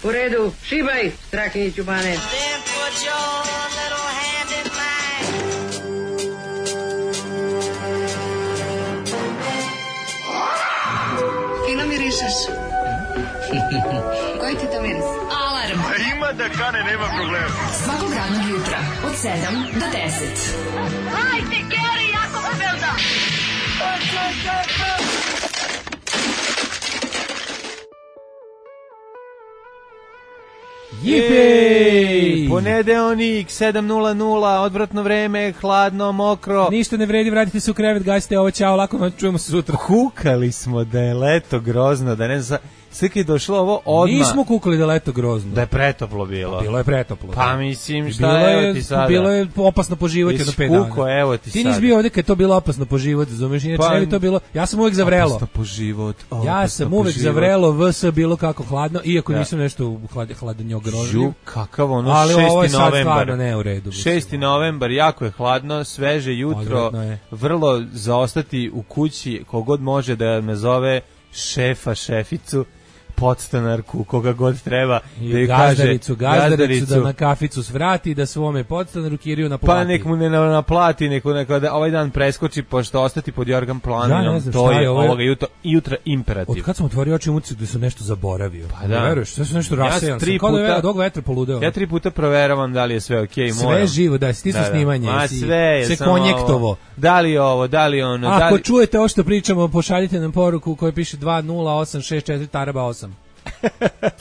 U redu, šibaj, Strahinjiću bane. Then put your little hand in mine. Fino mirišeš. Koji ti to miris? Alarm. Ima da kane, nema problema. Svakog radnog jutra od 7 do 10. Hajde, Geri, jako se velda. Jipej! Ponedeonik, 7:00, odvratno vreme, hladno, mokro. Ništa ne vredi, vratite se u krevet, gasite ovo, čao, lako, čujemo se sutra. Kukali smo da je leto grozno, da ne znam, sve kad je došlo ovo odmah. Nismo kukali da je leto grozno. Da je pretoplo bilo. Bilo je pretoplo. Pa mislim, šta evo ti sada? Bilo je opasno po život jedno 5 dana. Kuko, evo ti sada. Ti nisi bio ovde kad je to bilo opasno po život, razumeš? Inače Pa, ne bi to bilo, ja sam uvek za vrelo. Opasno po život. Ja sam uvek za vrelo, vs bilo kako hladno, iako nisam nešto u hladnjo grozljiv. Kakav ono, ali 6. ovo je sad novembar. stvarno ne u redu. 6. novembar, jako je hladno, sveže jutro, vrlo zaostati u kući, kogod može da me zove šefa, šeficu, podstanarku, koga god treba, da joj kaže gazdaricu da na kaficu svrati, da svome podstanaru Kiriju naplati. Pa nek mu ne naplati, neko da ovaj dan preskoči, pošto ostati pod Jorgan planinom, to je ovoga jutra imperativ. Od kad sam otvorio oči muci da su nešto zaboravio. Pa da. Veruješ, sve su nešto rasejan. Kao da je od ovog vetra poludeo. Ja 3 puta proveravam da li je sve okej, moram. Sve živo, da, stisno snimanje. Ma sve, se konjektovo. Da li ovo, da li ono, da li... Ako čujete ovo što pričamo, pošaljite nam poruku koja piše 20864 taraba 8.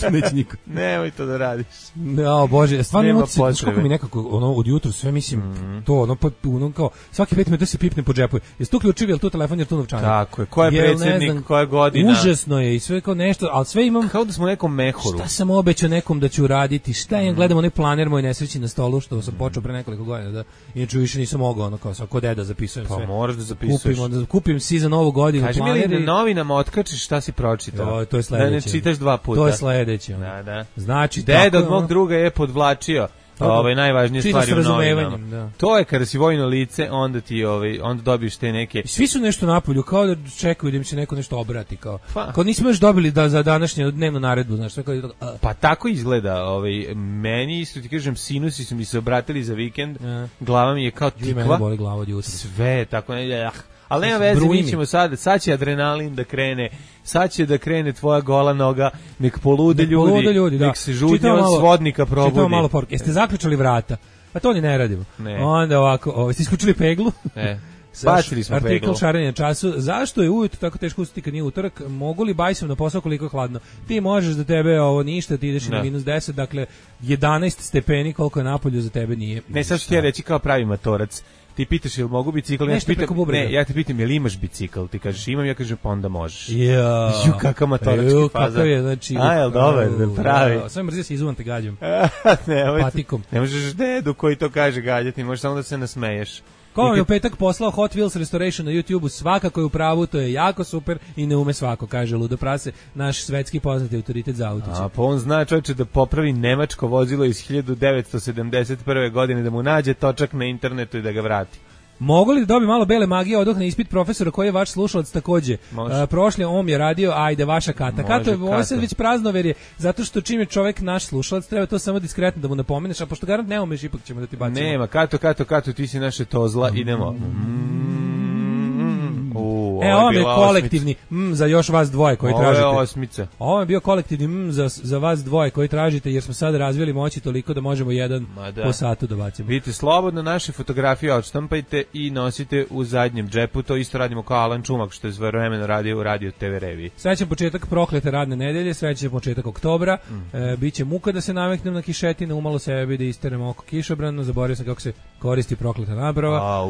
To neće niko. Nemoj to da radiš. No, Bože, stvarno emocije, kako mi nekako ono od jutra sve mislim to ono kao svaki 5 minuta se pipne po džepu. Jesi tu ključevi, jel tu telefon, jel tu novčanik? Tako je. Ko je predsjednik, koja godina? Užasno je i sve kao nešto, al sve imam kao da smo u nekom mehuru. Šta sam obećao nekom da ću uraditi? Šta ja gledam onaj planer moj nesreći na stolu što sam počeo pre nekoliko godina da inače više nisam mogao ono kao svako deda zapisujem sve. Pa moraš da zapisuješ. Kupim si za novu godinu planer. Kaži mi da novinama otkačiš šta si pročitao. To je sledeće. Da ne čitaš 2 puta. To je sledeće. Da. Znači, deda od mog druga je podvlačio najvažnije stvari u novinama. Da. To je kada si vojno lice, onda ti onda dobiješ te neke. Svi su nešto napolju, kao da čekaju da im se neko nešto obrati, kao nismo još dobili da za današnju dnevnu naredbu, znaš, tako pa tako izgleda, meni isto ti kažem, sinusi su mi se obratili za vikend, glava mi je kao tikva. Mene boli glava od jutra. Sve, tako ali nema veze, mi ćemo sad će adrenalin da krene, sad će da krene tvoja gola noga, nek polude ljudi, nek se žudnje od svodnika probudi. Čitamo malo poruke. Jeste zaključali vrata? Pa to ni ne radimo. Onda ovako, ste isključili peglu? Ne. Bacili smo peglu. Artikl šarenja času. Zašto je ujutro tako teško ustati kad nije utorak? Mogu li bajsom na posao koliko je hladno? Ti možeš da tebe ovo ništa, ti ideš na -10, dakle 11 stepeni koliko je napolju za tebe nije. Ne, sad ću ti ja reći kao pravi matorac. Ti pitaš jel mogu bicikl, ja te pitam jel imaš bicikl, ti kažeš imam, ja kažem pa onda možeš. Ju kakav matorački faza. Kakav je, znači. A jel dobar, pravi. Sve mrzio se izuvam te gađam. Patikom. Ne možeš dedu koji to kaže gađati, možeš samo da se nasmeješ. Ko je u petak poslao Hot Wheels Restoration na YouTubeu, svakako je u pravu, to je jako super i ne ume svako, kaže Ludo Prase, naš svetski poznati autoritet za auto. A pa on zna čovječe da popravi nemačko vozilo iz 1971. godine, da mu nađe točak na internetu i da ga vrati. Mogu li da dobi malo bele magije, odohne ispit profesora koji je vaš slušalac takođe? Prošli on je radio, ajde, vaša Kata. Kato je ovo sad već praznoverje, zato što čim je čovjek naš slušalac, treba to samo diskretno da mu napomeneš, a pošto garant ne umeš, ipak ćemo da ti bacimo. Nema, Kato, ti si naše tozla, idemo. Ovo je kolektivni za još vas dvoje koji tražite. Ovo je osmica. Ovo je bio kolektivni za vas dvoje koji tražite, jer smo sad razvili moći toliko da možemo jedan po satu da bacimo. Vidite, slobodno naše fotografije odštampajte i nosite u zadnjem džepu. To isto radimo kao Alan Čumak, što je svojevremeno radio u Radio TV reviji. Srećan početak proklete radne nedelje, srećan početak oktobra. Biće muka da se naviknem na kišetine, umalo sebi da isterem oko kišobrano, zaboravio sam kako se koristi prokleta nabrava.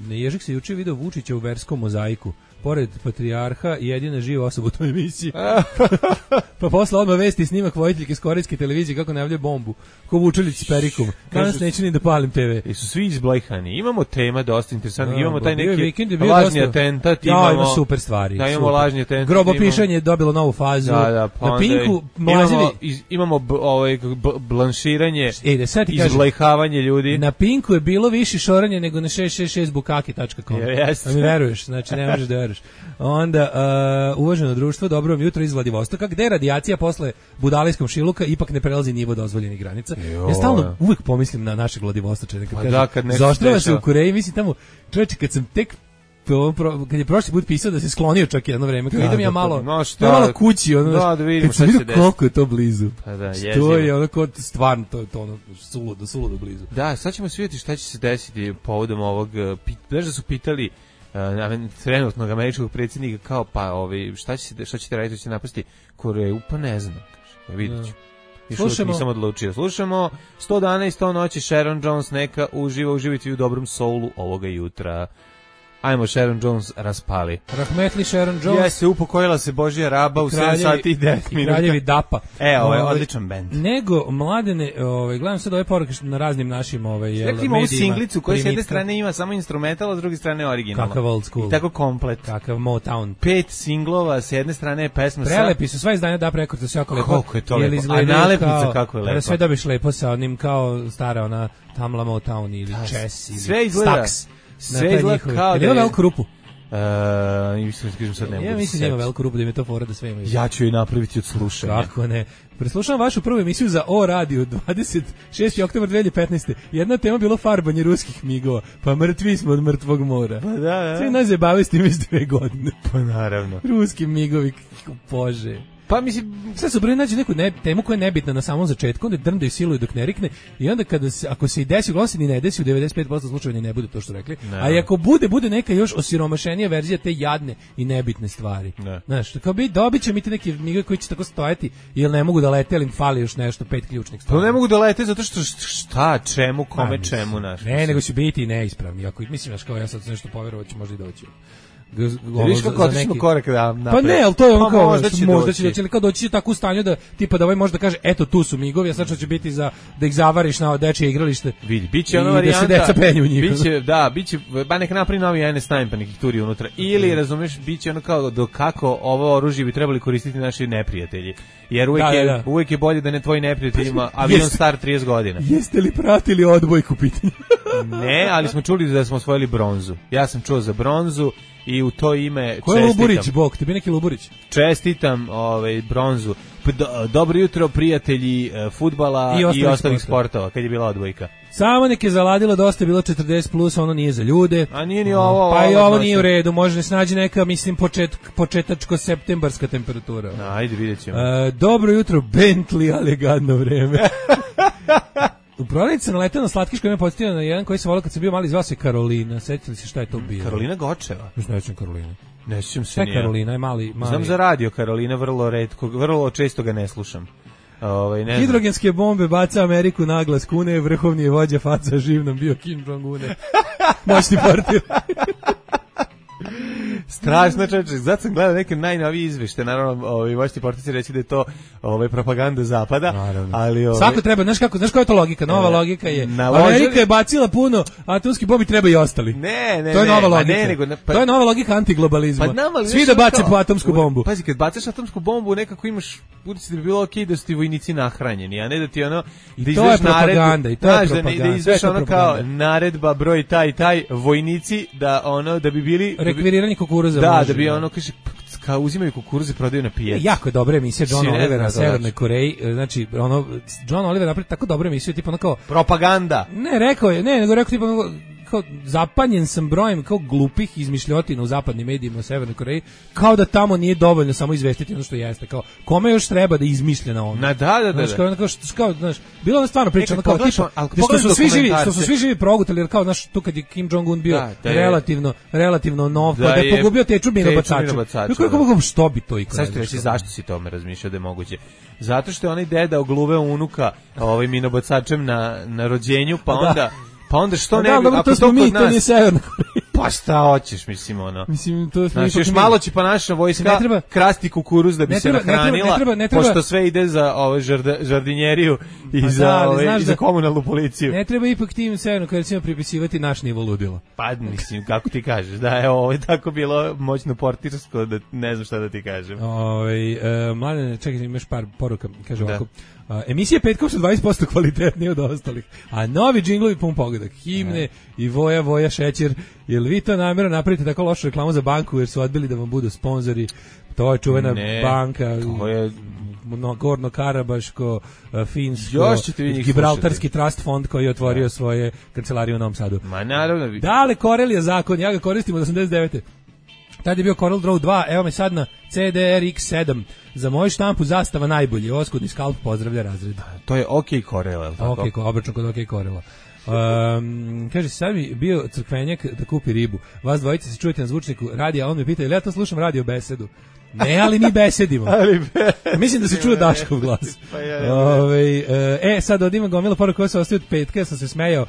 Ježik se juče video Vučića u verskom mozaiku. Pored patrijarha, jedina živa osoba u toj emisiji. Pa posle odmah vesti snimak voditeljke s korejske televizije kako najavljuje bombu. Ko Vučelić s perikom. Danas neće ni da palim TV. I su svi izblejhani. Imamo tema dosta interesantna. Imamo taj neki lažni atentat. Ima super stvari. Da, imamo lažni atentat. Grobopišanje je dobilo novu fazu. Na Pinku imamo blanširanje, izblejhavanje ljudi. Na Pinku je bilo više šoranje nego na 666bukaki.com. Jeste. Mi veruješ, znači ne možeš da veruješ. veruješ. Onda, uvaženo društvo, dobro vam jutro iz Vladivostoka, gde radijacija posle budalejskom šiluka ipak ne prelazi nivo dozvoljenih granica. Ja stalno uvek pomislim na našeg Vladivostočane, kad zaoštrava se u Koreji, mislim tamo, čovječe, kad sam tek kad je prošli put pisao da se sklonio čak jedno vreme, kad idem ja malo kući, ono, da vidimo šta će desiti. Koliko je to blizu. Pa da, to je ono kod stvarno, to ono, suludo blizu. Da, sad ćemo vidjeti šta će se desiti povodom ovog, znaš da su pitali trenutnog američkog predsjednika kao šta ćete raditi, ćete napasti Koreju, pa ne znam, kaže, vidjet ću. Slušamo. Nisam odlučio. Slušamo 100 dana i 100 noći, Sharon Jones, neka uživati u dobrom soulu ovoga jutra. Ajmo, Sharon Jones raspali. Rahmetli Sharon Jones. Jeste, upokojila se Božja raba u 7 sati i 10 minuta. Kraljevi Dapa. Ovo je odličan bend. Nego, mladene, gledam sad ove poruke na raznim našim medijima. Ima ovu singlicu koja s jedne strane ima samo instrumental, a s druge strane originalno. Kakav old school. I tako komplet. Kakav Motown. 5 singlova, s jedne strane je pesma Prelepi su, sva izdanja Dap Records, sve jako lepo. Koliko je to lepo. A nalepnica kako je lepo. Sve dobiš lepo sa onim kao stara ona Tamla Motown ili Chess ili Stax. Sve izgleda kao da je... Ima veliku rupu? Ja mislim da ima veliku rupu, da mi to fora da sve imaju. Ja ću je napraviti od slušanja. Kako ne? Preslušavam vašu prvu emisiju za O Radio 26. oktobar 2015. Jedna tema bilo farbanje ruskih migova, pa mrtvi smo od mrtvog mora. Pa da. Sve nas zabave s tim iz 2 godine. Pa naravno. Ruski migovi, Bože. Pa mislim, sve su broj nađe neku temu koja je nebitna na samom začetku, onda drndaju siluju dok ne rikne i onda ako se i desi, uglavnom se ni ne desi, u 95% slučajeva ni ne bude to što rekli, a i ako bude neka još osiromašenija verzija te jadne i nebitne stvari. Znaš, kao dobit će mi te neke migovi koji će tako stojati jer ne mogu da lete, ali im fali još nešto, 5 ključnih stvari. To ne mogu da lete zato što čemu, kome, čemu, naš. Ne, nego će biti i neispravni. Ako mislim, kao ja sad nešto poverovat ću, možda i doći. Viš kako otišmo korak napred. Pa ne, ali to je ono kao možda će doći, ali kao doći tako u stanju da tipa da ovaj može da kaže eto tu su migovi, a sad što će biti da ih zavariš na dečije igralište. Vidi, biće ona varijanta da se deca penju u njih. Biće ba nek napravi novi NS Time pa nekih turi unutra. Ili razumeš, biće ono kao do kako ovo oružje bi trebali koristiti naši neprijatelji. Jer uvijek je bolje da ne tvoji neprijateljima avion star 30 godina. Jeste li pratili odbojku pitanje? Ne, ali smo čuli da smo osvojili bronzu. Ja sam čuo za bronzu i u to ime čestitam. Ko je Luburić, Bog? Tebi neki Luburić? Čestitam bronzu. Dobro jutro, prijatelji fudbala i ostalih sportova, kad je bila odbojka. Samo nek je zaladilo, dosta je bilo 40+, ono nije za ljude. A nije ni ovo. Pa i ovo nije u redu, može ne snađi neka, mislim, početačko-septembarska temperatura. Ajde, vidjet ćemo. Dobro jutro, Bentley, ali gadno vreme. U prodavnici sam naletao na slatkiš koji me podsjetio na jedan koji sam volio kad sam bio mali, zvao se Karolina. Sećali se šta je to bilo? Karolina Gočeva? Ne sjećam Karolina. Ne sjećam se nije. Karolina je mali. Znam za radio Karolina, vrlo često ga ne slušam. Hidrogenske bombe baca Ameriku naglas kune, vrhovni je vođa faca, živ nam bio Kim Jong-un. Moćni portir. Strašno, čovječe, zato sam gledao neke najnovije izvešte, naravno, možete portici reći da je to propaganda zapada, ali svako treba, znaš koja je to logika? Nova logika je, Amerika je bacila puno atomskih bombi, treba i ostali. Ne, to je nova logika. To je nova logika antiglobalizma. Svi da bace po atomsku bombu. Pazi, kad bacaš atomsku bombu, nekako imaš, budući da bi bilo okej da su ti vojnici nahranjeni, a ne da ti ono, da izveš naredbu, da izveš ono kao naredba broj taj, vojnici, da bi bili rekviriranje kukuruza. Da bi ono, kaže, kao uzimaju kukuruze, prodaju na pijaci. Jako je dobra emisija John Oliver na Severnoj Koreji. Znači, John Oliver napravi tako dobru emisiju, tipa ono kao propaganda. Nego rekao tipa kao zapanjen sam brojem kao glupih izmišljotina u zapadnim medijima u Severnoj Koreji, kao da tamo nije dovoljno samo izvestiti ono što jeste, kao kome još treba da izmišlja na ono. Znaš, bilo ono stvarno priča, ono kao tipa, što su svi živi progutali, jer kao, znaš, tu kad je Kim Jong-un bio relativno nov, da je pogubio teču minobacača. Što bi to ikada? Sad ću reći zašto si tome razmišljao da je moguće. Zato što je onaj deda ogluveo unuka minobacačem na rođenju, pa onda što ne bi, ako to mi, to nije Severna Koreja. Pa šta hoćeš, mislim, ono. Mislim, to znači, još malo će pa naša vojska krasti kukuruz da bi se nahranila, pošto sve ide za žardinjeriju i za komunalnu policiju. Ne treba ipak tim Severnom Korejcima pripisivati naš nivo ludila. Pa, mislim, kako ti kažeš, da je ovo tako bilo moćno portirsko, da ne znam šta da ti kažem. Mladen, čekaj, imaš par poruka, kaže ovako. Emisije petkom su 20% kvalitetnije od ostalih, a novi džinglovi pun pogodak, himne i voja šećer, jer vi to namjerno napravite tako lošu reklamu za banku jer su odbili da vam budu sponzori? To je čuvena banka. To je Gorno-Karabaško, finsko, Gibraltarski trust fond koji je otvorio svoje kancelarije u Novom Sadu. Ma naravno. Dale, Corel je zakon, ja ga koristim od 89. Tad je bio Corel Draw 2, evo me sad na CDRX7. Za moju štampu zastava najbolji, oskudni skalp pozdravlja razred. To je OK Corel, je li tako? OK, obračun kod OK Corela. Kaže, sad mi bio crkvenjak da kupi ribu. Vas dvojice se čujete na zvučniku radija, a on me pita, ili ja to slušam radio besedu? Ne, ali mi besedimo. Mislim da se čuje Daškov glas. Sad odima gomila poruka koja se ostaje od petka, ja sam se smejao,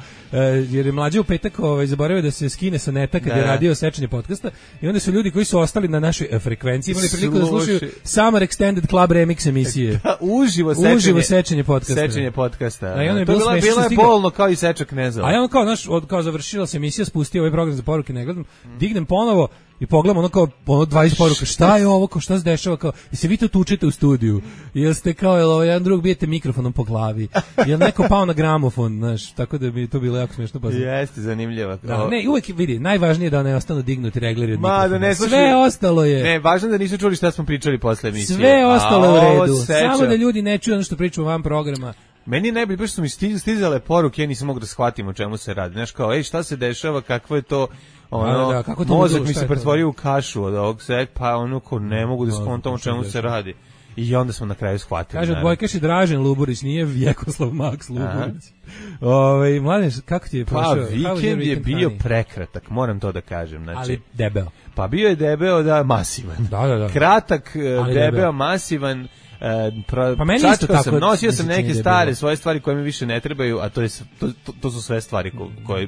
jer je mlađe u petak zaboravio da se skine sa neta kad je radio sečenje podcasta i onda su ljudi koji su ostali na našoj frekvenciji imali priliku da slušaju Summer Extended Club Remix emisije. Uživo sečenje podcasta. A bilo je bolno kao i sečak Knezova. A ja on kao završila se emisija, spustio ovaj program za poruke, ne gledam, dignem ponovo i pogledam ono kao 20 poruka, šta je ovo, šta se dešava, kao, i se vi to tučete u studiju, jel ste kao, jedan drug bijete mikrofonom po glavi, jel neko pao na gramofon, znaš, tako da bi to bilo jako smiješno. Jeste, zanimljivo. Da, ne, uvek vidi, najvažnije je da ne ostanu dignuti regleri od mikrofona. Sve ostalo je. Ne, važno da nisu čuli šta smo pričali posle emisije. Sve ostalo je u redu, samo da ljudi ne čuju ono što pričamo van programa. Meni je najbolje, što su mi stizale poruke, ja nisam mogu da shvatim o čemu se radi. Znaš, kao, šta se dešava, kakvo je to, mozak mi se pretvorio u kašu od ovog pa ko ne mogu da skontam o čemu se radi. I onda smo na kraju shvatili. Kaže, odbojkaš je Dražen Luburić, nije Vjekoslav Max Luburić. Mladen, kako ti je prošao? Pa vikend je bio prekratak, moram to da kažem. Znači, ali debeo. Pa bio je debeo, da, masivan. Da. Kratak, debeo, masivan. Pa meni isto tako. Nosio sam neke stare svoje stvari koje mi više ne trebaju, a to su sve stvari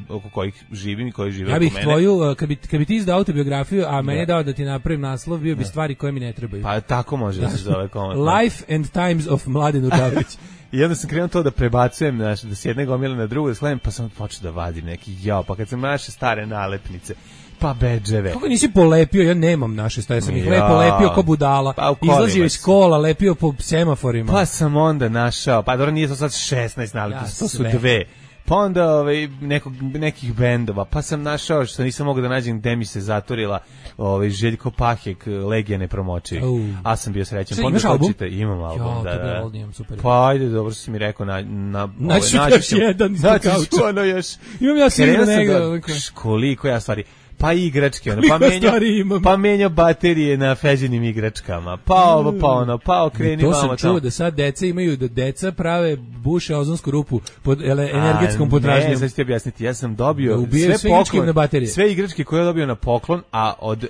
oko kojih živim i koje žive oko mene. Ja bih tvoju, kad bi ti izdao autobiografiju, a meni je dao da ti napravim naslov, bio bi stvari koje mi ne trebaju. Pa tako može da se zove komotno. Life and Times of Mladen Udavić. I onda sam krenuo to da prebacujem, da s jedne gomile na drugu, da sklenem, pa sam počeo da vadim neki pa kad sam naše stare nalepnice, pa bedževe. Kako nisi polepio? Ja nemam naše stare, sam ih lepo lepio ko budala. Pa izlazio iz kola, lepio po semaforima. Pa sam onda našao, pa dobro nije to sad 16 nalepnica, to su dve. Pa onda nekih bendova, pa sam našao što nisam mogao da nađem gde mi se zatorila Željko Pahek, Legija nepromočivi. A sam bio srećan. Imaš album? Imam album, da. Pa ajde, dobro si mi rekao, naći još jedan ispod kauča. Imam ja sigurno negdje. Koliko ja stvari... Pa igračke, pa menja baterije na feđenim igračkama, pa okreni vamo tamo. To sam čuo da sad deca prave buše ozonsku rupu pod energetskom potražnjom. Ne, sad ću ti objasniti, ja sam dobio sve igračke koje je dobio na poklon, a od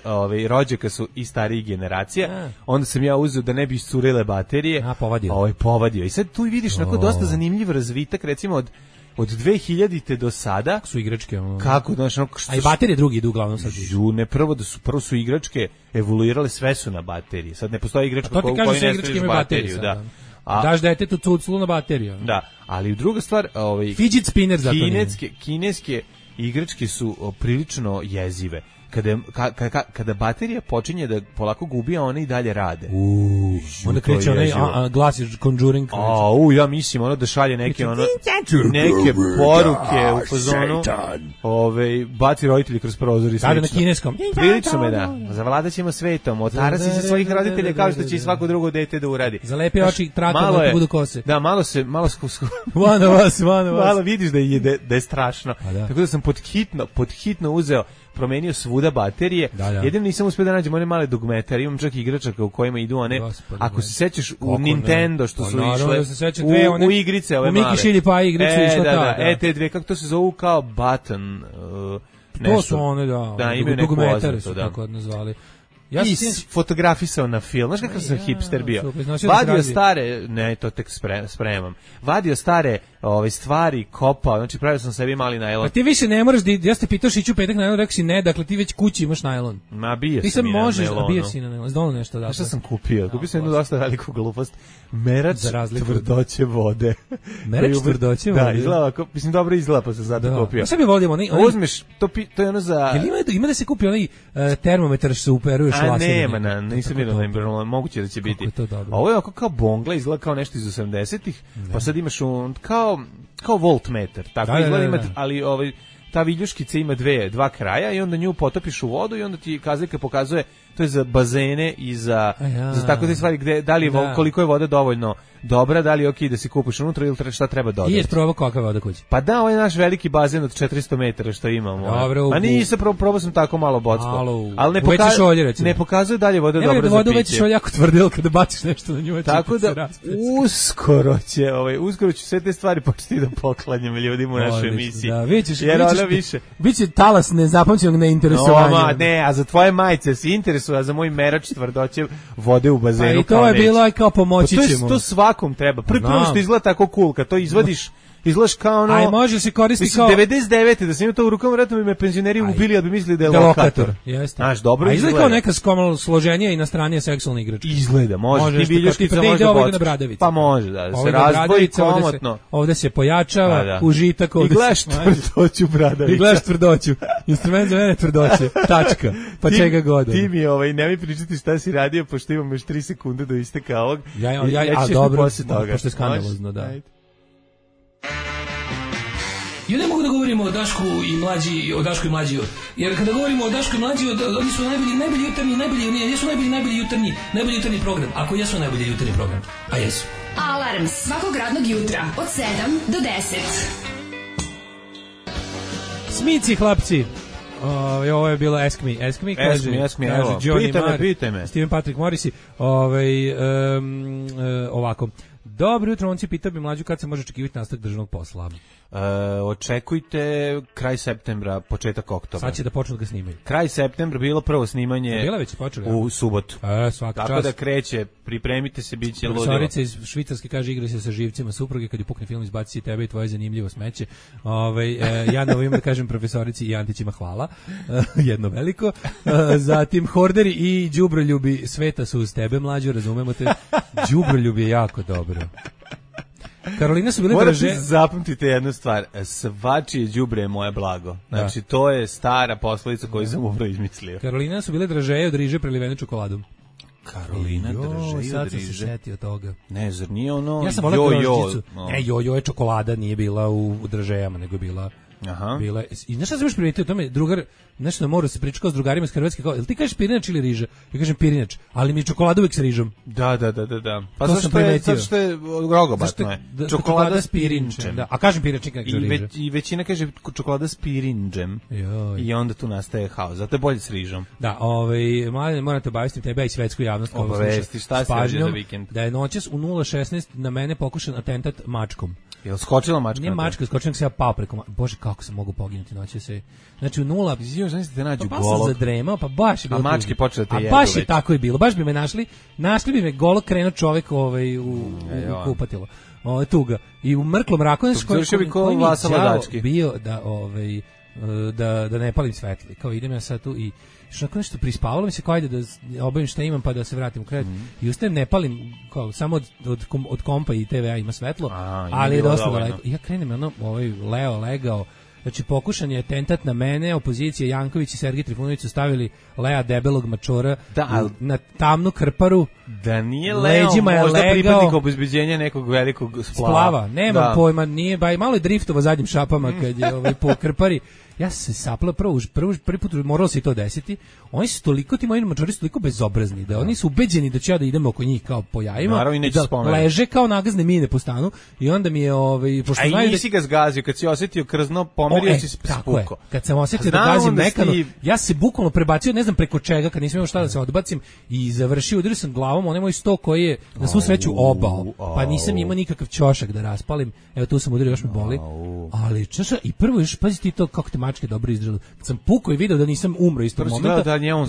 rođaka su i starih generacija, onda sam ja uzeo da ne bi iscurile baterije, povadio. I sad tu vidiš dosta zanimljiv razvitak, recimo od 2000-te do sada su igračke kako a i baterije drugi idu uglavnom sad prvo su igračke evoluirale, sve su na bateriji, sad ne postoji igračka koja ne staviš bateriju, da. Daš detetu cuclu na bateriju, da, ali druga stvar, fidget spinner zato kineske igračke su prilično jezive. Kada baterija počinje da polako gubi, a one i dalje rade. Onda kreće onaj glas iz Conjuring. Ja mislim da šalje neke poruke u fazonu. Baci roditelji kroz prozor i slično. Sada na kineskom. Prilično me da. Zavladat ćemo svetom. Otara si se svojih roditelja kao što će i svako drugo dete da uradi. Zalepi oči trakom da budu kose. Da, malo One of us. Malo vidiš da je strašno. Tako da sam pod hitno uzeo, promenio svuda baterije. Jedino nisam uspio da nađem one male dugmetare, imam čak igračaka u kojima idu one, ako se sećaš u Nintendo što su išle u igrice ove male. U Miki Šilji pa igricu išla ta. Te dve, kako to se zovu, kao button, to su one, imaju neku dugmetare su tako nazvali. Ja sam fotografisao na film, znaš kakav sam hipster bio. Vadio stare, ne, to tek spremam. Vadio stare stvari, kopao, znači pravio sam sebi mali najlon. Pa ti više ne moraš, ja ste pitao ići u petak najlon, rekao si ne, dakle ti već kući imaš najlon. Ma bio ti sam i na najlonu. Bio si na najlon, zdolno nešto da. Šta sam kupio? Kupio sam jednu dosta veliku glupost. Merač tvrdoće vode. Merač tvrdoće vode? Da, izgleda, mislim dobro izgleda, pa sam zato kupio. Ja sam je volim, uzmeš, to je ono za... Ima da se kupi onaj termometar što se uperuje šlasiranje? Nema, nisam vidio na Imbrano, moguće da će biti. Ovo je kao bongla, izgleda kao nešto iz 80-ih, pa sad imaš kao voltmeter, tako izgleda imati, ali ta viljuškica ima dva kraja i onda nju potopiš u vodu i onda ti kazaljka pokazuje, to je za bazene i za tako te stvari gde da li koliko je voda dovoljno dobra, da li je okej da se kupiš unutra ili šta treba dodati. I je probao kakva voda kući. Pa da, ovaj naš veliki bazen od 400 metara što imamo. A nisam probao sam tako malo bocko. Ali ne pokazuje dalje voda dobra za piće. Voda već šolje jako tvrdilo kada baciš nešto na nju. Tako da uskoro ću sve te stvari početi da poklanjam ljudima u našoj emisiji. Da, biće talas nezapamćenog neinteresovanja. A za tvoje majice se interesuje, a za moj merač tvrdoće vode u bazenu. I to je bilo kao pomoći ćemo. To svakom treba. Prvo što izgleda tako cool, kad to izvadiš, izgledaš kao ono... Aj, može se koristiti kao... 99. da sam imao to u rukama, vratno bi me penzioneri ubili, da bi mislili da je lokator. Jeste. Znaš, dobro izgleda. A izgleda kao neka skomalo složenija i nastranija seksualna igračka. Izgleda, može. Ti viljuškica može bociti. Pa može, da se razdvoji komotno. Ovde se pojačava, užitak. I gledaš tvrdoću bradavica. I gledaš tvrdoću. Instrument za mene tvrdoće. Tačka. Pa čega god. Ti mi nemoj pričati šta si radio, pošto imam još 3 sekunde do isteka ovog. Ja dobro, pošto je skandalozno, da. Ja ne mogu da govorimo o Dašku i mlađi, jer kada govorimo o Dašku i mlađi, oni su najbolji jutarnji program, ako jesu najbolji jutarnji program, a jesu. Alarm svakog radnog jutra od 7 do 10. Smici, hlapci. Ovo je bilo Ask Me, kaže Johnny pitaj me. Steven Patrick Morrissey, ovako. Dobro jutro, on si pitao bi mlađu kad se može očekivati nastavak državnog posla. Očekujte kraj septembra, početak oktobra. Sad će da počnu da ga snimaju. Kraj septembra bilo prvo snimanje u subotu. Tako da kreće, pripremite se, bit će ludilo. Profesorica iz Švicarske kaže igra se sa živcima supruge, kad je pukne film izbaci tebe i tvoje zanimljivo smeće. Ja na ovo ime da kažem profesorici i Antićima hvala, jedno veliko. Zatim Horderi i đubroljubi sveta su uz tebe, mlađo, razumemo te. Đubroljubi je jako dobro. Karolina su bile draže. Morate zapamtite jednu stvar, svačije đubre je moje blago. Znači, to je stara poslovica koju sam upravo izmislio. Karolina su bile dražeje od riže prelivene čokoladom. Karolina dražeje sad sam se setio toga. Ne, zar nije ono ja sam jojo? Ne, jojo je čokolada, nije bila u dražejama, nego bila... Bila. I znaš šta sam još primetio o tome, drugar, nešto na moru se pričao s drugarima iz Hrvatske, kao, jel ti kažeš pirinač ili riža? Ja kažem pirinač, ali mi je čokolada uvijek s rižom. Da. Pa zato što je rogobatno je. Čokolada s pirinčem. Da. A kažem pirinač, nikad kaže riža. I većina kaže čokolada s pirinčem. I onda tu nastaje haos, zato je bolje s rižom. Da, mladine, morate obavestiti tebe i svetsku javnost. Obavesti, šta se reže za vikend? Da je noćas u 0:16 na mene pokušan atentat mačkom. Jel skočila mačka? Nije mačka, skočila nek se ja pao preko Bože, kako sam mogu poginuti noće se. Znači u 0. Znaš te nađu golog. Pa sam zadremao, pa baš je bilo. A mačke počele te jedu. A baš je tako i bilo. Baš bi me našli bi me golog krenuo čovjek u kupatilo. Tuga. I u mrklom mraku koji mi bio da ne palim svetli. Kao idem ja sad tu i što nešto prispavalo mi se, kao ajde da obavim šta imam pa da se vratim u krevet. I ustajem, ne palim, kao, samo od kompa i TV-a ima svetlo, ali je dosta daleko. I ja krenem, Leo legao, znači pokušan je atentat na mene, opozicija Janković i Sergej Trifunović su stavili Lea debelog mačora na tamnu krparu. Da nije Leo možda pripadnik obezbeđenja nekog velikog splava. Nemam pojma, nije, malo je driftova zadnjim šapama kad je po krpari. Ja se saplao prvi put, moralo se i to desiti. Oni su toliko, ti moji mačori su toliko bezobrazni, da oni su ubeđeni da ću ja da idem oko njih kao po jajima, da leže kao nagazne mine po stanu i onda mi je pošto a i nisi ga zgazio, kad si osjetio krzno, pomerio si spuko. Kad sam osjetio da gazim mekano, ja se bukvalno prebacio, ne znam preko čega, kad nisam imao šta da se odbacim i završio, udario sam glavom onaj moj sto koji je na svu sreću obao, pa nisam imao nikakav ćošak da raspalim, evo tu sam udario, još me boli, ali čaša, i prvo još, pazi ti to kako te mačke dobro izdržali. Kad sam pukao i video da nisam umro istog momenta, da njemu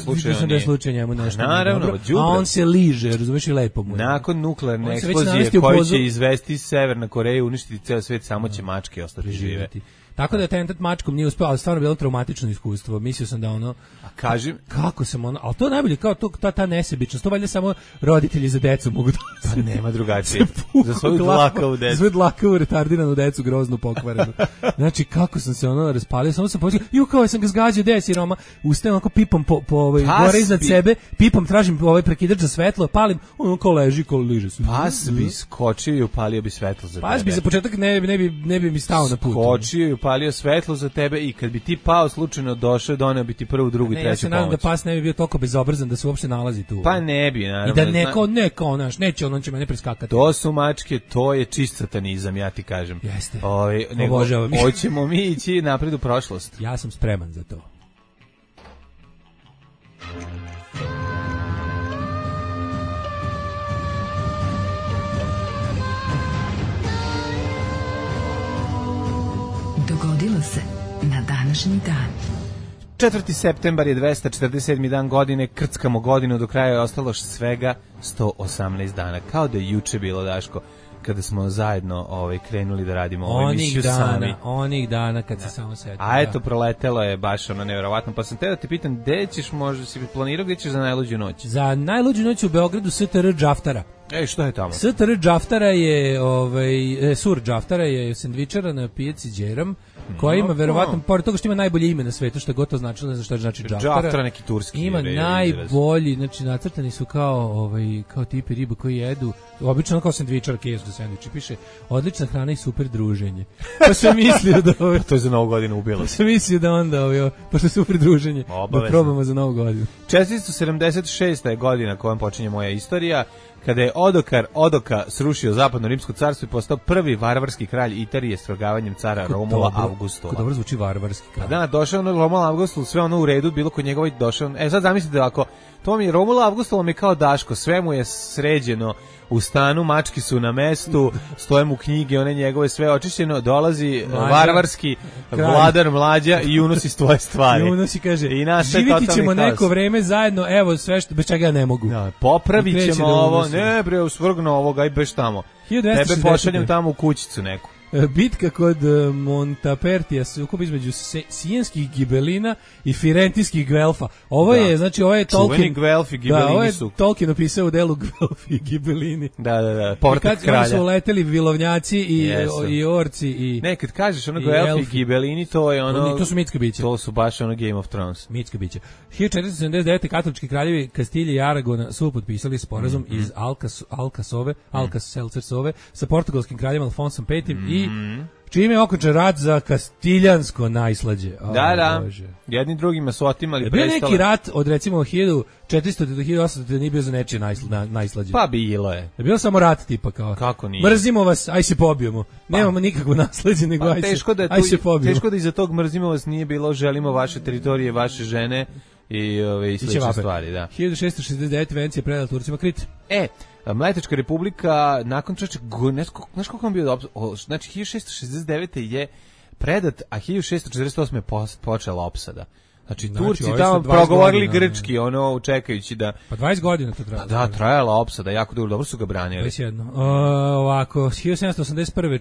slučaj njemu nešto. Naravno, a on se liže, razumeš, i lepo mu. Nakon nuklearne eksplozije koji će izvesti Severna Koreja, uništiti ceo svet, samo će mačke ostati žive. Tako da je atentat mačkom nije uspeo, ali stvarno bilo traumatično iskustvo. Mislio sam da A kažem, kako sam ali to najbolje, kao ta nesebičnost, to valjda samo roditelji za decu mogu da... Pa nema drugačije. Za svoju dlakavu decu. Za svoju dlakavu, retardiranu decu, groznu, pokvarenu. Znači, kako sam se raspalio, samo sam pomislio, kao sam ga zgađao, gde je siroma, ustajem onako pipom gore iznad sebe, pipom tražim prekidač za svetlo, palim, kao leži, kao liže se. Pas bi skočio i upalio bi svetlo za tebe. Pas bi za početak ne bi mi stao na put. Skočio i upalio svetlo za tebe i kad bi ti pao slučajno došao, doneo bi ti prvu, drugu i treću pomoć. Ja se nadam da pas ne bi bio toliko bezobrazan da se uopšte nalazi tu. Pa ne bi, naravno. I da neko, znaš, neće on će mene preskakati. To su mačke, to je čist satanizam, ja ti kažem. Jeste. Obožavam. Hoćemo mi ići napred u prošlost. Ja sam spreman za to. Dogodilo se na današnji dan. 4. septembar je 247. dan godine, krckamo godinu, do kraja je ostalo svega 118 dana. Kao da je juče bilo, Daško, kada smo zajedno krenuli da radimo ovu emisiju sami. Onih dana kad se samo setio. A eto, proletelo je baš nevjerovatno. Pa sam te da te pitam, gde ćeš, možda si planirao, gde ćeš za najluđu noć? Za najluđu noć u Beogradu STR Džaftara. Što je tamo? STR Džaftara je, Sur Džaftara je sendvičara na pijaci Đeram, koja ima verovatno, pored toga što ima najbolje ime na svetu, što je gotovo značilo, ne znam što znači Džaftara. Džaftara neki turski. Ima najbolji, znači nacrtani su kao tipi riba koji jedu, obično kao sendvičar, kesu sendviči, piše odlična hrana i super druženje. Pa sam mislio da to je za Novu godinu ubilo. Pa sam mislio da onda pošto je super druženje, da probamo za Novu godinu. 476. je godina kojom počinje moja istorija, kada je Odoka srušio zapadno rimsko carstvo i postao prvi varvarski kralj Italije strogavanjem cara Romula Augustula. Kako dobro zvuči varvarski kralj. Da, došao Romula Augustul, sve ono u redu, bilo kod njegova došao. Sad zamislite ako to mi je Romula Augustula mi kao Daško, sve mu je sređeno u stanu, mački su na mestu, stoje mu knjige, one njegove sve očišćeno, dolazi varvarski vladar Mlađa i unosi svoje stvari. I unosi kaže, živiti ćemo neko vreme zajedno, evo sve što, bez čega ja ne mogu. Da, popravit ćemo ovo, ne bre, usvrgno ovoga, aj beš tamo. Tebe pošaljem tamo u kućicu neku. Bitka kod Montapertija, sukob između sijenskih gibelina i firentijskih gvelfa. Ovo je, znači, ovo je Tolkien. Čuveni gvelfi, gibelini ovo je su. Tolkien opisao u delu gvelfi i gibelini. Da, portret kralja. Kad su uleteli vilovnjaci i orci i... Ne, kad kažeš ono gvelfi i gibelini, to je ono... To su mitska bića. To su baš ono Game of Thrones. Mitska bića. 1479. katolički kraljevi Kastilje i Aragona su potpisali sporazum iz Alcacelcersove sa portugalskim kraljem Alfonsom V i čime je okončan rat za kastiljansko najslađe. Da. Jedni drugima su otimali prestole. Bio neki rat od recimo 1400 do 1800 da nije bio za nečije najslađe. Pa bilo je. Je bio samo rat tipa kao. Kako nije? Mrzimo vas, aj se pobijemo. Nemamo nikakvo nasleđe, nego aj se pobijemo. Teško da iza tog mrzimo vas nije bilo, želimo vaše teritorije, vaše žene i slične stvari, da. 1669. Vencija predala Turcima Krit. Mletačka republika nakon znaš koliko on bio znači 1669. je predat, a 1648. je počela opsada. Znači Turci tamo progovorili grčki, čekajući da... Pa 20 godina to trajalo. Da, trajala opsada, jako dobro su ga branili. 21. Ovako, 1781.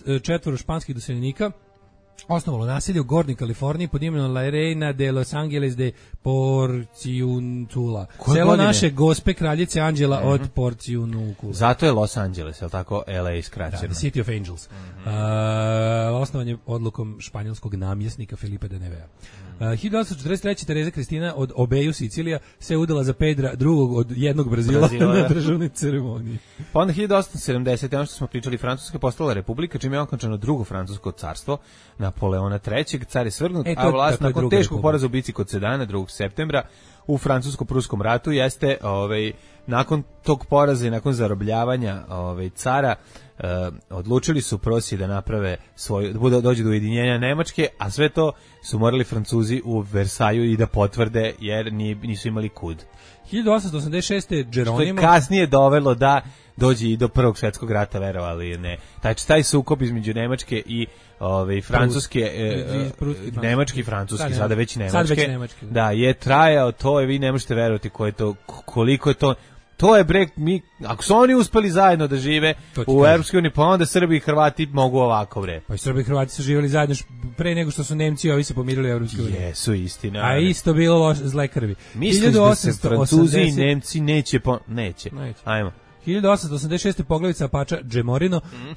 44 španskih doseljenika osnovalo naselje u Gornjoj Kaliforniji pod imenom La Reina de Los Angeles de Porciuncula. Selo naše gospe kraljice Anđela od Porciuncula. Zato je Los Angeles, je li tako? LA skraćeno. Da, the City of Angels. Osnovan je odlukom španjolskog namjesnika Filipa de Nevea. 1843. Tereza Kristina od Obeju Sicilija se udala za Pedra II od jednog Brazila na državnoj ceremoniji. Pa onda 1870. ono što smo pričali, Francuska postala republika, čime je okončano drugo francusko carstvo Napoleona III. Car je svrgnut, a vlast nakon teškog poraza u bici kod Sedana 2. septembra u francusko-pruskom ratu jeste nakon tog poraza i nakon zarobljavanja cara odlučili su Prosi da naprave dođe do ujedinjenja Nemačke, a sve to su morali Francuzi u Versaju i da potvrde jer nisu imali kud. 1886. Geronimo... Što je kasnije dovelo da dođe i do Prvog svjetskog rata, verovali ne. Taj sukob između Nemačke i Francuske, Nemački i Francuski, sada već Nemačke. Da, je trajao, to je, vi ne možete verovati koliko je to. To je brek, ako su oni uspeli zajedno da žive u Europskoj uniji, pa onda Srbi i Hrvati mogu ovako, bre. Pa i Srbi i Hrvati su živjeli zajedno pre nego što su Nemci i ovi se pomirili u Europskoj uniji. Jesu, istina. A isto bilo zle krvi. Misliš da se Francuzi i Nemci neće. Ajmo. 1886. poglavica Apača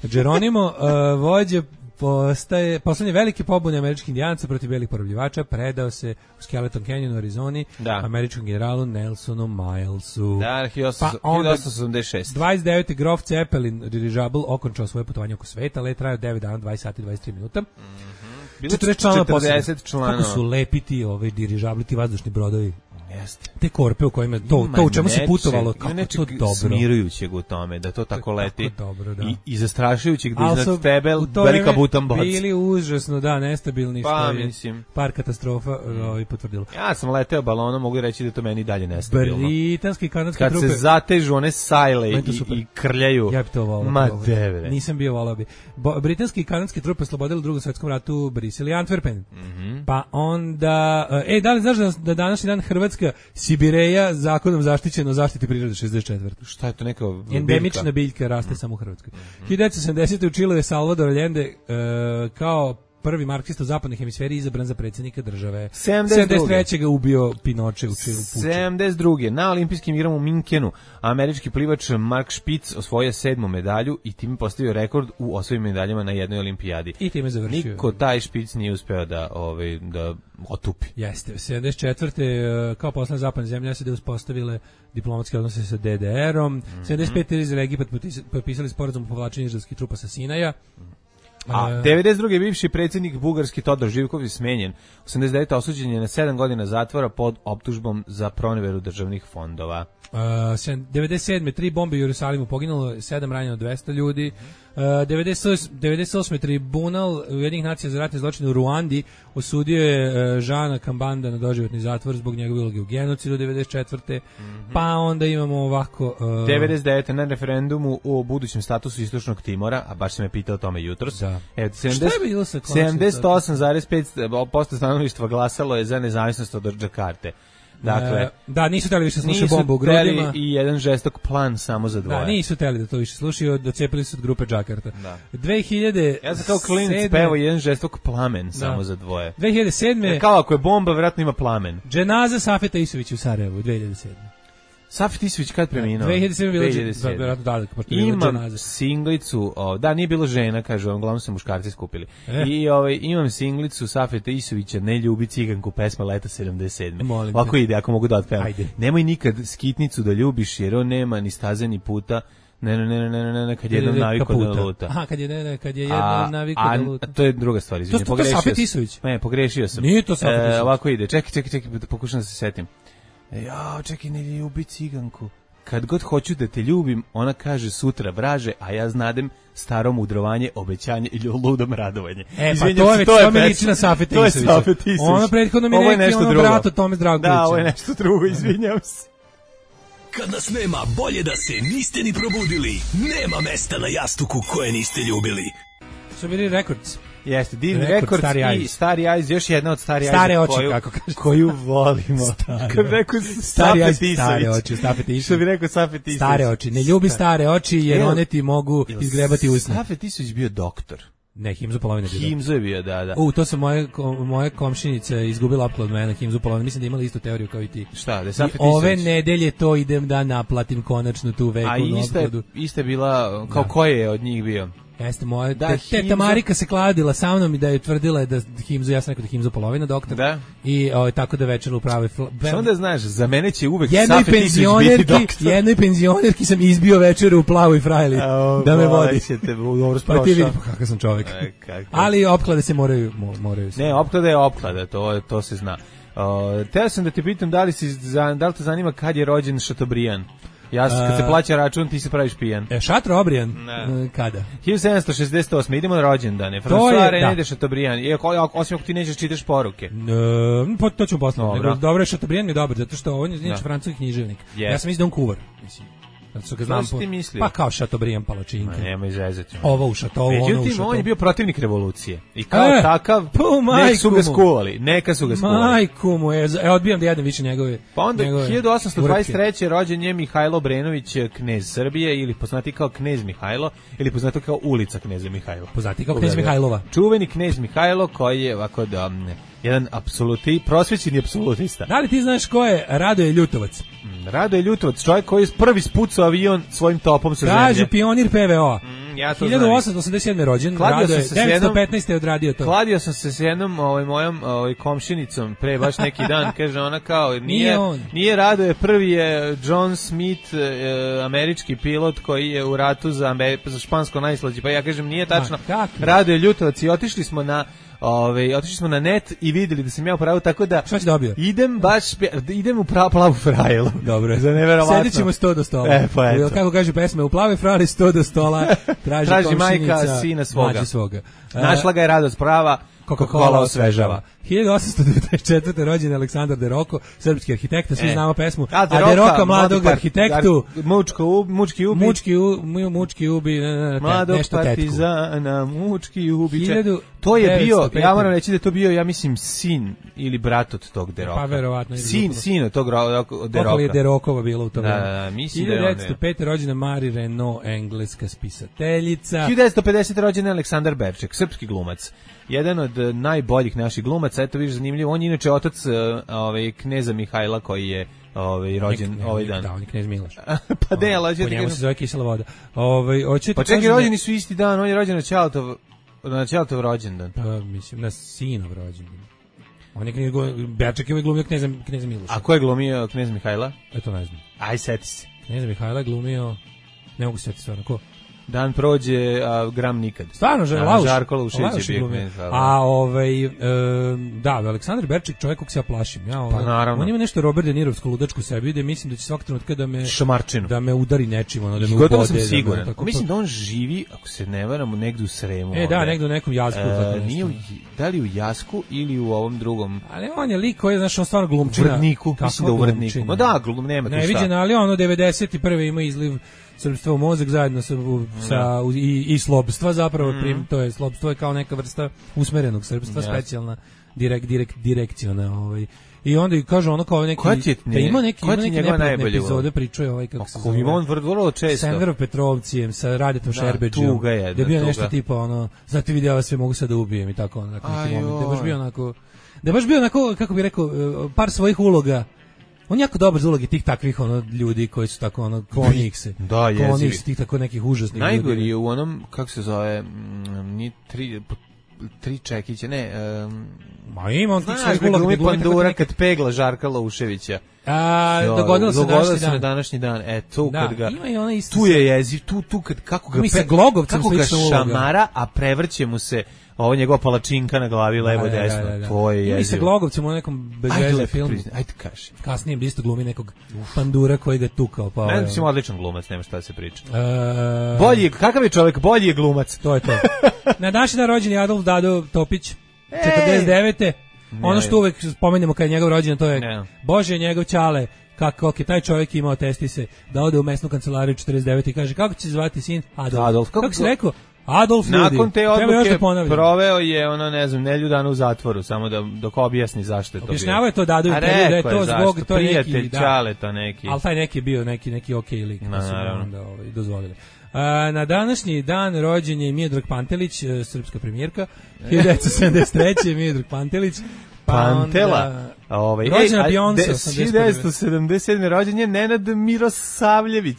Geronimo, vođe Poslednje velike pobune američkih indijanaca protiv belih porobljivača predao se u Skeleton Canyon u Arizoni američkom generalu Nelsonu Milesu. Da, 1886. 29. Grof Zeppelin dirižabl okončao svoje putovanje oko sveta, let trajao 9 dana, 20 sati, 23 minuta. 40 članova. Kako su lepi ti dirižabli, ti vazdušni brodovi. Jeste. Te korpe u kojima to u čemu se putovalo, kako to dobro. Smirujućeg u tome, da to tako leti. Dobro, da. I zastrašujućeg da iznad tebe velika butan boc. Bili užasno, nestabilni, pa, što je mislim. Par katastrofa potvrdilo. Ja sam leteo balonom, mogu reći da to meni dalje nestabilno. Britanski i kanadske trupe. Kad se zatežu one sajle i krljaju. Ja bi to volao. Ma devre. Nisam bio volao bi. Britanski i kanadske trupe oslobodili u Drugom svetskom ratu Brisel i Antwerpen. Pa onda... da li znaš da današnji dan Hrvatska Sibireja zakonom zaštićeno zaštiti prirode 64. Šta je to neka endemična biljka, raste samo u Hrvatskoj. 1970. u Čileu je Salvador Allende kao prvi marksista u zapadnoj hemisferi izabran za predsjednika države. 73. ga ubio Pinoče u Čilu. 72. na olimpijskim igrama u Minkenu američki plivač Mark Spitz osvojio 7. medalju i time postavio rekord u osvojenim medaljama na jednoj olimpijadi. I time završio. Niko taj Spitz nije uspeo da otupi. Jeste. 74. kao poslednja zapadna zemlja se uspostavile diplomatske odnose sa DDR-om. 75. iz Egipat potpisali sporazum o povlačenju izraelskih trupa sa Sinaja. A 92. bivši predsjednik bugarski Todor Živkov je smenjen. 89. osuđen je na 7 godina zatvora pod optužbom za proneveru državnih fondova. 97. 3 bombe u Jerusalimu poginulo, 7 ranjeno, 200 ljudi. 98. tribunal Ujedinjenih nacija za ratne zločine u Ruandi osudio je Žana Kambanda na doživotni zatvor zbog njegove uloge u genocidu 94. Pa onda imamo ovako... 99. na referendumu o budućem statusu Istočnog Timora, a baš sam me pitao o tome jutros. Da. Šta je bilo sa 78,5% stanovništva glasalo je za nezavisnost od Džakarte. Dakle, da, nisu teli više slušaju bombu u grudima. Nisu teli i jedan žestok plan samo za dvoje. Da, nisu teli da to više slušaju, docepili su od grupe Džakarta. Da. 2000... Ja sam kao klinac pevao jedan žestok plamen samo za dvoje. 2007. Kao ako je bomba, vjerojatno ima plamen. Dženaza Safeta Isovića u Sarajevu, 2007. Safet Isović kad preminuo? 2007. Imam singlicu, nije bilo žena, kažu, uglavnom se muškarci skupili. I imam singlicu Safeta Isovića, Ne ljubi ciganku, pesma Leta 77. Ovako ide, ako mogu da otpevam. Nemoj nikad skitnicu da ljubiš, jer on nema ni staze ni puta. Ne, kad je jednom naviko da luta. Aha, kad je jednom naviko da luta. To je druga stvar, izvinite, pogrešio sam. To Safet Isović? Ne, pogrešio sam. Nije to Safet Isović. Ovako ide, čekaj, pokušam da se setim. Čekaj, ne ljubi ciganku. Kad god hoću da te ljubim, ona kaže sutra vraže, a ja znadem staro mudrovanje, obećanje ili ludom radovanje. To je liči na Safeta Isovića. Ono prethodno mi neki brat od Tome Zdravkovića. Da, ovo je nešto drugo, izvinjam se. Kad nas nema, bolje da se niste ni probudili. Nema mesta na jastuku koje niste ljubili. Su bili Records. Jeste, Divni Records i Stari Eyes, još jedna od Stari Eyes. Stare oči, kako kažeš. Koju volimo. Kad rekao Safet Isović. Stare oči, Safet Isović. Što bi rekao Safet Isović. Stare oči, ne ljubi stare oči jer one ti mogu izgrebati usne. Safet Isović bio doktor. Ne, Himzo Polovina bio. Himzo je bio, da. To su moje komšinica izgubila upload mene, Himzo Polovina. Mislim da imali istu teoriju kao i ti. Šta, da je Safet Isović? Ove nedelje to idem da naplatim konačno tu vekovnu uploadu. A iste je bila, kao koje je od njih bio? Jeste moja, teta Marika se kladila sa mnom i da je tvrdila da Himzo, ja sam rekao da Himzo Polovina doktor. Da. I tako da večer u pravoj... Što onda znaš, za mene će uvek Safet Isović biti doktor. Jednoj penzionerki sam izbio večer u plavoj frajli da me vodi. Pa ti vidi kakav sam čovjek. Ali opklade se moraju se. Ne, opklada je opklada, to se zna. Teo sam da te pitam da li te zanima kad je rođen Chateaubriand? Kad se plaća račun, ti se praviš pijan. Chateaubriand? Kada? 1768. Idemo na rođendane. François René de Chateaubriand. Osim ako ti nećeš čitaš poruke. To ću poslati. Dobro, Chateaubriand mi je dobar, zato što on je znači francuski književnik. Ja sam mislio da on kuvar. Što si ti mislio? Pa kao Chateaubriand palačinke. Nema izrezati. Ovo u Chateau, ono u Chateau. Međutim, on je bio protivnik revolucije. I kao takav, neka su ga skuvali. Majku mu, odbijam da jedem više njegove. Pa onda 1823. rođen je Mihajlo Obrenović, knez Srbije, ili poznati kao knez Mihajlo, ili poznati kao ulica kneza Mihajlo. Poznati kao knez Mihajlova. Čuveni knez Mihajlo, koji je ovako jedan prosvećeni apsolutista. Da li ti znaš ko je Radoje Ljutovac? Radoje Ljutovac, čovjek koji je prvi spucao avion svojim topom sa zemlje. Kaže pionir PVO. Ja to 1887. rođen, Rado je 915. je odradio to. Kladio sam se s jednom mojom komšinicom pre baš neki dan, kaže ona kao, nije Rado je prvi je John Smith, američki pilot koji je u ratu za špansko najslađe, pa ja kažem nije tačno, Rado je Ljutovac i otišli smo na net i videli da sam ja u pravu, tako da šta si dobio? Idem u plavu frajlu. Dobro. Za neverovatno. Sedit ćemo 100 do stola. Pa eto. Kako kaže pesma, u plavoj frajli 100 do stola, traži majka sina svoga. Našla ga je Radost prava, Coca-Cola osvežava. 1894. rođen Aleksandar De Rocco, srpski arhitekta, svi znamo pesmu. A De Rocca mladog arhitektu. Mučki ubi, mladog partizana, mučki ubi. To je bio, ja moram reći da to bio, ja mislim, sin ili brat od tog De Rocca. Pa verovatno. Sin od tog De Rocca. Koliko je De Rockova bilo u to vreme. Da, mislim da je 1905. rođena Marie Renaud, engleska spisateljica. 1950. rođen Aleksandar Berček, srpski glumac. Jedan od najboljih naših glumaca, eto vidiš zanimljivo, on je inače otac kneza Mihajla koji je rođen ovaj dan. Da, on je knez Miloš. Pa ne, ali po njemu se zove kisela voda. Pa čekaj, rođeni su isti dan, on je rođen na Ćaletov rođendan. Pa mislim, na sinov rođendan. On je Berček je glumio kneza Miloša. A ko je glumio knez Mihajla? Eto ne znam. Aj, seti se. Kneza Mihajla je glumio, ne mogu setiti stvarno, ko? Dan prođe, a gram nikad. Stvarno, Žarko Laušević je bio knez. A da, Aleksandar Berček, čovjek kog se ja plašim. Pa naravno. On ima nešto Robert De Nirovsko ludačku u sebi, gde mislim da će svakog trenutka da me udari nečim, da me ubode. Gotovo sam siguran. Mislim da on živi, ako se ne varamo, negde u Sremu. Da, negde u nekom Jasku. Da li u Jasku ili u ovom drugom? Ali on je lik koji je, znaš, on stvarno glumčina. U Vrdniku, mislim da u Vrdniku. Ma da, nema tu šta. Neviđen, ali ono 91. ima izliv srpstva u mozak zajedno i slobstva zapravo, to je slobstvo je kao neka vrsta usmerenog srpstva, specijalna direkciona i onda i kaže ono kao neki da ima neki neprijatne epizode pričuje kako se zove. On vrlo često. Sa Enverom Petrovcijem, sa Radetom Šerbedžijom. Da je bio nešto tipa zato vidi ja vas sve mogu sad da ubijem i tako da je baš bio onako kako bih rekao par svojih uloga. On jako dobar za ulogi tih takvih ljudi koji su tako kloni ih se. Da, jezivi. Tih tako nekih užasnih ljudi. Najgori je u onom, kako se zove, ni tri čekića, ne. Ma ima on tih svojih uloga. Znaš, Pandura kad pegla Žarka Lauševića. Dogodilo se na današnji dan. Tu kad ga, ima i ona isto. Tu je jeziv, tu kako ga šamara, a prevrće mu se ovo njegova palačinka na glavi levo desno. To je jezivo. Mi se Glogovcem u nekom bezveze filmu. Ajde kaži. Kasnije isto glumi nekog Pandura koji ga tukao. Ne, mislim odličan glumac, nema šta da se priča. Bolji, kakav je čovjek, bolji je glumac. To je to. Na današnji dan rođen je Adolf Dado Topić, 49. Ono što uvek spomenemo kad je njegov rođendan, to je Bože njegov ćale. Kako je taj čovjek imao testise da ode u mesnu kancelariju 49 i kaže kako će se zvati sin Adolf. Kako si rekao? Adolf ljudi. Nakon te odluke proveo je nelju dana u zatvoru, samo dok objasni zašto je to bio. Objašnjavao je to Dado da je to zbog to prijatelj Ćaleta neki. Ali taj neki je bio neki okej lik, pa su onda dozvolili. Na današnji dan rođen je Miodrag Pantelić, srpska premijerka, 1973. Miodrag Pantelić. Pantela. Rođena Beyoncé, 1977. rođen je Nenad Mirosavljević.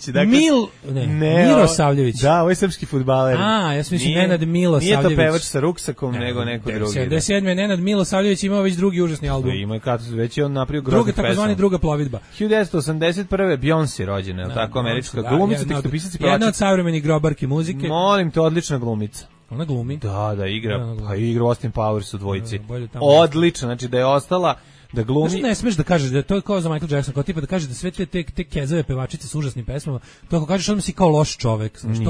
Mirosavljević. Da, ovo je srpski fudbaler. Ja sam mislim Nenad Milosavljević. Nije to pevač sa ruksakom, nego neko drugi. 77. Nenad Milosavljević imao već drugi užasni album. Ima već je on napravio groznu pesmu. Takozvani druga plovidba. 1981. Beyoncé rođena, je li tako, američka glumica, tekstopisac i pevačica. Jedna od savremenih grobarki muzike. Molim te, odlična glumica. Ona glumi. Da, igra. Pa igra Austin Powers u dvojici. Odlično, znači da je ostala da glumi. Znači ne smeš da kažeš da je to kao za Michael Jackson, kao tipa da kažeš da sve te kezove pevačice s užasnim pesmama, to ako kažeš onda si kao loš čovek, znači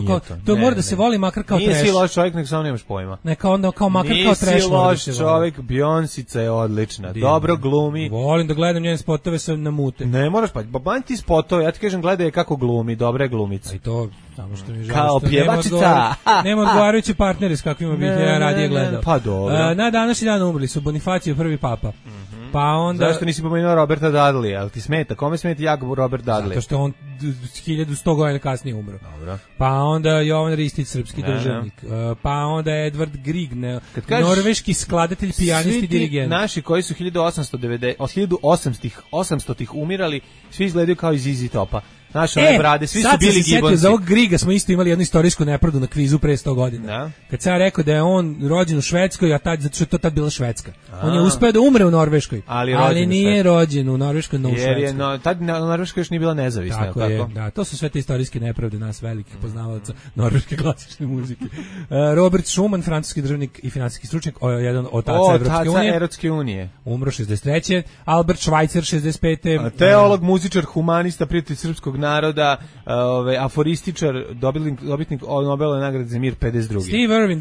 to mora da se voli makar kao trash. Nisi loš čovek, nek samo nemaš pojma. Neka onda kao makar kao trash. Nisi loš čovek, Beyoncé je odlična. Dobro glumi. Volim da gledam njene spotove sa namute. Ne moraš pa banj ti spotove, ja ti kažem gledaj kako glumi, dobra je glumica. I to samo što mi žao kao pjevačica. Nema odgovarajući partneri s kakvima bih ja radije gledao. Pa dobro. Na današnji dan umrli su Bonifacio prvi papa. Pa onda zašto nisi pomenuo Roberta Dudley? Al ti smeta? Kome smeta jak Robert Dudley? Zato što on 1100 godina kasnije umro. Dobro. Pa onda Jovan Ristić, srpski državnik. Pa onda Edvard Grieg, norveški skladatelj, pijanist i dirigent. Naši koji su 1800-ih umirali, svi izgledaju kao iz ZZ Topa. Naše one brade, svi su bili Gibbonsi. Za ovog Griga smo isto imali jednu istorijsku nepravdu na kvizu pre 100 godina. Da. Kad sam ja rekao da je on rođen u Švedskoj, zato što je to tad bila Švedska. On je uspeo da umre u Norveškoj, ali nije rođen u Norveškoj, no u Švedskoj. Tad Norveška još nije bila nezavisna. Tako je, da, to su sve te istorijske nepravde nas velikih poznavaoca norveške klasične muzike. Robert Schuman, francuski državnik i finansijski stručnjak, jedan od otaca Evropske unije. Umro 63. Albert Schweitzer, 65. Teolog, muzičar, humanista, prijatelj srpskog naroda, aforističar, dobitnik Nobelove nagrade za mir 52. Steve Irwin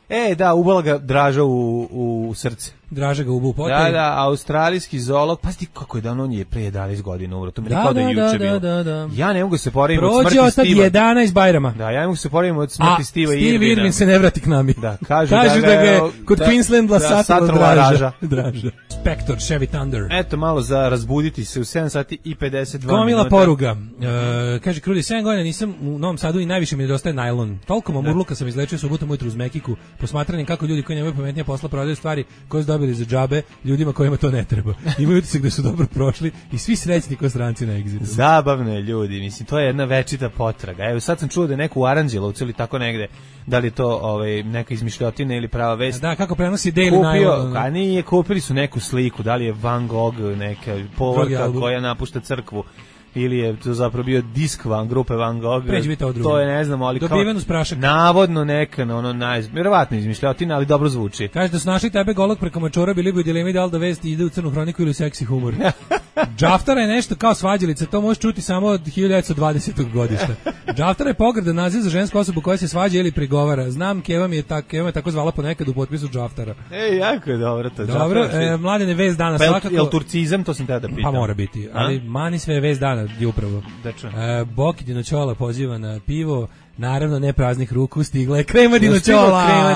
2006. Da, ubala ga Draža u srce. Draža ga ubu potaj. Da, australijski zoolog. Pazi kako je dan, on je pre 11 godina umro. To mi je kao da je juče bilo. Da. Ja ne mogu se porediti od smrti Prođe od 11 Bajrama. Da, ja ne mogu se porediti od smrti Steva Irwina. Steve Irwin se ne vrati k nami. Da, kažu da ga je kod Queenslanda satrla Draža. Spector, Chevy Thunder. Eto, malo za razbuditi se u 7 sati i 52 Gomila poruga. Kaže, Krudi, 7 godina nisam u Novom Sadu i najviše mi nedostaje najlon. Toliko mamurluka sam izlečio subotom ujutru uz Mekiku, posmatranjem kako ljudi koji nemaju pametnije posla prodaju stvari koje su dobili za džabe ljudima kojima to ne treba. Imaju utisak da su dobro prošli i svi srećni ko stranci na egzitu. Zabavno je, ljudi, mislim, to je jedna večita potraga. Evo, sad sam čuo da je neko u Aranđelovcu ili tako negde, da li to neka izmišljotina ili prava vest. Da, kako prenosi Daily Nylon. A nije, kupili su neku sliku, da li je Van Gogh, neka povorka koja napušta crkvu, ili je to zapravo bio disk grupe Van Gogh. To je, ne znamo, ali dobiven uz prašak. Navodno neka, vjerovatno izmišljotina, ali dobro zvuči. Kaže da su našli tebe golog preko mačora, bili bi u dilemi da li da vest ide u crnu hroniku ili u seksi humor. Džaftara je nešto kao svađalica, to možeš čuti samo od 1920. godišta. Džaftara je pogrdan naziv za žensku osobu koja se svađa ili prigovara. Znam, Keva me tako zvala ponekad u potpisu Džaftara. Jako je dobro to. Dobro, Mladene, vest dana svakako. Jel turcizam, to sam te da pitam. Pa mora biti, ali mani sve vest dana je upravo. Boki Dinoćola poziva na pivo. Naravno, ne praznih ruku, stigla je krema Dinoćola.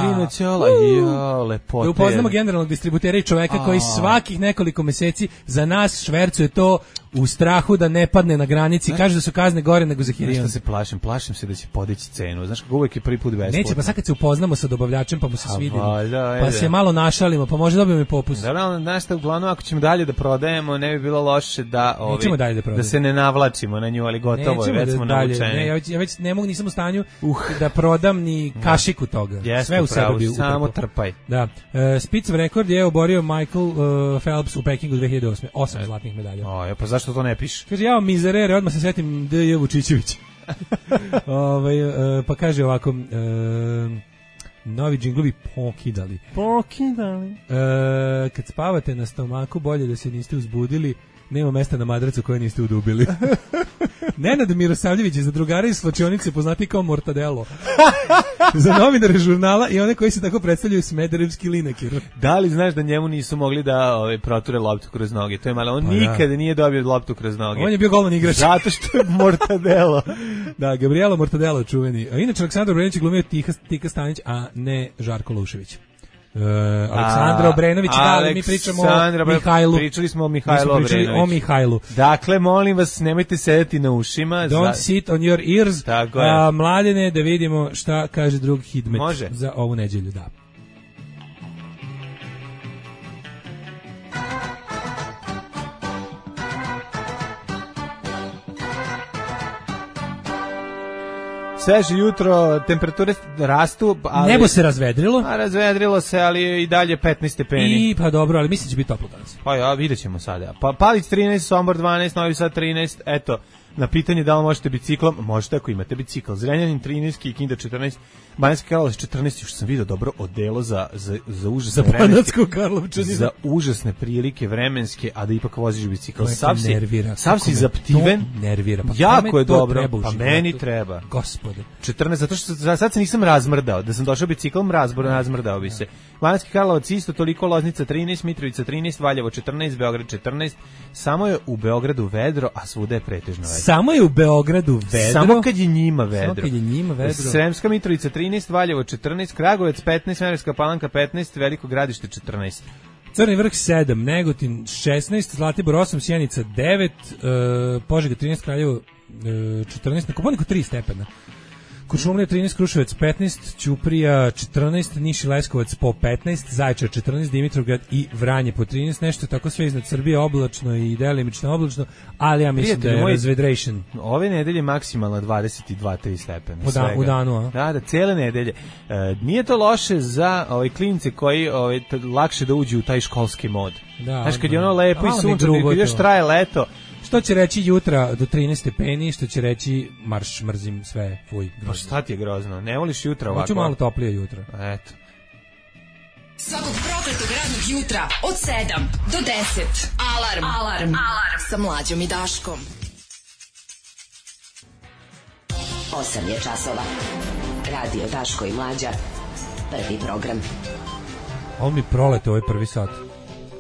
Jo, lepote. Da upoznamo generalnog distributera i čoveka koji svakih nekoliko meseci za nas švercuje to u strahu da ne padne na granici. Kaže da su kazne gore nego za Hirion. Nešto se plašim se da će podići cenu. Znaš kako uvek je prvi put besplatno. Neće, pa sad kad se upoznamo sa dobavljačem pa mu se svidimo, pa se malo našalimo, pa možda dobijemo i popust. Da, znaš šta, uglavnom ako ćemo dalje da prodajemo, ne bi bilo loše da da se ne navlačimo na nju, ali gotovo je, već smo naučeni. Ja već ne mogu, nisam u stanju da prodam ni kašiku toga. Sve u sebi samo trpaj. Da. Spitz rekord je oborio Michael Phelps u Pekingu 2008. 8 zlatnih medalja. Pa zašto to ne piše? Kaže, ja mizerere, odmah se setim D.J. Vučićević. Pa kaže ovako, novi džinglovi pokidali. Kad spavate na stomaku, bolje da se niste uzbudili, nema mesta na madracu koje niste udubili. Nenad Mirosavljević je za drugara iz slačionice poznati kao Mortadelo. Za novinare žurnala i one koji se tako predstavljaju Smederevski Lineker. Da li znaš da njemu nisu mogli da proture loptu kroz noge? To je malo. On nikada nije dobio loptu kroz noge. On je bio golman igrač. Zato što je Mortadelo. Da, Gabrielo Mortadelo čuveni. A inače Aleksandar Obrenović je glumio Tika Stanić, a ne Žarko Lušević. Aleksandra Obrenović, mi pričamo o Mihajlu. Pričali smo o Mihajlu Obrenoviću. Dakle, molim vas, nemojte sedeti na ušima. Don't sit on your ears. Mladene, da vidimo šta kaže drug Hidmet za ovu neđelju. Da. Sveže jutro, temperature rastu. Ali, nebo se razvedrilo. Razvedrilo se, ali i dalje 15 stepeni. Pa dobro, ali mislim će biti toplo danas. Pa vidjet ćemo sada. Pa Palić 13, Sombor 12, Novi Sad 13, eto. Na pitanje da li možete biciklom, možete ako imate bicikl. Zrenjanin 13, Kikinda 14, Banjska Karlovac 14, još sam vidio dobro odelo za užasne za užasne prilike vremenske, a da ipak voziš bicikl. Sav si zaptiven. Nervira. Pa jako je dobro. Pa meni treba. Gospode. 14, zato što sad se nisam razmrdao. Da sam došao biciklom, razmrdao bi se. Banjski Karlovac isto toliko, Loznica 13, Mitrovica 13, Valjevo 14, Beograd 14. Samo je u Beogradu vedro, a svuda je pretežno vedro. Samo je u Beogradu vedro. Samo kad je njima vedro. Sremska Mitrovica 13, Valjevo 14, Kragujevac 15, Smederevska Palanka 15, Veliko Gradište 14. Crni vrh 7, Negotin 16, Zlatibor 8, Sjenica 9, Požega 13, Kraljevo 14, na Kopaoniku 3 stepena. Kuršumlija 13, Kruševac 15, Ćuprija 14, Niš i Leskovac po 15, Zaječar 14, Dimitrovgrad i Vranje po 13, nešto tako sve iznad Srbije oblačno i delimično oblačno, ali ja mislim da je razvedration. Ove nedelje maksimalno 22-3 stepena. U danu, a? Da, cele nedelje. Nije to loše za klince koji lakše da uđu u taj školski mod. Da, znaš, kad je ono lepo i sunčano, kad još traje leto. Što će reći jutra do 13 stepeni, što će reći marš, mrzim sve, fuj. Grozno. Pa šta ti je grozno? Ne voliš jutra ovako? Hoću malo toplije jutra. Eto. Svakog prokletog radnog jutra od 7 do 10. Alarm sa Mlađom i Daškom. 8 je časova. Radio Daško i Mlađa. Prvi program. On mi prolete ovaj prvi sat.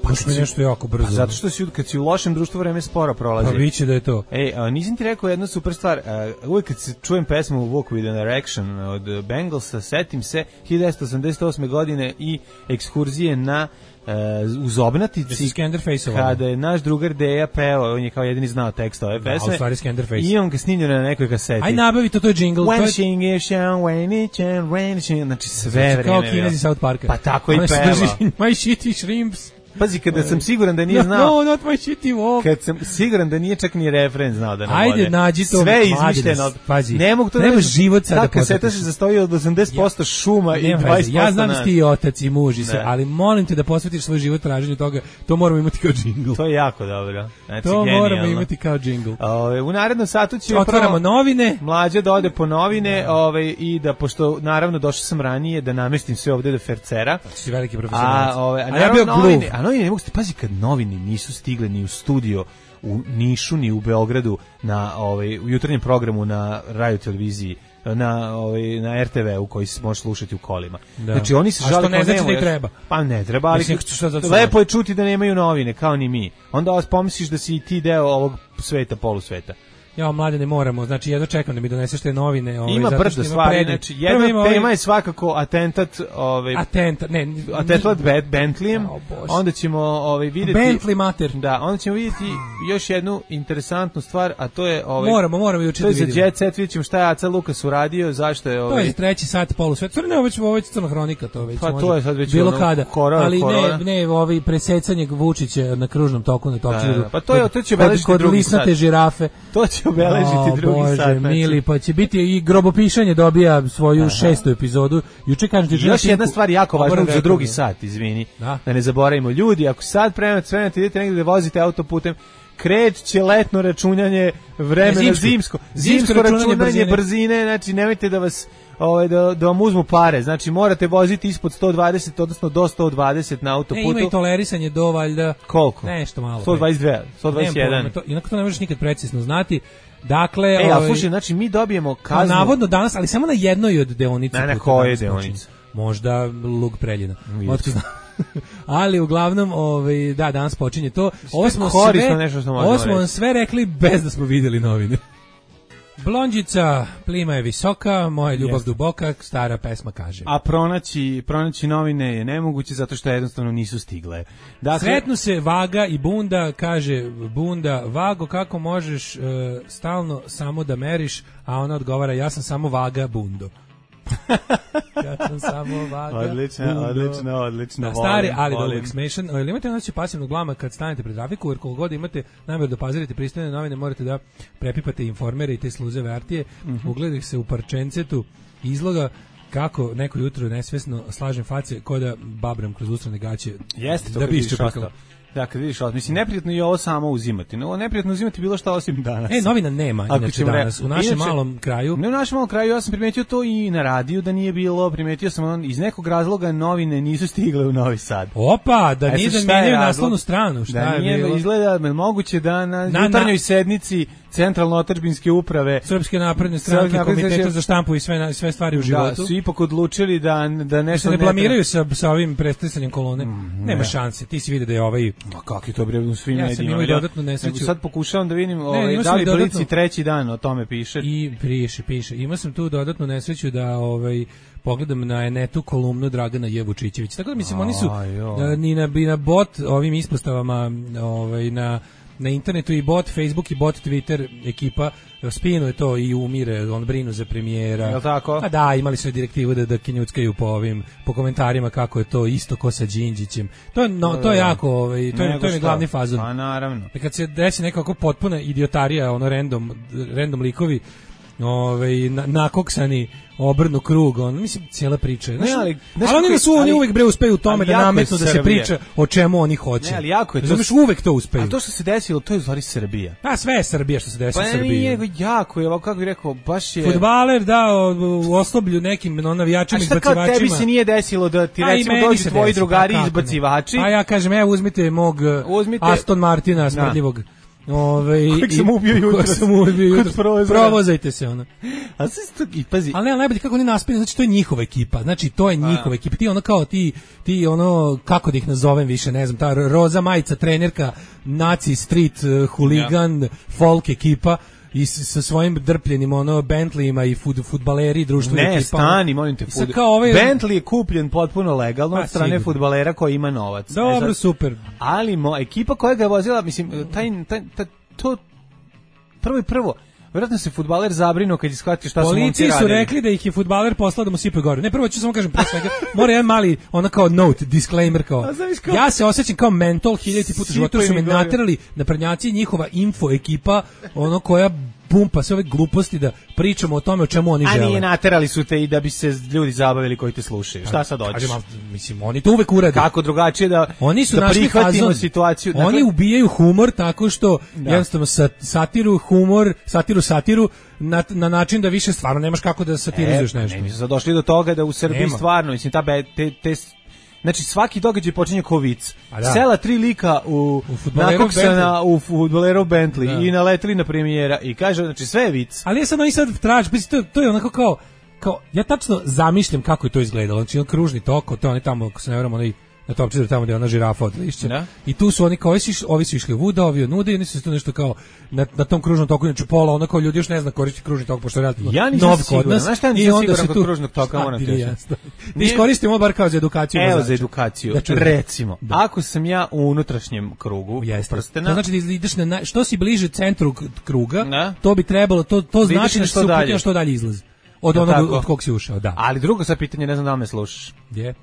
Pa mi nešto jako brzo. Zato što kad si u lošem društvu vreme sporo prolazi. Pa biće da je to. Nisam ti rekao jednu super stvar. Uvijek kad se čujem pesmu Walk with an Erection od Bengalsa, setim se 1988. godine i ekskurzije na u Zobnatici, kada je naš drugar Deja peo, on je kao jedini znao tekst ove pesme, i imam ga snimljeno na nekoj kaseti. Aj nabavi to je jingle. Znači sve vreme. Kao Kinezi South Parka. Pa tako i peva. My shitty shrimps. Pazi, kada sam siguran da nije znao... No, not my shitty walk. Kad sam siguran da nije čak ni refren znao da navode. Ajde, nađi to. Sve izmišljeno. Pazi, ne mogu to treba život sada da kaseta se zastoji od 80% šuma i 20%. Ja znam da ti otac i muž i sve, ali molim te da posvetiš svoj život traženju toga. To moramo imati kao džingl. To je jako dobro. Znači, to genijalno. Moramo imati kao džingl. U narednom satu će otvaramo novine. Mlađa da ode po novine i da, pošto naravno došao sam ranije, da namestim sve ovde do fercera. Si veliki profesionalac. A ja bio gluv. A novine ne mogu, pazi, kad novini nisu stigle ni u studio u Nišu ni u Beogradu u jutarnjem programu na radio televiziji na RTV u koji se može slušati u kolima. Da. Znači oni se žale, ne znači da treba. Pa ne treba, ali lepo je čuti da nemaju novine kao ni mi. Onda vas pomisliš da si i ti deo ovog sveta, polusveta. Ja, mlade, ne moramo, znači jedno čekam da mi doneseš te novine. Ima brdo stvari, znači jedna tema je svakako atentat Bentleyem, onda ćemo vidjeti... Bentley mater. Da, onda ćemo vidjeti još jednu interesantnu stvar, a to je... Moramo juče da vidimo. To je za Jet Set, vidjet ćemo šta je Aca Lukas uradio, zašto je... To je treći sat polusvet, ne, ovo je crna hronika, to već pa može. To je sad već bilo kada, ali ne, presecanje Vučića na kružnom toku na Tokiju. Pa to će obeležiti kod lisnate žirafe. To će obeležiti drugi sat. Mili, pa će biti i grobopišanje dobija svoju 6. epizodu. Juče kažete još jedna stvar jako važna za drugi sat, izvini. Da ne zaboravimo, ljudi, ako sad spremate idete negdje da vozite autoputem, kreće letno računanje vremena, zimsko računanje brzine, znači nemojte da vas da vam uzmu pare, znači morate voziti ispod 120, odnosno do 120 na autoputu. Ima i tolerisanje do valjda... Koliko? Nešto malo. 122, 121. Inako to ne možeš nikad precizno znati. Dakle, ali slušaj, znači mi dobijemo kaznu... Navodno danas, ali samo na jednoj od deonica. Na koje deonice? Možda Lug Preljina. Ali uglavnom, danas počinje to. Ovo smo vam sve rekli bez da smo vidjeli novine. Blondjica, plima je visoka, moja ljubav duboka, stara pesma kaže. A pronaći novine je nemoguće zato što jednostavno nisu stigle. Dakle, sretnu se Vaga i Bunda, kaže Bunda, Vago, kako možeš stalno samo da meriš, a ona odgovara, ja sam samo Vaga Bundo. Ja sam samo Vaga. Odlično. Stari, ali dobro exmation. Ili imate noći pasivnog glama kad stanete pred trafiku, jer koliko god imate namjeru da pazirite pristojne novine, morate da prepipate informere i te sluzeve artije. Ugledaj se u parčencetu izloga kako neko jutro nesvesno slažem face ko da babram kroz ustrane gaće. Jeste to da bi iščepakalo. Da, kad vidiš, mislim, neprijatno je ovo samo uzimati. No, neprijatno uzimati bilo šta osim danas. Novina nema, inače danas, u našem malom kraju. Ne, u našem malom kraju, ja sam primetio to i na radiju da nije bilo, primetio sam iz nekog razloga novine nisu stigle u Novi Sad. Opa, da nije da menjaju naslovnu stranu, šta da je bilo? Izgleda moguće da na jutarnjoj sednici centralno otadžbinske uprave, Srpske napredne stranke, Komiteta za štampu i sve stvari u životu. Da, su ipak odlučili da nešto ne blamiraju sa ovim predstavljanjem kolone. Nema šanse. Ti si vidi da je ovaj... Ma kako je to bre u svim medijima. Ja sam imao dodatnu nesreću. Sad pokušavam da vidim da li Blici treći dan o tome piše. I piše. Imao sam tu dodatnu nesreću da pogledam na netu kolumnu Dragana Jevučićevića. Tako da mislim oni su ni na bot ovim ispostavama na internetu i bot Facebook i bot Twitter ekipa spinuje to i umire, on brinu za premijera. Je li tako? Pa da, imali su direktivu da kinjuckaju po komentarima kako je to isto ko sa Đinđićem. To je jako, to je glavni fazon. Pa naravno. Kad se desi nekako potpuna idiotarija, random likovi, nakoksani obrnu krug, mislim cijela priča. Ali oni uvek bre uspeju u tome da nametnu da se priča o čemu oni hoće. Ne, ali jako je to. Znaš, uvek to uspeju. A to što se desilo, to je u stvari Srbija. Pa sve je Srbija što se desilo u Srbiji. Pa nije jako je, kako bih rekao, baš je... Fudbaler u osloblju nekim navijačima izbacivačima. A šta kao tebi se nije desilo da ti recimo dođu tvoji drugari izbacivači? A ja kažem, evo uzmite mog Aston Martina smrdljivog. Kojeg sam ubio jutros. Provozajte se ona. A pazi. Ali ne, najbolje kako oni naspili, znači to je njihova ekipa. Znači to je njihova ekipa. Ti ono kao ti kako da ih nazovem više, ne znam, ta roza majica trenerka, naci street huligan, folk ekipa i sa svojim drpljenim Bentleyima i fudbaleri društvene ekipa. Ne, stani, molim te, Bentley je kupljen potpuno legalno od strane fudbalera koji ima novac. Dobro, super. Ali ekipa koja ga je vozila, mislim, to prvo, vjerojatno se fudbaler zabrinuo kad je shvatio šta su momci radili. Policiji su rekli da ih je fudbaler poslao da mu sipaju gore. Ne, prvo ću samo kažem pre svega, mora jedan mali, kao note, disclaimer kao. Ja se osjećam kao mental 1000 puta života, su me naterali da prednjaci njihova info ekipa, koja pumpa sve ove gluposti da pričamo o tome o čemu oni žele. A nije naterali su te i da bi se ljudi zabavili koji te slušaju. Šta sad hoćeš? Mislim, oni to uvek urade. Kako drugačije da oni su prihvatimo situaciju? Oni ubijaju humor tako što jednostavno satiru na način da više stvarno nemaš kako da satirizuješ nešto. Mi smo došli do toga da u Srbiji stvarno, mislim, znači svaki događaj počinje kao vic. Sela 3 lika nakoksana u fudbalerov Bentley i naletili na premijera i kaže, znači sve je vic. Ali je sad oni sad traži, to je onako kao, ja tačno zamišljam kako je to izgledalo. Znači kružni tok, to je oni tamo, ako se ne vramo, na Topčiću tamo gdje je ona žirafa od lišća. I tu su oni kao, ovi su išli vuda, ovi od nude i oni su to nešto kao na tom kružnom toku, znači pola, ono kao ljudi još ne zna koristiti kružni tok, pošto je relativno nov kod nas. Znaš šta nisam siguran kod kružnog toka, moram ti reći. Mi iskoristimo bar kao za edukaciju. Evo za edukaciju, recimo, ako sam ja u unutrašnjem krugu prstena. To znači da ideš što si bliže centru kruga, to bi trebalo, to znači da se uputio što dalje izlazi. Od onog od kog si ušao, da. Ali drugo sad pitanje, ne znam da me slušaš. Gdje?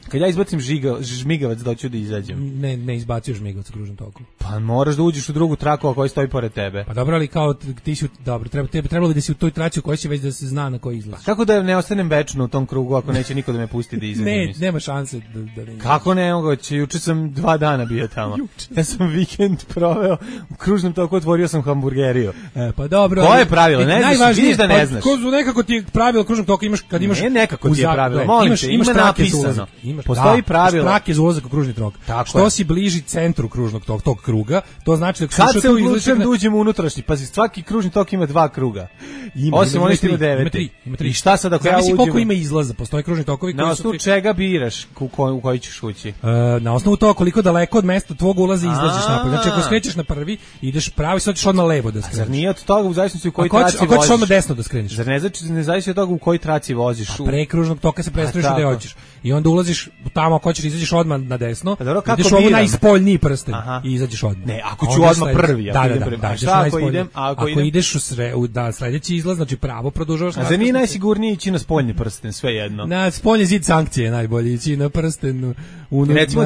Kad ja izbacim žmigavac da hoću da izađem. Ne izbaciš žmigavac u kružnom toku. Pa moraš da uđeš u drugu traku koja stoji pored tebe. Pa dobro, ali kao ti si dobro, trebalo bi da si u toj traci u kojoj si već da se zna na kojoj izlazi. Pa kako da ne ostanem večno u tom krugu ako neće niko da me pusti da izađem? Nema šanse da ne. Kako ne moguće? Juče sam 2 dana bio tamo. Ja sam vikend proveo u kružnom toku, otvorio sam hamburgeriju. Pa dobro. Koje je pravilo? Ne znaš, vidiš da ne znaš. Nekako ti je pravilo kružnog toka, kad imaš. Ne, nekako ti je pravilo. Molim te, ima napisano. Postoji pravilo. Trak je za ulazak u kružni tok. Što si bliži centru kružnog tog kruga, to znači da kad se odlučujem da uđem u unutrašnji, pazi, svaki kružni tok ima 2 kruga. Osim onih 9. Ima 3. I šta sad ako ja uđem? Koliko ima izlaza? Postoje kružni tokovi koji su... Na osnovu čega biraš u koji ćeš ući? Na osnovu toga koliko daleko od mesta tvog ulaza izlaziš napolje. Znači ako skrećeš na prvi, ideš pravo i sad ćeš odmah levo da skreneš. Zar nije od toga u zavisnosti u kojoj traci voziš? Ako ćeš odmah desno da skreneš. Zar ne zavisi od toga u kojoj traci voziš? Pre kružnog toka se prestaneš gde hoćeš. I onda ulaziš tamo, ako hoćeš izađeš odmah na desno. Ideš ovo najspoljniji prsten i izađeš odmah. Ne, ako ću odmah prvi, ako ideš u sledeći izlaz, znači pravo produžavaš. A za nije najsigurnije ići na spoljni prsten, sve jedno. Na spoljni zid sankcije najbolje ići na prsten. Recimo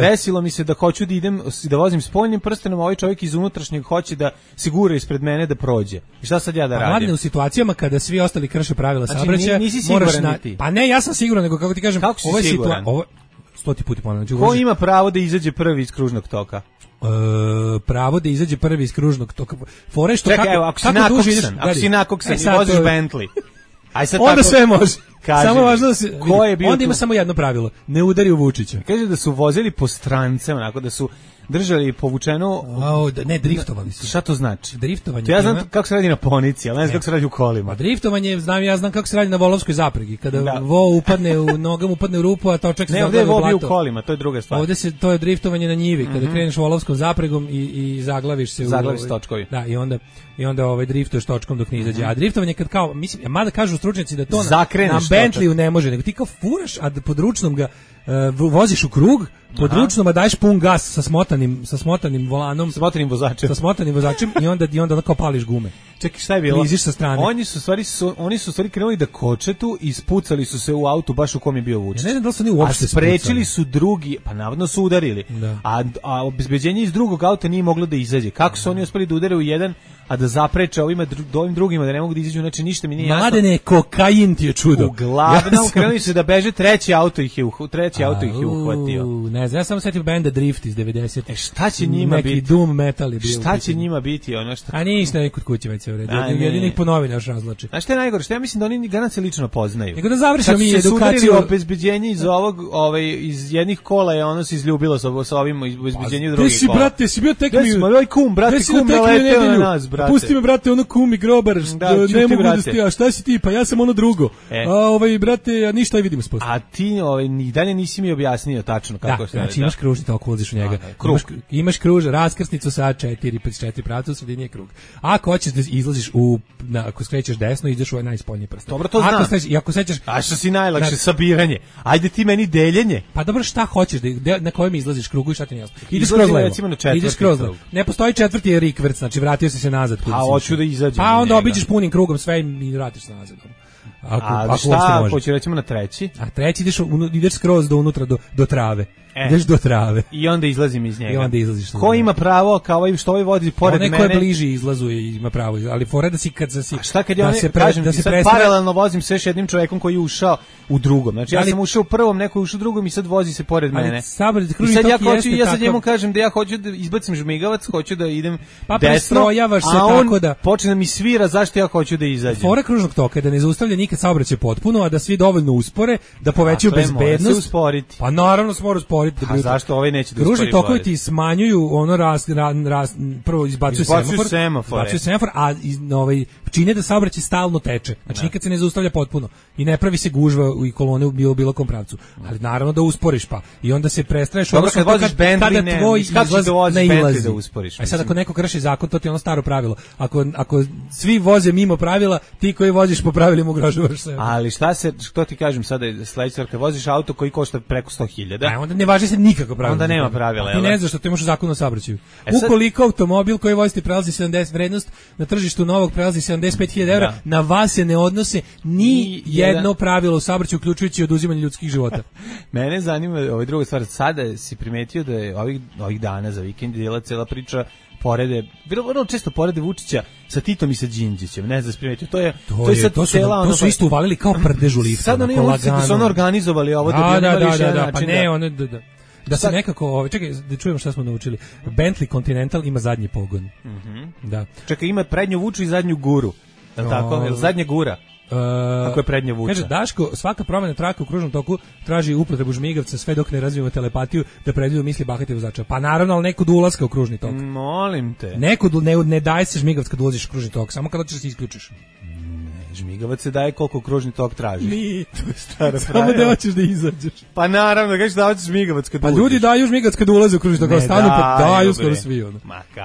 desilo mi se da hoću da idem da vozim spoljnim prstenom, a ovaj čovjek iz unutrašnjeg hoće da sigura ispred mene da prođe. I šta sad ja da radim? Mladne u situacijama kada svi ostali krše pravila saobraćaja, moraš Pa ne, ja sam siguran, nego kako ti kažem, ovo je situacija. 100 puta ponavljam. Ko ima pravo da izađe prvi iz kružnog toka? Pravo da izađe prvi iz kružnog toka. Fore što čekaj, ako si nakoksan i voziš Bentley. Onda sve može. Samo važno da se onda ima samo jedno pravilo, ne udari u Vučića. Kaže da su vozili po strance, onako da su držali povučeno. Ne, driftovali su. Šta to znači? Driftovanje. Ja znam kako se radi na ponici, ali ne znam kako se radi u kolima. Driftovanje, znam kako se radi na volovskoj zapregi, kada vo upadne nogam upadne u rupu, a točak se zaglavi u blato. Ne, ovdje je vo u kolima, to je druga stvar. Ovdje to je driftovanje na njivi, kada kreneš volovskom zapregom i zaglaviš se zaglaviš točkovi. Da, i onda driftuješ točkom dok ne izađe. A driftovanje kad kao, mislim, mada kažu stručnjaci da to na Bentleyu ne može, nego ti kao furaš, a pod ručnom ga voziš u krug, pod ručnom a daješ pun gas sa smotanim volanom, sa smotanim vozačem i onda kao pališ gume. Čekaj, šta je bilo? Kliziš sa strane. Oni su stvari krenuli da koče tu i ispucali su se u autu baš u kom je bio Vučić. Ja ne znam da li su oni uopšte sprečili su drugi, pa navodno su udarili. A obezbeđenje iz drugog auta nije moglo da izađe. Kako su oni uspeli da udare u jedan, a da zapreče ovim drugima da ne mogu da izađu, znači ništa mi nije jasno. Mladene, kokain ti je čudo. Uglavnom krenuli su da beže, treći auto ih je uhvatio. Ne znam, ja samo setim benda Drift iz 90. Šta će njima biti? Neki doom metal je bio. Šta će njima biti? Ono što... A ništa, kod kuće već se uredi. Jedinih po novine još razlači. Znaš šta je najgore? Šta ja mislim da oni garant se lično poznaju. Nego da završimo mi edukaciju. Kad su sudarili obezbeđenje iz iz jednih kola je ono se izljubilo sa ovim obezbeđenju drugih kola. Ti si bio tek mi... Moj kum, brate, kum naleteo na nas, brate. Pusti me, brate, ono kum i grobar, ne mogu da stija. Šta si ti? Pa ja sam ono drugo. Brate, ništa i vidimo se posle. A ti ni dalje nisi mi objasnio tačno kako se radi. Znači imaš kružni tok, ulaziš u njega. Imaš kruž, raskrsnicu sa 4 pravca, u sredini je krug. Ako hoćeš da izlaziš ako skrećeš desno, ideš u ovaj najspoljniji prst. Dobro, to znam. I ako sećaš... A što si najlakše, sabiranje. Ajde ti meni deljenje. Pa dobro, šta hoćeš, na kojem izlaziš krugu i šta ti ne jasno. Ideš kroz levo. Ideš kroz levo. Ne postoji četvrti je rikverc, znači vratio si se nazad. A hoću da izađem. Pa onda obiđeš punim krugom sve i vratiš se nazad. Ako šta, hoću recimo na treći? A treći ideš skroz do unutra, do trave. Ideš do trave. I onda izlazim iz njega. I onda izlaziš. Ko ima pravo, kao ovaj što ovaj vodi pored mene? Neko je bliži izlazu i ima pravo, ali fore da si kad si... A šta kad ja paralelno vozim sa još jednim čovjekom koji je ušao u drugom. Znači ja sam ušao u prvom, neko je ušao u drugom i sad vozi se pored mene. I sad ja sad njemu kažem da ja hoću da izbacim žmigavac, hoću da idem desno, a on počne da mi svira zašto ja hoću da izađem. Fora kružnog toka je da ne zaustavlja nikad saobraćaj potpuno, a da svi dovoljno uspore, da povećaju bezbednost. Pa naravno se mora usporiti. A zašto ovaj neće da uspori? Kružni tokovi ti smanjuju ono prvo izbacuju semafor, a čine da saobraćaj stalno teče. Znači nikad se ne zaustavlja potpuno i ne pravi se gužva i kolone u bilo kom pravcu. Ali naravno da usporiš pa. I onda se prestraješ kada voziš Bentley, tvoj izlaz nailazi. Da usporiš. A sad ako neko krši zakon, to ti je ono staro pravilo. Ako svi voze mimo pravila, ti koji voziš po pravilima ugrožavaš se. Ali što ti kažem sada sledeće, kad voziš auto koji košta preko 100.000, onda ne važi se nikako pravila. Onda nema pravila. Ti ne znaš što ti imaš u zakonu o saobraćaju. Ukoliko automobil koji vozite prelazi 70 vrednost, na tržištu novog prelazi 75.000 €, na vas se ne odnose ni jedno pravilo u saobraćaju, uključujući oduzimanje ljudskih života. Mene zanima druga stvar. Sada si primetio da je ovih dana za vikend bila cela priča vrlo često porede Vučića sa Titom i sa Đinđićem. Ne znam, primetio. To su isto uvalili kao prdežu lifta. Sad oni su organizovali ovo da se nekako, čekaj, da čujemo šta smo naučili. Bentley Continental ima zadnji pogon. Da. Čekaj, ima prednju vuču i zadnju guru. Je li tako? Je li zadnja gura? Ako je prednja vuča. Kaže, Daško, svaka promjena traka u kružnom toku traži upotrebu žmigavca sve dok ne razvijemo telepatiju da predvidu misli bahati vozača. Pa naravno, ali nekud ulaska u kružni tok. Molim te. Nekud ne daje se žmigavac kad ulaziš u kružni tok, samo kad hoćeš da se isključiš. Žmigavac se daje koliko kružni tok traži. Nije, to je stara pravila. Samo da hoćeš da izađeš. Pa naravno, kažeš da hoćeš žmigavac kad uđeš. Pa ljudi daju žmigavac kad ulaze u kružni tok, kao stanu pa daju skoro svi.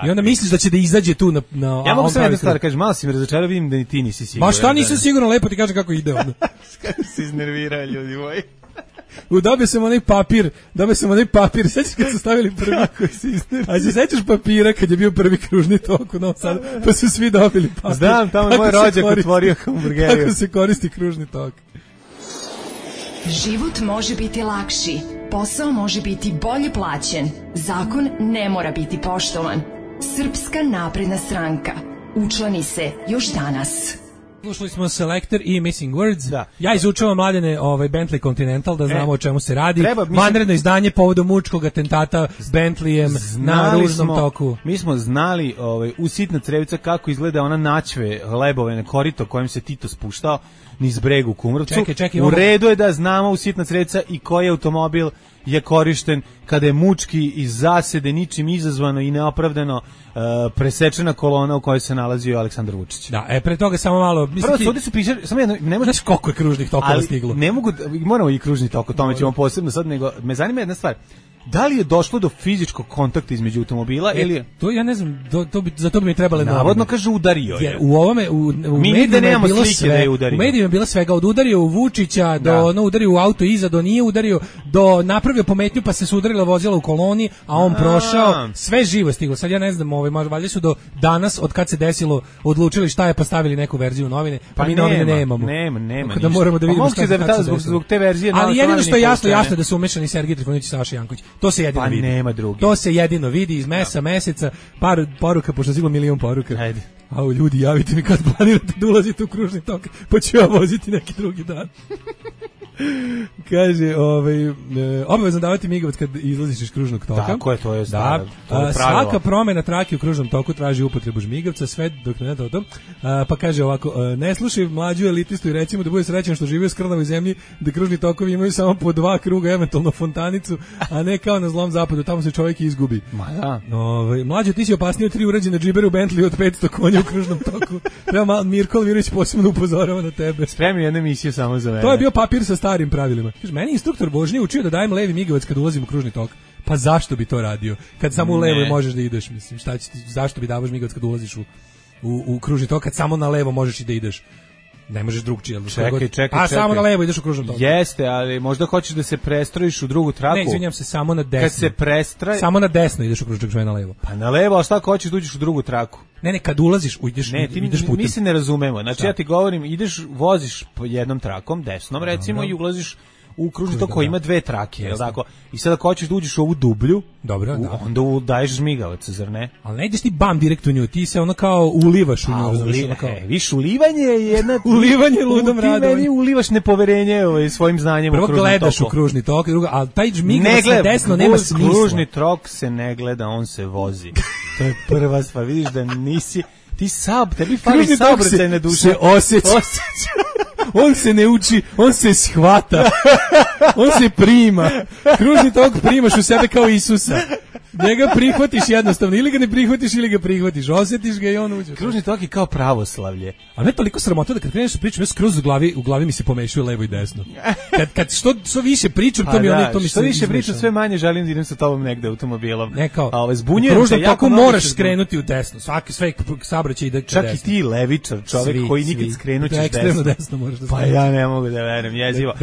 I onda misliš da će da izađe tu na ja mogu samo jednu stvar, kažeš, malo si me razočarao, vidim da ni ti nisi siguran. Ma šta nisam siguran, lepo ti kažem kako ide ono. Kako se iznerviraju ljudi moji. Dobio sam onaj papir, sećaš kad su stavili prvi, a se sećaš papira kad je bio prvi kružni tok u Novom Sadu, pa su svi dobili papir. Znam, tamo je moj rođak otvorio hamburgeriju. Kako se koristi kružni tok. Život može biti lakši, posao može biti bolje plaćen, zakon ne mora biti poštovan. Srpska napredna stranka. Učlani se još danas. Slušali smo Selector i Missing Words. Da. Ja izučavam, Mladene, Bentley Continental, da znamo o čemu se radi. Vanredno izdanje povodom mučkog atentata s Bentleyem na ružnom toku. Mi smo znali u sitna crevica kako izgleda ona načve lebove na korito kojim se Tito spuštao. niz breg u Kumrovcu. Čekaj, u redu je da znamo u sitna sredstva i koji automobil je korišten kada je mučki iz zasede ničim izazvano i neopravdano presečena kolona u kojoj se nalazio Aleksandar Vučić. Da, pre toga samo malo... Prvo, sudi su pišali, samo jedno, ne može... Znaš koliko je kružnih tokova stiglo? Ne mogu, moramo i kružni tok, o tome ćemo posebno sad, nego me zanima jedna stvar. Da li je došlo do fizičkog kontakta između automobila ili je... To ja ne znam, za to bi mi trebale navodno kaže udario je. U ovome u medijima je bilo sve. Da je udario. U medijima je bilo svega od udario u Vučića do udario u auto iza, do nije udario, do napravio pometnju pa se sudarila vozila u koloni, a on prošao, sve živo stiglo. Sad ja ne znam, valjda su do danas od kad se desilo odlučili šta je pa stavili neku verziju novine, pa mi novine nemamo. Nema. Da moramo da vidimo šta se desilo. Zbog te verzije. Ali jedino što je jasno da su umešani Sergej Trifunović i Saša Janković. To se jedino vidi. Nema drugi. To se jedino vidi iz meseca, par poruka, pošto stiglo milion poruka. Ajde. Au, ljudi, javite mi kad planirate da ulazite u kružni tok, pa ću ja voziti neki drugi dan. Kaže, obavezno davati migavac kad izlaziš iz kružnog toka. Tako je, to je stvar. Svaka promena trake u kružnom toku traži upotrebu žmigavca, sve dok ne to. Pa kaže ovako, ne slušaj mlađu elitistu i recimo da bude srećan što živi u skrnavoj zemlji, da kružni tokovi imaju samo po 2 kruga, eventualno fontanicu, a ne kao na zlom zapadu, tamo se čovjek izgubi. Ma da. Mlađo, ti si opasniji od 3 urađene džibere u Bentley od 500 konja u kružnom toku. Treba Mirko Alvirović posebno upozorava na tebe. Spremi jednu emisiju samo za mene. To je bio papir sa starim pravilima. Kaže, meni instruktor vožnje učio da dajem levi migavac kad ulazim u kružni tok. Pa zašto bi to radio? Kad samo u levo možeš da ideš, mislim. Zašto bi davaš migavac kad ulaziš u kružni tok, kad samo na levo možeš i da ideš? Ne možeš drugčije. Čekaj. Samo na levo ideš u kružnom toku. Jeste, ali možda hoćeš da se prestrojiš u drugu traku. Ne, izvinjam se, samo na desno. Kad se prestroj... Samo na desno ideš u kružni tok, na levo. Pa na levo, a šta ako hoćeš da uđeš u drugu traku? Ne, kad ulaziš, ideš putem. Mi se ne razumemo. Znači, ja ti govorim, voziš po jednom trakom, desnom recimo, i ulaziš u kružni tok koji ima 2 trake, je tako? I sad ako hoćeš da uđeš u ovu dublju, onda daješ žmigavac, zar ne? Ali ne ideš ti bam direkt u nju, ti se ono kao ulivaš u nju. Viš, ulivanje je jedna... ulivanje ludom radom. Ti meni ulivaš nepoverenje svojim znanjem u kružni tok. Prvo gledaš u kružni tok, ali taj žmigavac na desno nema smisla. Kružni tok se ne gleda, on se vozi. To je prva stvar, vidiš da nisi... Tebi fali saobraćajna duša. Se osjeća. On se ne uči, on se shvata. On se prima. Kružni tok primaš u sebe kao Isusa. Njega prihvatiš jednostavno, ili ga ne prihvatiš ili ga prihvatiš, osjetiš ga i on uđe. Kružni tok je kao pravoslavlje. A ne toliko sramota da kad kreneš pričam, ja skroz u glavi mi se pomešaju levo i desno. Kad što više pričam, to mi se... Što više pričam, sve manje želim da idem sa tobom negde automobilom. Ne kao, zbunjujem se jako moraš skrenuti u desno, sve saobraćaj ide čak desno. I ti levičar, čovjek koji nikad skrenućeš desno. Ekstremno desno moraš da pa ja ne mogu da verujem, jezivo.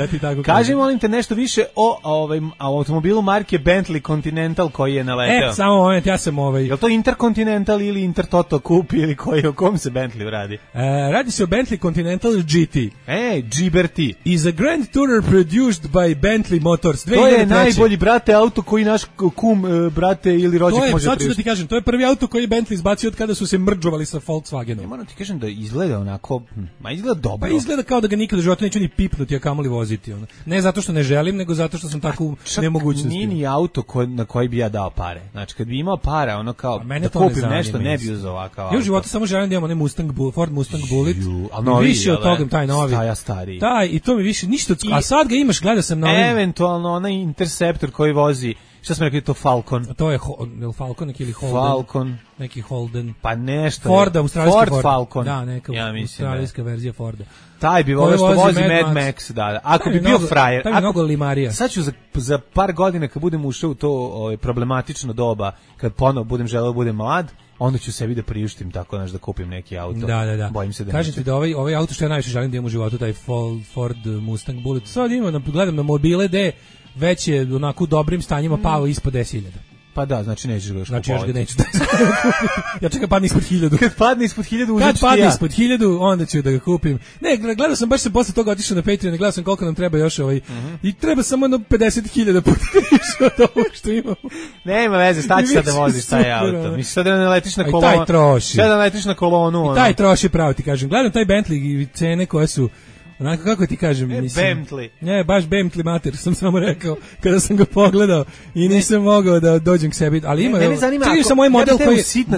Kaži molim te nešto više o automobilu marke Bentley Continental koji je naleteo. Samo moment, ja sam Je li to Intercontinental ili Intertoto Coupe ili o kom se Bentley radi? Radi se o Bentley Continental GT. GBT. Is a Grand Tourer produced by Bentley Motors. 2003. To je najbolji, brate, auto koji naš kum, brate, ili rođak može priuštiti. Sad ću da ti kažem, to je prvi auto koji je Bentley izbacio od kada su se mrdžovali sa Volkswagenom. Ne moram ti kažem da izgleda onako, izgleda dobro. Pa izgleda kao da ga nikada u životu neću ni pipnuti, a kamoli voziti. Ne zato što ne želim, nego zato što sam tako u nemogućnosti. Nije ni auto na koji bi ja dao pare. Znači, kad bi imao para, ono kao da kupim nešto, ne bi uzeo ovakav auto. Ja u životu samo želim da imam onaj Ford Mustang Bullet. Više od toga, taj novi. Stariji. Taj, i to mi više ništa. A sad ga imaš, gledao sam na ovim. Eventualno onaj Interceptor koji vozi, šta smo rekli, to Falcon. A to je Falcon ili Holden. Falcon. Neki Holden. Pa nešto. Ford Falcon. Da, neka australijska verzija Forda. Taj bi volio što vozi Mad Max, da. Ako bi bio frajer. Taj bi mnogo limarija. Sad ću za par godina kad budem ušao u to problematično doba, kad ponovo budem želeo budem mlad, onda ću sebi da priuštim tako da kupim neki auto. Da. Bojim se da kažem ti da ovaj auto što ja najviše želim da imam u životu, taj Ford Mustang Bullet. Sad gledam na mobile gde već je onako u dobrim stanjima pao ispod 10.000. Pa da, znači nećeš ga još kupovati. Znači još ga neću. Ja čekam padne ispod 1000. Kad padne ispod 1000, Kad padne ispod 1000, onda ću da ga kupim. Ne, gledao sam, baš sam posle toga otišao na Patreon, gledao sam koliko nam treba još i treba samo 50.000 puta više od ovog što imamo. Nema veze, staći sad da voziš taj auto. Misliš sad da ne letiš na kolonu. Taj troši. Sad da ne letiš na kolonu. I taj troši, pravo ti kažem. Gledam taj Bentley i cene koje su onako, kako ti kažem, mislim. Bentley. Ne, baš Bentley mater, sam samo rekao kada sam ga pogledao i nisam mogao da dođem k sebi, ali ima. Čini se moj model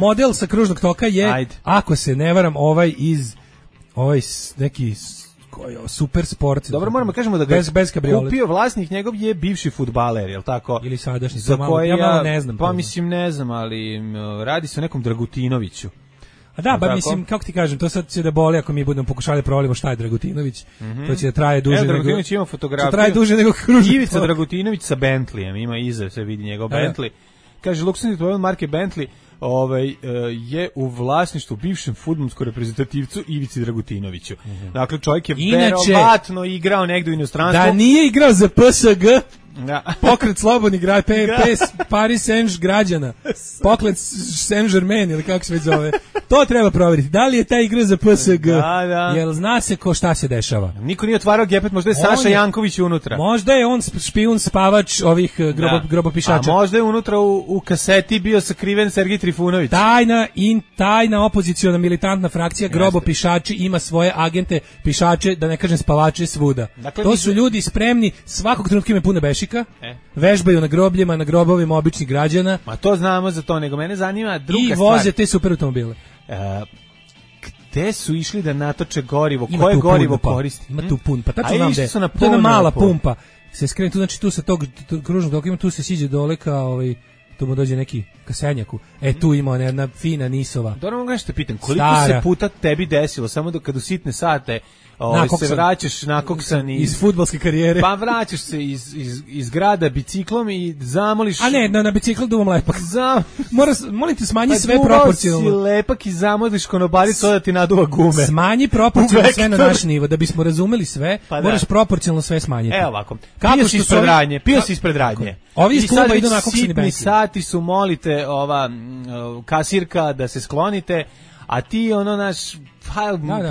model sa kružnog toka je, ako se ne varam, ovaj neki koji super sport. Dobro, moramo kažemo da ga bez kupio vlasnik njegov je bivši fudbaler, je l' tako? Ili sadašnji, za koje ja malo ne znam. Pa mislim ne znam, ali radi se o nekom Dragutinoviću. A da, ba mislim, kako ti kažem, to sad će da boli ako mi budemo pokušali da provalimo šta je Dragutinović. To će da traje duže nego... Dragutinović ima fotografiju. Traje duže nego kružni. Ivica Dragutinović sa Bentleyem, ima iza, se vidi njegov Bentley. Kaže, luksusni automobil marke Bentley je u vlasništvu bivšem fudbalskom reprezentativcu Ivici Dragutinoviću. Dakle, čovjek je verovatno igrao negdje u inostranstvu. Da nije igrao za PSG, pokret slobodnih Paris Saint građana, pokret Saint Germain ili kako se već zove. To treba provjeriti. Da li je taj igra za PSG? Jel zna se ko šta se dešava? Niko nije otvarao gepet, možda je Saša Janković unutra. Možda je on špijun spavač ovih grobopišača. A možda je unutra u kaseti bio sakriven Sergej Trifunović. Tajna opoziciona militantna frakcija grobopišači ima svoje agente pišače, da ne kažem spavače svuda. Dakle, to su ljudi spremni, svakog trenutka im je puno bešika, vežbaju na grobljima, na grobovima običnih građana. Ma to znamo za to, nego mene zanima druga stvar. I voze te super automobile. Gde su išli da natoče gorivo? Koje gorivo koristi? Ima tu pun, pa tačno znam gde. To je jedna mala pumpa. Se skrene tu, znači tu sa tog kružnog toka ima, tu se siđe dole kao tu mu dođe neki kasenjaku. Tu ima jedna fina nisova. Dobro, mogu nešto pitam, koliko se puta tebi desilo, samo da kad u sitne sate se vraćaš nakoksan iz fudbalske karijere. Pa vraćaš se iz grada biciklom i zamoliš... A ne, na biciklu duvam lepak. Molim te, smanji sve proporcionalno. Pa duvao si lepak i zamoliš konobaricu da ti naduva gume. Smanji proporcionalno sve na naš nivo. Da bismo razumeli sve, moraš proporcionalno sve smanjiti. Evo ovako, pio si ispred radnje. Ovi iz kluba idu nakoksani bensin. Sitni sati su, molite kasirka da se sklonite, a ti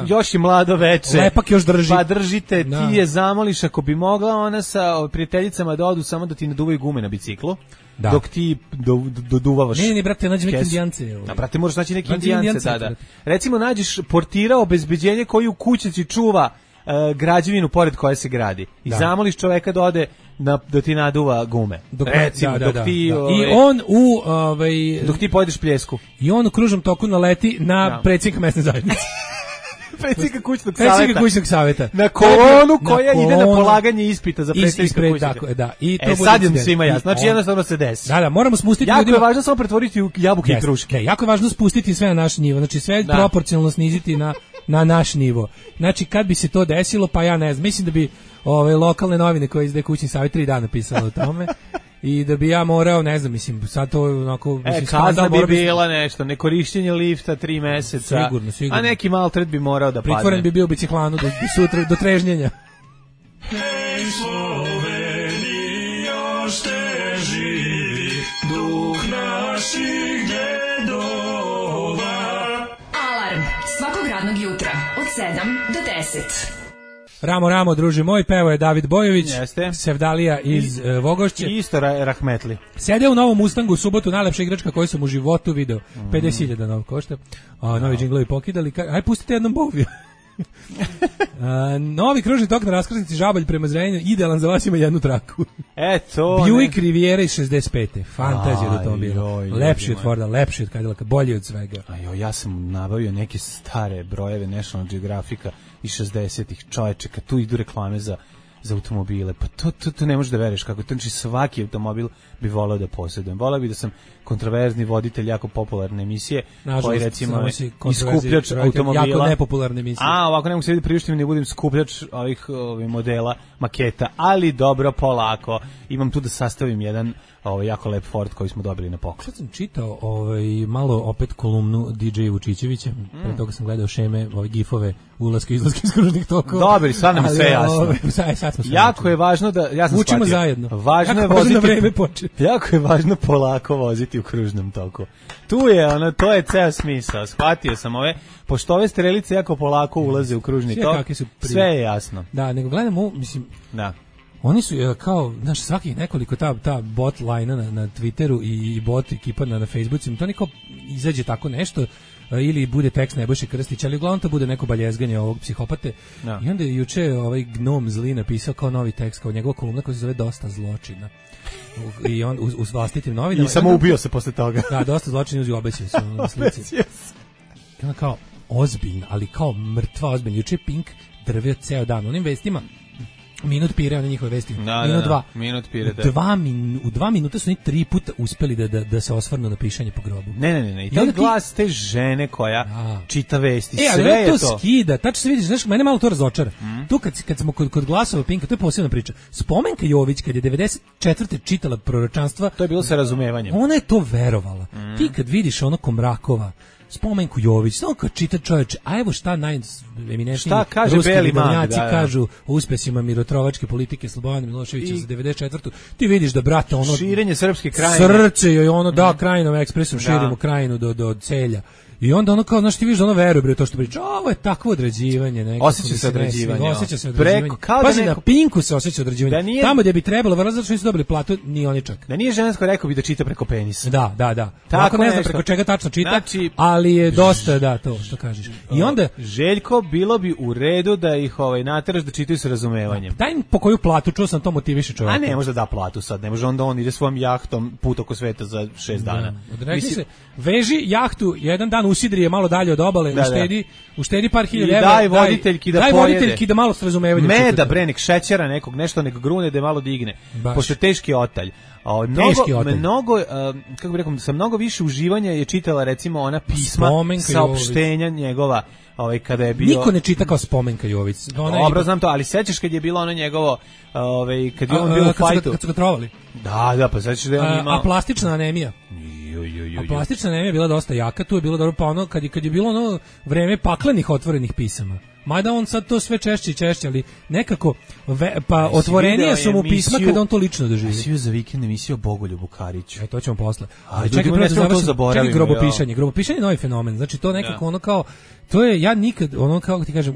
još je mlado veče. Lepak još drži. Pa držite, ti je zamoliš ako bi mogla ona sa prijateljicama da odu samo da ti naduvaju gume na biciklu. Dok ti doduvavaš. Ne, brate, nađi neke indijance. Brate, možeš naći neke indijance, da. Recimo, nađeš portira obezbeđenje koji u kućici čuva građevinu pored koje se gradi. I zamoliš čoveka da ode da ti naduva gume. Recimo, dok ti... I on dok ti pojedeš pljesku. I on u kružnom toku naleti na predsjednika mesne zajednice. Predsjednika kućnog savjeta. Na kolonu koja ide na polaganje ispita za predsjednika kućnog. I sad je svima jasno. Znači jednostavno se desi. Da, moramo spustiti jako ljudima. Jako je važno samo pretvoriti u jabuke i kruške. Jako je važno spustiti sve na naš nivo. Znači sve proporcionalno sniziti na naš nivo. Znači kad bi se to desilo, pa ja ne znam, mislim da bi lokalne novine koje izdaje kućni savjet 3 dana pisalo o tome. I da bi ja morao, ne znam, mislim, sad to onako... kazna bi bila nešto, nekorišćenje lifta 3 meseca, sigurno. A neki maltret bi morao da padne. Pritvoren bi bio biciklanu do sutra, do trežnjenja. Hej Sloveniji, još teži duh naših dedova. Alarm svakog radnog jutra od 7 do 10. Ramo, druži moj, pevo je David Bojović, Sevdalija iz Vogošće. I isto Rahmetli. Sede u novom Mustangu u subotu, najlepša igračka koju sam u životu video. 50.000 nov košta. Novi džinglovi pokidali. Aj, pustite jednom Boviju. Novi kružni tok na raskrsnici Žabalj prema Zrenjaninu, idealan za vas, ima jednu traku. Buick Riviera iz 65. Fantazija da to bilo. Lepši od Forda, lepši od Cadillac'a, bolji od svega. Ja sam nabavio neke stare brojeve National Geographica iz 60-ih, čoveče, kad tu idu reklame za automobile, pa to ne možeš da veruješ kako to, znači svaki automobil bi voleo da posjedujem. Voleo bi da sam kontroverzni voditelj jako popularne emisije, koji recimo iskupljač automobila. Jako nepopularne emisije. Ovako ne mogu se vidjeti priuštim, ne budem skupljač ovih modela, maketa, ali dobro, polako. Imam tu da sastavim jedan jako lep Ford koji smo dobili na poklon. Sad sam čitao malo opet kolumnu DJ Vučićevića, pre toga sam gledao šeme, gifove, ulaske, izlaske iz kružnih tokova. Dobri, sad nam sve jasno. Jako je važno da, ja sam učimo zajedno. Važno je voziti, jako je važno polako voziti u kružnom toku. Tu je, to je ceo smisao. Shvatio sam pošto ove strelice jako polako ulaze u kružni tok, sve je jasno. Da, nego gledamo, mislim, da. Oni su kao, znaš, svakih nekoliko ta bot lajna na Twitteru i bot ekipa na Facebooku, to niko izađe tako nešto, ili bude tekst Nebojše Krstić, ali uglavnom to bude neko baljezganje ovog psihopate. No. I onda je juče gnom zli napisao kao novi tekst, kao njegova kolumna koja se zove Dosta zločina. I on uz vlastitim novinama. I samo ubio se posle toga. Da, dosta zločina uz obećaju se na slici. I onda kao ozbiljno, ali kao mrtva ozbiljno. Juče Pink drvio ceo dan onim vestima. Minut pire, one njihove vesti. Minut pire, u 2 minuta su oni 3 puta uspeli da se osvrnu na pišanje po grobu. Ne. I taj glas te žene koja čita vesti, sve ali je to. To skida, tačno se vidi, znaš, mene malo to razočara. Tu kad smo kod glasova Pinka, to je posebna priča. Spomenka Jović, kad je 94. čitala proročanstva, to je bilo sa razumevanjem. Ona je to verovala. Ti kad vidiš ono Komrakova, Spomenku Jović, samo kad čita čoveče, a evo šta najeminentniji ruski vidovnjaci kažu o uspesima mirotrovačke politike Slobodana Miloševića za 94. Ti vidiš da, brate, ono... Širenje srpske krajine. Srce joj ono, Krajinom ekspresom širimo krajinu do celja. I onda ono kao, znaš, ti vidiš da ono veruje bre to što priča. Ovo je takvo određivanje. Osjeća se određivanje. Pazi, na Pinku se osjeća određivanje. Tamo gdje bi trebalo, vrlo zato što nisu dobili platu, ni oni čak. Da nije žensko, rekao bi da čita preko penisa. Da. Tako ne znam preko čega tačno čita, ali je dosta, to što kažeš. I onda... Željko, bilo bi u redu da ih nateraš da čitaju sa razumevanjem. Daj im po koju platu, čuo sam to motiviše čovjeka. A ne može da platu sad, ne može onda on ide svojom jahtom put oko sveta za 6 dana. Veži jahtu jedan dan usidri je malo dalje od obale, uštedi par hiljada evra. Daj voditeljki da malo s razumevanjem. Meda, brenik, šećera nekog, nešto nek grune da je malo digne. Pošto je teški otalj. Mnogo, kako bih rekao, sa mnogo više uživanja je čitala recimo ona pisma, saopštenja njegova, kada je bio... Niko ne čita kao Spomenka Jović. Dobro, znam to, ali sećaš kad je bilo ono njegovo, kad je on bio u fajtu. Kad su ga trovali. Da, pa sećaš da je on imao... A plastična anemija. A plastična anemija je bila dosta jaka, tu je bilo dobro, pa ono, kad je bilo ono vreme paklenih otvorenih pisama. Mada on sad to sve češće i češće, ali nekako otvorenija su mu pisma kada on to lično doživi. Svi za vikend emisiju o Bogoljubu Kariću. To ćemo posle. Ali čekaj, grobopišanje je novi fenomen. Znači to nekako ono kao, to je, ja nikad, ono kao ti kažem,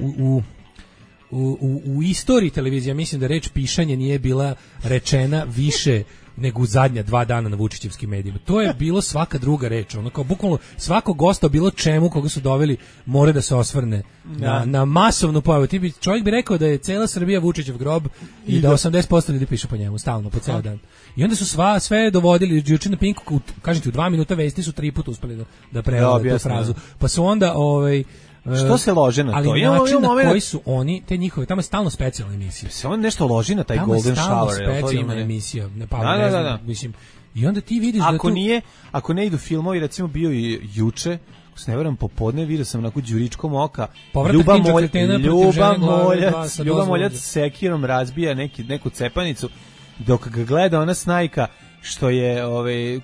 u istoriji televizije, mislim da reč pišanje nije bila rečena više nego u zadnja 2 dana na Vučićevskim medijima. To je bilo svaka druga reč. Ono kao bukvalno svako gosta bilo čemu koga su doveli mora da se osvrne na masovnu pojavu. Čovjek bi rekao da je cela Srbija Vučićev grob i da 80% ljudi piše po njemu stalno, po ceo dan. I onda su sve dovodili juče na Pinku, kažem ti, u 2 minuta vesti su 3 puta uspeli da prevode tu frazu. Pa su onda što se lože na to? Ali način na koji su oni, te njihove, tamo je stalno specijalna emisija. Se on nešto loži na taj Golden Shower. Tamo je stalno specijalna emisija. Da. Mislim, i onda ti vidiš ako ne idu filmovi, recimo bio i juče, ako se ne varam popodne, vidio sam onako đuričkom oka, Ljuba Moljac sekirom razbija neku cepanicu, dok ga gleda ona snajka što je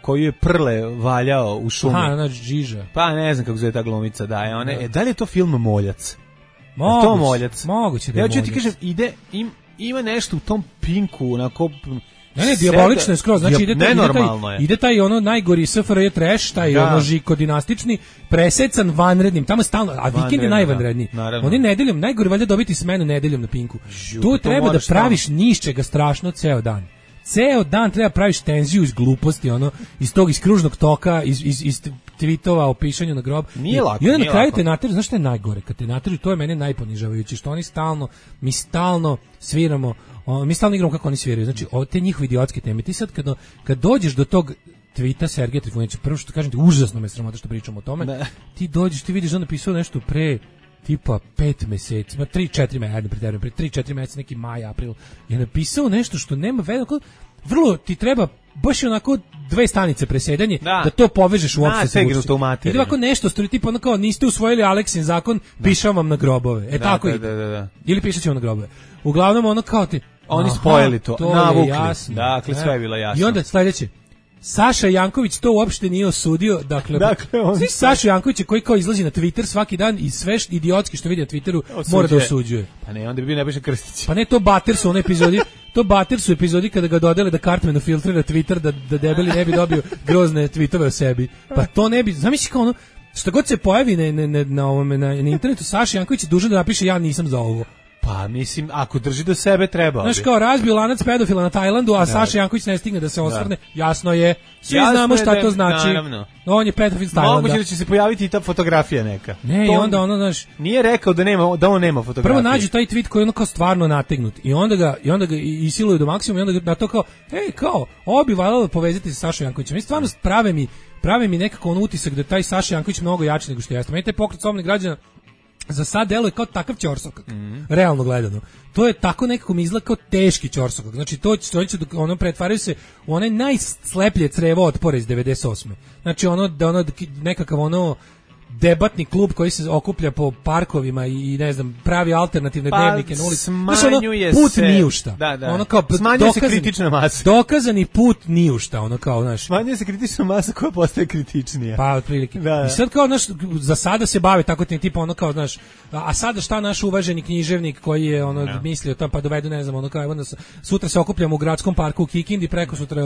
koju je Prle valjao u šumi. Žiža. Pa ne znam kako zove ta glumica, da li je to film Moljac? Moguće da je Moljac. Ja ću ti kažem, ima nešto u tom Pinku, onako... Ne, dijabolično je skroz, znači ide taj ono najgori SFRJ trash, taj ono žiko dinastični, presecan vanrednim, tamo stalno, a vikend je najvanredniji. Oni nedeljom, najgori valjda dobiti smenu nedeljom na Pinku. Tu treba da praviš nišćega strašno ceo dan. Ceo dan treba praviš tenziju iz gluposti, iz kružnog toka, iz tweetova o pišanju na grob. Nije lako. I onda na kraju te nateru, znaš što je najgore? Kad te nateru, to je mene najponižavajuće, što oni mi stalno sviramo, mi stalno igramo kako oni sviraju. Znači, te njihove idiotske teme. Ti sad kad dođeš do tog tweeta Sergeja Trifunića, prvo što kažem ti, užasno me sramota što pričamo o tome, ti dođeš, ti vidiš da on napisao nešto pre tipa 5 meseci, 3-4 meseca, neki maj, april, je napisao nešto što nema veze, vrlo ti treba baš onako 2 stanice presedanje da to povežeš uopšte sa Vučićem. I ovako nešto stoji, tipa ono kao niste usvojili Aleksin zakon, pišem vam na grobove. Tako ide. Ili pišat ću vam na grobove. Uglavnom ono kao ti... Oni spojili to, navukli. Dakle, sve je bilo jasno. I onda sledeće, Saša Janković to uopšte nije osudio, dakle Saša Janković koji kao izlazi na Twitter svaki dan i sve idiotski što vidi na Twitteru mora da osuđuje. Pa ne, onda bi bio Nebojša Krstić. Pa ne, to Bater su one epizodi, epizodi kada ga dodele da Cartmanu filtrira Twitter da debeli ne bi dobio grozne tweetove o sebi. Pa to ne bi, zamisli kao ono, što god se pojavi na internetu, Saša Janković je dužan da napiše ja nisam za ovo. Pa mislim, ako drži do sebe treba. Znaš kao razbio lanac pedofila na Tajlandu, a Saša Janković ne stigne da se osvrne, jasno je, svi znamo šta to znači. Naravno. On je pedofil s Tajlanda. Moguće da će se pojaviti i ta fotografija neka. Ne, i onda ono, znaš... Nije rekao da on nema fotografije. Prvo nađu taj tweet koji je ono kao stvarno nategnut i onda ga isiluju do maksimuma i onda ga na to kao, kao, ovo bi valjalo povezati sa Sašom Jankovićem. I stvarno prave mi nekako ono utisak da taj Saša Janković mnogo jači nego što jeste. Meni taj pokret slobodnih građana za sad deluje kao takav ćorsokak, realno gledano. To je tako nekako mi izgleda kao teški ćorsokak. Znači to će ono pretvaraju se u onaj najsleplje crevo otpora iz 98. Znači nekakav debatni klub koji se okuplja po parkovima i ne znam, pravi alternativne dnevnike na ulici. Put niušta. Ono kao smanjuje se kritična masa. Dokazani put niušta, ono kao, znaš. Smanjuje se kritična masa koja postaje kritičnija. Pa otprilike. I sad kao, znaš, za sada se bave tako tipa ono kao, znaš, a sada šta naš uvaženi književnik koji je mislio to, pa dovedu, ne znam, ono kao, evo sutra se okupljamo u gradskom parku u Kikindi, preko sutra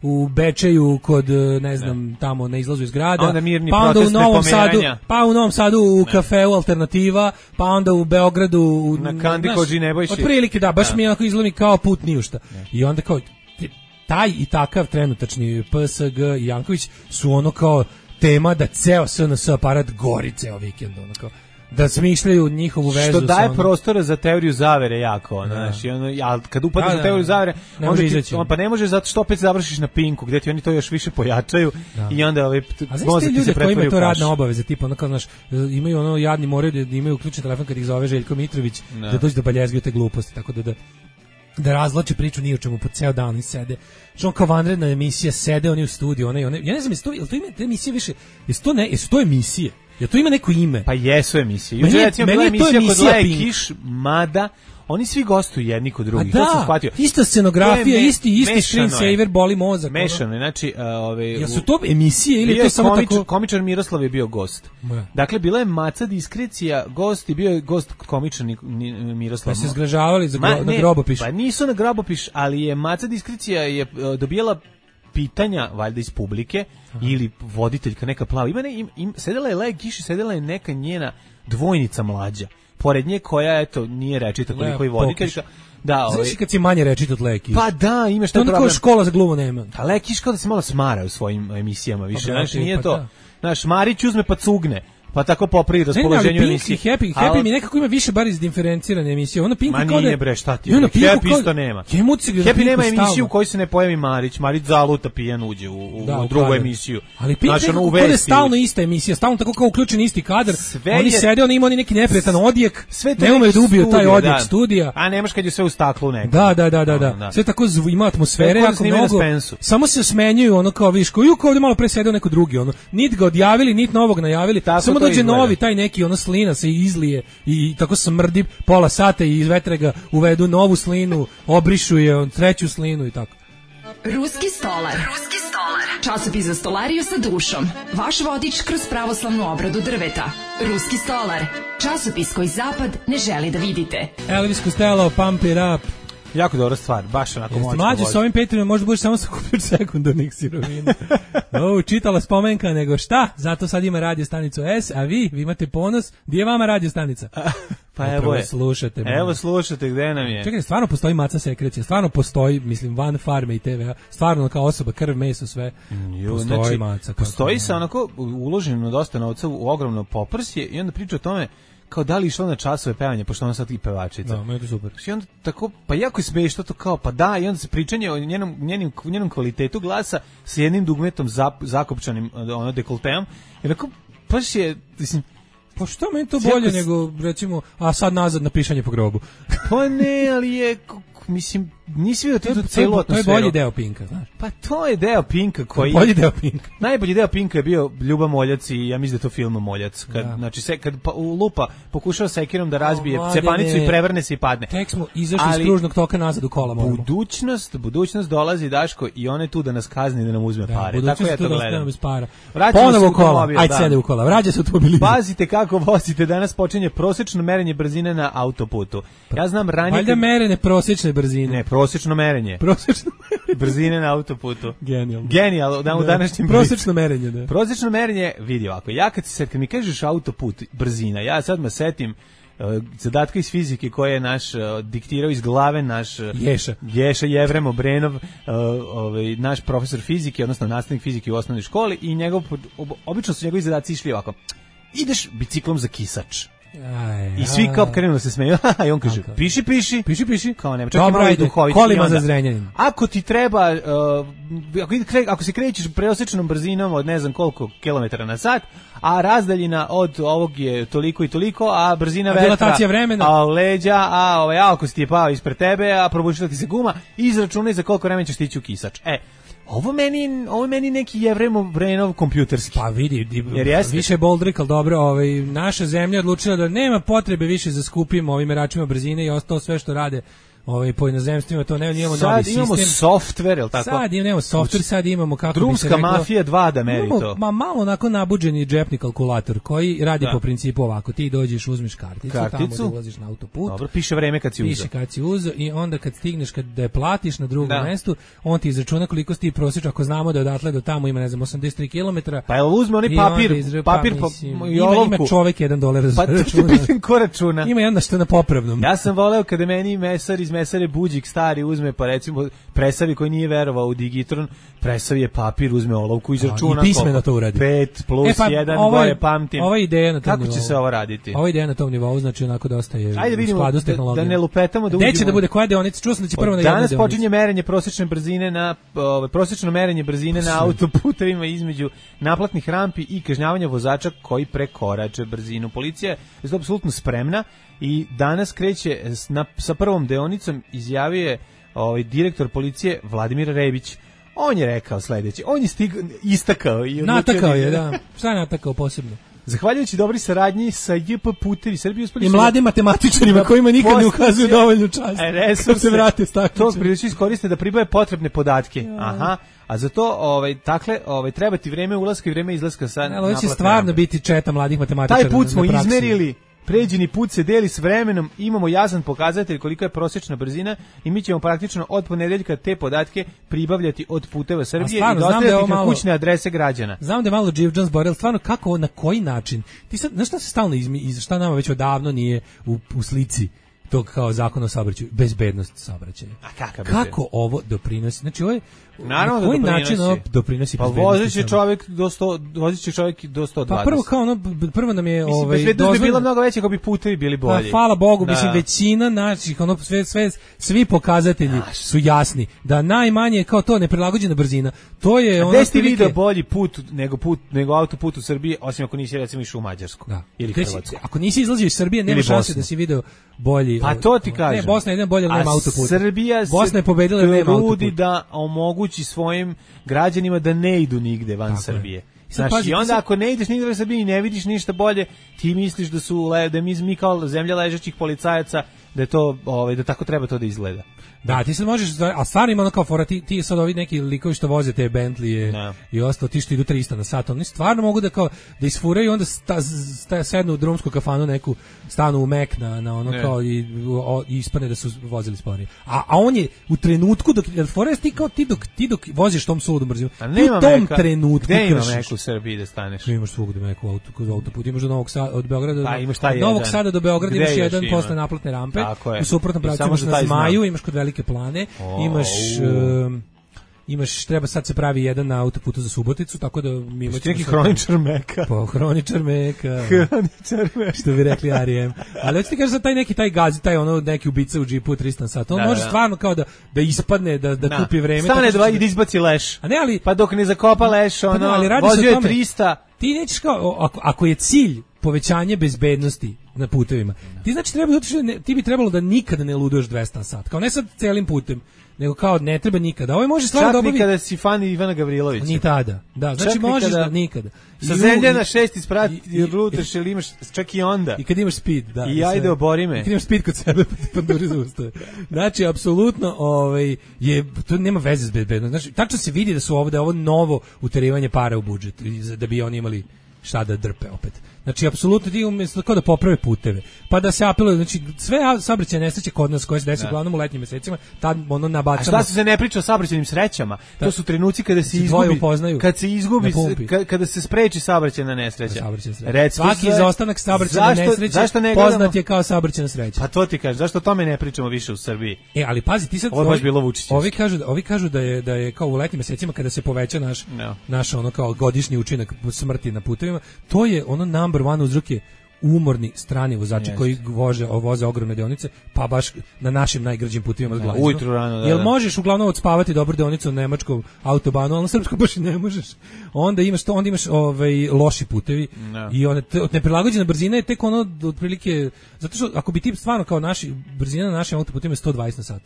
u Bečeju kod, ne znam, tamo na izlazu iz grada. Onda mirni protest nepomeranja. Pa u Novom Sadu u kafeu Alternativa, pa onda u Beogradu na Kandi Kođi Nebojši. Otprilike baš mi onako izgleda kao put niušta. I onda kao taj i takav trenutačni PSG i Janković su ono kao tema da ceo SNS aparat gori ceo vikend, ono kao da smišljaju njihovu vezu. Što daje prostora za teoriju zavere jako, znaš, i ono, kad upadneš u teoriju zavere, pa ne može zato što opet završiš na Pinku, gdje ti oni to još više pojačaju i onda mozak ti se pretvori u kaš. A znaš ti ljudi koji imaju to radne obaveze, tipa ono kao, znaš, imaju ono jadni moraju da imaju uključen telefon kad ih zove Željko Mitrović, da dođe da baljezgaju te gluposti, tako da razvlače priču ni o čemu, po ceo dan oni sede. Što kao vanredna emisija, sede oni u studiju, ja ne znam, jel to ima te emisije više, jesu to emisije? Ja to ima neko ime. Pa jesu emisije. Juče recimo bila emisija kod Leje Kiš, mada oni svi gostuju jedni kod drugih. To sam shvatio. Ista scenografija, isti screensaver, boli mozak. Mešano je, znači... Jesu to emisije ili to samo tako... Komičar Miroslav je bio gost. Dakle, bila je Maca Diskrecija gost i bio je gost komičar Miroslav. Pa se zgražavali na Grobopiš. Pa nisu na Grobopiš, ali je Maca Diskrecija je dobijala pitanja, valjda iz publike, ili voditeljka neka plava. Sedela je Leja Kiš i sedela je neka njena dvojnica mlađa. Pored nje koja, eto, nije rečita koliko i voditeljka. Znaš kad si manje rečit od Leja Kiš? Pa da, imaš taj problem. To škola za glumu nema. A Leja Kiš kao da se malo smara u svojim emisijama više. Znaš, nije to. Znaš, Marić uzme pa cugne. Pa tako popri raspoloženju emisije. Happy mi nekako ima više bar izdiferencirane emisije. Ono Pinku kao da... nije bre, šta ti? Happy isto nema. Happy nema emisiju u kojoj se ne pojavi Marić. Marić zaluta pijan uđe u drugu emisiju. Ali Pink nekako je stalno ista emisija, stalno tako kao uključen isti kadar. Oni sede, oni imaju neki neprijetan odjek, ne umeju da ubiju taj odjek studija. A nemaš kad je sve u staklu neko. Da. Sve tako ima atmosfere, jako mnogo. Samo se smenjuju, ono kao viš, kao ovdje malo pre sedeo neko drugi, ono. Nit ga odjavili, nit novog najavili. Dođe novi, taj neki slina se izlije i tako smrdi pola sata i iz vetra uvedu novu slinu, obrišu je treću slinu i tako. Ruski stolar. Časopis za stolariju sa dušom. Vaš vodič kroz pravoslavnu obradu drveta. Ruski stolar. Časopis koji zapad ne želi da vidite. Elvis Costello, Pump It Up. Jako dobra stvar, baš onako moćno. Mlađe s ovim Patreonom možda budeš samo sakupiti sekundarnih sirovina. Čitala spomenka, nego šta? Zato sad ima radio stanicu S, a vi imate ponos. Gdje je vama radio stanica? Pa evo je. Slušate. Evo slušate, gde nam je? Čekaj, stvarno postoji Maca Sekrecija, stvarno postoji, mislim, van farme i TV-a, stvarno kao osoba, krv, meso, sve. Postoji znači, Maca. Postoji se onako uloženo dosta novca u ogromno poprsje i onda priča o tome kao da li išla na časove pevanja, pošto ona sad i pevačica. Da, meni je to super. I onda tako, pa jako je smiješno to kao, pa da, i onda se pričanje o njenom kvalitetu glasa s jednim dugmetom zakopčanim dekolteom. I onako, baš je, mislim, pa što meni to bolje nego, recimo, a sad nazad na pišanje po grobu. Pa ne, ali je, mislim, nisi vidio tu celu atmosferu. To je bolji deo Pinka, znaš. Pa to je deo Pinka koji... Bolji deo Pinka. Najbolji deo Pinka je bio Ljuba Moljac i ja mislim da je to film Moljac. Znači, kad lupa pokušava sekirom da razbije cepanicu i prevrne se i padne. Tek smo izašli iz kružnog toka nazad u kola. Budućnost dolazi, Daško, i on je tu da nas kazni, da nam uzme pare. Tako ja to gledam. Ponovo u kola, ajde sede u kola, vraća se automobilima. Pazite kako vozite, danas počinje prosečno merenje brzine na autoputu. Ja znam ranije... Valjda merenje prosječne brzine. Ne, prosečno merenje. Brzine na autoputu. Genijal, u današnjem prosečno merenje, da. Prosečno merenje, vidi ovako, ja kad mi kažeš autoput, brzina, ja sad me setim zadatka iz fizike koje je naš diktirao iz glave naš Ješa Jevrem Obrenov, naš profesor fizike, odnosno nastavnik fizike u osnovnoj školi i obično su njegovi zadaci išli ovako. Ideš biciklom za Kisač. I svi kao krenu da se smeju. I on kaže, piši. Kao nema, čak dobro, i duhovit. Kolima za Zrenjanin. Ako ti treba, ako se krećeš preosečnom brzinom od ne znam koliko kilometara na sat, a razdaljina od ovog je toliko i toliko, a brzina vetra, a leđa, a ako si ti je pao ispred tebe, a probušila ti se guma, izračunaj za koliko vremena ćeš stići u kisač. Ovo meni neki Jevremov kompjuterski. Pa vidi, više boldrik, ali dobro, naša zemlja odlučila da nema potrebe više za skupim ovim meračima brzine i ostalo sve što rade po inozemstvima, to ne, imamo novi sistem. Sad imamo softver, je li tako? Sad imamo softver, sad imamo, kako drumska bi se reklo... mafija 2 da meri to. Malo onako nabuđeni džepni kalkulator koji radi po principu ovako, ti dođeš, uzmeš karticu, tamo da ulaziš na autoput. Dobro, piše vreme kad si uzeo. Piše kad si uzeo i onda kad stigneš, da je platiš na drugom mestu, on ti izračuna koliko si ti prosječno, ako znamo da odatle do tamo ima, ne znam, 83 km. Pa je uzme oni papir i olovku. Ima čovek $1 pa računa. Ko računa? Ima jedna što je na popravnom. Ja sam voleo kada meni mesar iz mesare Buđik stari uzme, pa recimo presavi koji nije verovao u digitron, presavi je papir, uzme olovku, izračuna. I pismeno to uradi. 5 plus 1, gore pamtim. Ova ideja na tom kako će se ovo raditi? Ova ideja na tom nivou, znači onako dosta je u skladu s tehnologijom. Da ne lupetamo, da uđemo. Gde će da bude koja deonica? Čuo sam da će prvo na jednoj deonici. Danas počinje merenje prosječne brzine prosječno merenje brzine na autoputevima između naplatnih rampi i kažnjavanja vozača koji prekorače brzinu. Policija je apsolutno spremna i danas kreće sa prvom deonicom, izjavio je direktor policije Vladimir Rebić. On je rekao sledeće, on je istakao i natakao je, da. Šta je natakao posebno? Zahvaljujući dobri saradnji sa JP Putevi Srbije uspeli i mladim matematičarima kojima nikad ne ukazuju dovoljnu čast. Resurse se vrate s takvim. To prilično iskoriste da pribave potrebne podatke. Aha. A za to treba ti vreme ulaska i vreme izlaska sa naplatne. Ovo će stvarno biti četa mladih matematičara. Taj put smo izmerili. Pređeni put se deli s vremenom, imamo jasan pokazatelj koliko je prosječna brzina i mi ćemo praktično od ponedeljka te podatke pribavljati od Puteva Srbije i dostavljati na kućne adrese građana. Znam da je malo Dživđan zboril, stvarno kako, na koji način? Ti sad, znaš šta se stalno šta nama već odavno nije u slici tog kao zakon o saobraćaju, bezbednost saobraćaja. Kako ovo doprinosi? Znači ovo je naravno na koji način ovo doprinosi bezbednosti? Pa vozit će čovjek do 120. Pa prvo nam je bezbednost bi bila mnogo veća ako bi putevi bili bolji. Pa hvala Bogu, mislim većina naših svi pokazatelji su jasni da najmanje kao to neprilagođena brzina. To je ono. Gde ste video bolji put nego autoput u Srbiji, osim ako nisi recimo išao u Mađarsku ili Hrvatsku. Ako nisi izlazio iz Srbije, nema šanse da si video bolji. Pa to ti kažem. Ne, Bosna je jedan bolje, nema autoput. Bosna je pobedila, nema autoput. Da omogući svojim građanima da ne idu nigde van Srbije. Znači, onda ako ne ideš nigde van Srbije i ne vidiš ništa bolje, ti misliš da mi kao zemlja ležećih policajaca da je to da tako treba to da izgleda. Da, ti sad možeš, a stvarno ima ono kao fora, ti sad ovi neki likovi što voze te Bentley i ostalo, ti što idu 300 na sat, oni stvarno mogu da kao da isfuraju, onda sednu u drumsku kafanu neku, stanu u Mek na ono kao i ispane da su vozili sporije. A on je u trenutku dok forest ti dok voziš tom suludom brzinom, u tom trenutku gde ima Mek u Srbiji da staneš? Imaš svugde Mek u autoput, imaš do Novog Sada, od Beograda od Novog Sada do Beograda imaš jedan posle naplatne rampe, u suprotnom pravcu imaš na Zmaju, imaš kod Velike Plane, imaš, treba sad se pravi jedan na autoputu za Suboticu, tako da mi imamo neki hroničar Meka. Pa hroničar Meka. Što bi rekli R.E.M. Ali hoćete kažeš za taj gazi, taj ono neki ubica u džipu 300 sat. On može stvarno kao da ispadne, da kupi vreme. Stane i da izbaci leš. A ne, ali pa dok ne zakopa leš, vozio je 300. Ti nećeš kao, ako je cilj povećanje bezbednosti na putevima, ti bi trebalo da nikada ne luduješ 200 na sat. Kao ne sad celim putem, nego kao ne treba nikada. Ovo može stvarno da obavi. Čak nikada si fan Ivana Gavrilovića. Ni tada. Da, znači možeš da nikada. Sa zemlje na 6 isprati ruteš ili imaš čak i onda. I kad imaš speed, da. I ajde obori me. I kad imaš speed kod sebe, pa duri zaustave. Znači, apsolutno, to nema veze s bezbednošću. Znači, tačno se vidi da su ovo novo uterivanje para u budžet, da bi oni imali šta da drpe opet. Znači, apsolutno ti umjesto kao da poprave puteve, pa da se apeluje, znači, sve saobraćajne nesreće kod nas koje se desi uglavnom u letnjim mesecima, tad ono nabacamo. A šta se ne priča o saobraćajnim srećama? To su trenuci kada se izgubi, kada se spreči saobraćajna nesreća. Svaki izostanak saobraćajne nesreće poznat je kao saobraćajna sreća. Pa to ti kažeš, zašto o tome ne pričamo više u Srbiji? Ali pazi, ti sad ovi kažu da je kao u letnjim mesecima kada se poveća naš ono kao godišnji učinak smrti na putevima, to je ono number one uzrok je umorni strani vozači koji voze ogromne deonice, pa baš na našim najgrđim putevima s glazom. Ujutru rano, Jel možeš uglavnom odspavati dobro deonicu na nemačkom autobanu, ali na srpskom baš i ne možeš. Onda imaš loši putevi i neprilagođena brzina je tek ono otprilike, zato što ako bi ti stvarno kao brzina na našim autoputima je 120 na sat,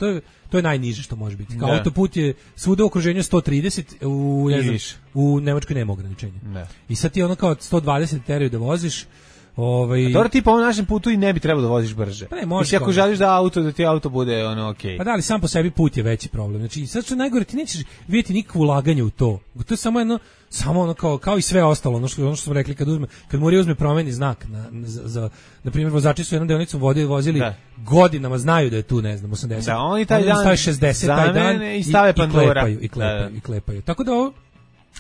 to je najniže što može biti. Kao autoput je svuda u okruženju 130, u Nemačkoj nema ograničenja. I sad ti ono kao 120 teraju da voziš. Dobro, ti po ovom našem putu i ne bi trebalo da voziš brže. Pa ne, možeš. Ako želiš da ti auto bude okej. Pa da, ali sam po sebi put je veći problem. Znači, sad što najgore, ti nećeš vidjeti nikakvo ulaganje u to. To je samo ono kao i sve ostalo, ono što smo rekli, kad Murija uzme promeni znak na primjer, vozači su jednom deonicom vozili godinama, znaju da je tu, ne znam, 80. Da, oni taj dan stavi 60 taj dan i stave Pandora i klepaju. Tako da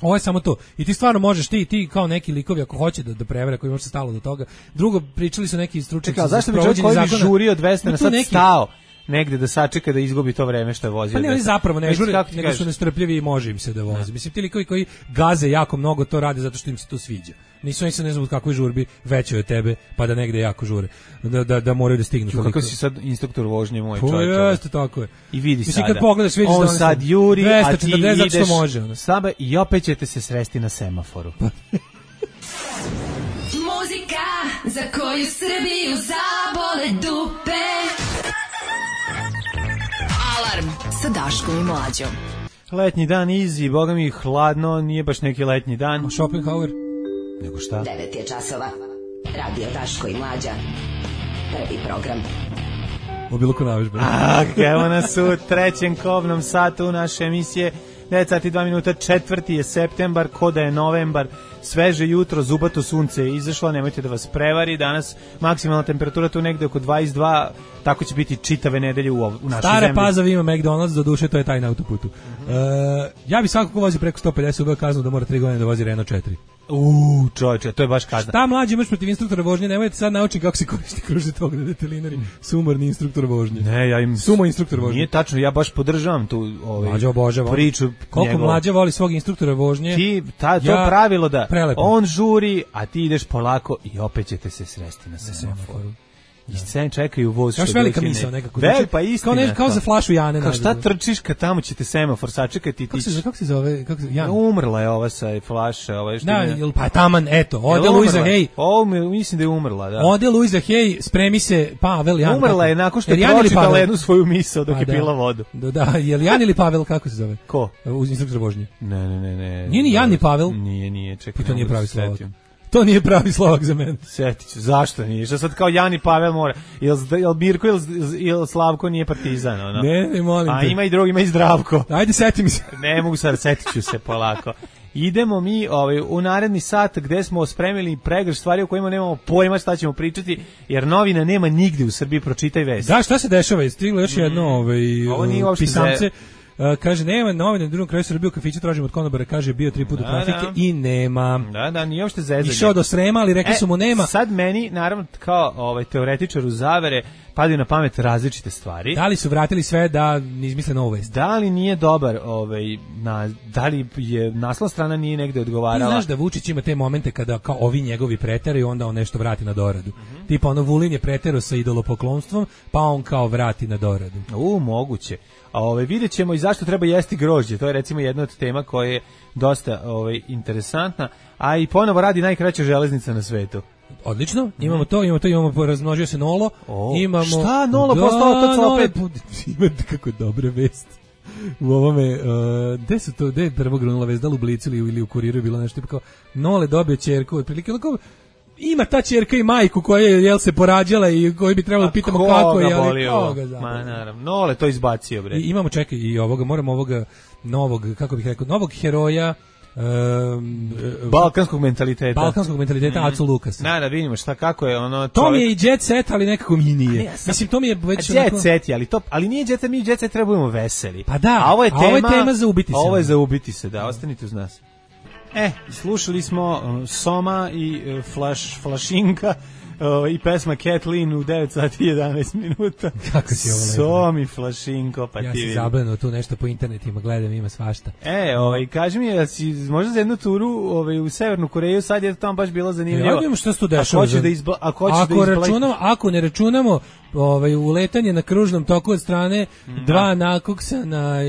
ovo je samo to. I ti stvarno možeš, ti kao neki likovi ako hoće da prevere, koji može se stalo do toga. Drugo, pričali su neki stručnjaci za sprovođenje zakona. Zašto bi čovjek koji bi žurio 200 na sat stao negde da sačeka da izgubi to vreme što je vozio? Pa ne, oni zapravo ne žure, nego su nestrpljivi i može im se da vozi. Mislim, ti likovi koji gaze jako mnogo to rade zato što im se to sviđa. Nisu oni se ne znam u kakvoj žurbi veće od tebe, pa da negde jako žure. Da moraju da stignu. Kako si sad instruktor vožnje moj čovjek? Jeste, tako je. I vidi mislim, sada. Kad pogledaš, vidiš on sad juri, a ti ideš može, i opet ćete se sresti na semaforu. Muzika za koju Srbiju zabole dupe. Alarm sa Daškom i Mlađom. Letnji dan easy, boga mi hladno, nije baš neki letnji dan. Schopenhauer. Nego šta? 9 je časova. Radio Daško i Mlađa. Prvi program. Obiluko navežbe. Evo nas u trećem kobnom satu naše emisije. 9 sati 2 minuta, 4. je septembar, ko da je novembar, sveže jutro, zubato sunce je izašlo, nemojte da vas prevari, danas maksimalna temperatura tu negde oko 22, tako će biti čitave nedelje u našoj zemlji. Stara Pazova ima McDonald's, do duše to je taj na autoputu. Ja bi svakako vozi preko 150 ubeo kaznu da mora 3 godine da vozi Renault 4. Čovječe, to je baš kazna. Šta mlađi imaš protiv instruktora vožnje? Nemojte sad naučiti kako se koristi kružni tok na detelinari. Sumorni instruktor vožnje. Ne, ja im sumo instruktor vožnje. Nije tačno, ja baš podržavam tu priču. Koliko Mlađa voli svog instruktora vožnje? Ti to pravilo da on žuri, a ti ideš polako i opet ćete se sresti na semaforu. I scene čekaju voz. Još velika misao nekako. Pa istina. Kao za flašu Jane. Kao šta trčiš kad tamo ćete semafor sačekati. Kako se zove? Jan? Umrla je ova sa flaše. Pa taman, eto. Ode Luiza Hay. Mislim da je umrla, da. Ode Luiza Hay, spremi se Pavel Jan. Umrla je nakon što je pročitala jednu svoju misao dok je pila vodu. Da, je li Jan ili Pavel, kako se zove? Ko? Uz instruktor vožnje. Ne. Nije ni Jan ni Pavel? Nije, čekaj. To nije pravi Slovak. To nije pravi Slovak za mene. Sjetit ću, zašto nije? Što sad kao Jan i Pavel mora? Jel Mirko ili Slavko nije partizan? Ono? Ne, molim te. A ima i drugi, ima i Zdravko. Ajde, seti mi se. Ne mogu sad, setit ću se polako. Idemo mi u naredni sat gde smo spremili pregršt stvari o kojima nemamo pojma šta ćemo pričati, jer novina nema nigde u Srbiji, pročitaj vest. Da, šta se dešava? Stiglo još jedno pisamce. Kaže, nema novine na drugom kraju Srbije u kafiću, tražimo od konobara, kaže, bio 3 puta trafike i nema. Da, nije uopšte zezanje. Išao do Srema, ali rekli su mu nema. Sad meni, naravno, kao teoretičaru zavere, padaju na pamet različite stvari. Da li su vratili sve da ne izmisle novu vest? Da li nije dobar, da li je naslovna strana nije negde odgovarala? Ti znaš da Vučić ima te momente kada kao ovi njegovi preteraju, onda on nešto vrati na doradu. Tipa ono Vulin je preterao sa idolopoklonstvom, pa on kao vrati na doradu. Moguće. Vidjet ćemo i zašto treba jesti grožđe. To je recimo jedna od tema koja je dosta interesantna, a i ponovo radi najkraća železnica na svetu. Odlično, imamo razmnožio se Nolo. Imamo šta Nolo postao opet? Ima kako dobre vesti. U ovome, gde je prvo grunula vest, da li u Blicu ili u Kuriru je bilo nešto kao Nole dobio ćerku, otprilike onako. Ima ta ćerka i majku koja je se porađala i koji bi trebalo pitamo kako je, ali koga zapravo. Ma naravno, Nole to izbacio bre. I imamo čekaj i moramo ovoga novog, kako bih rekao, novog heroja balkanskog mentaliteta. Acu Lukas. Da vidimo šta kako je ono. To mi je i jet set, ali nekako mi nije. Mislim to mi je već jet set, ali nije jet set, mi jet set trebujemo veseli. Pa da, a ovo je tema za ubiti se. Ovo je za ubiti se, da, ostanite uz nas. Slušali smo Soma i Flašinka I pesma Kathleen u 9 sati 11 minuta. Kako si ovo lepo? Somi Flašinko, pa ja ti si vidim. zabrano tu nešto po internetima, gledam, ima svašta. Kaži mi, da si možda za jednu turu u Severnu Koreju, sad je tamo baš bilo zanimljivo. Ja vidim šta se tu dešava. Ako ne računamo uletanje na kružnom toku od strane dva nakoksana,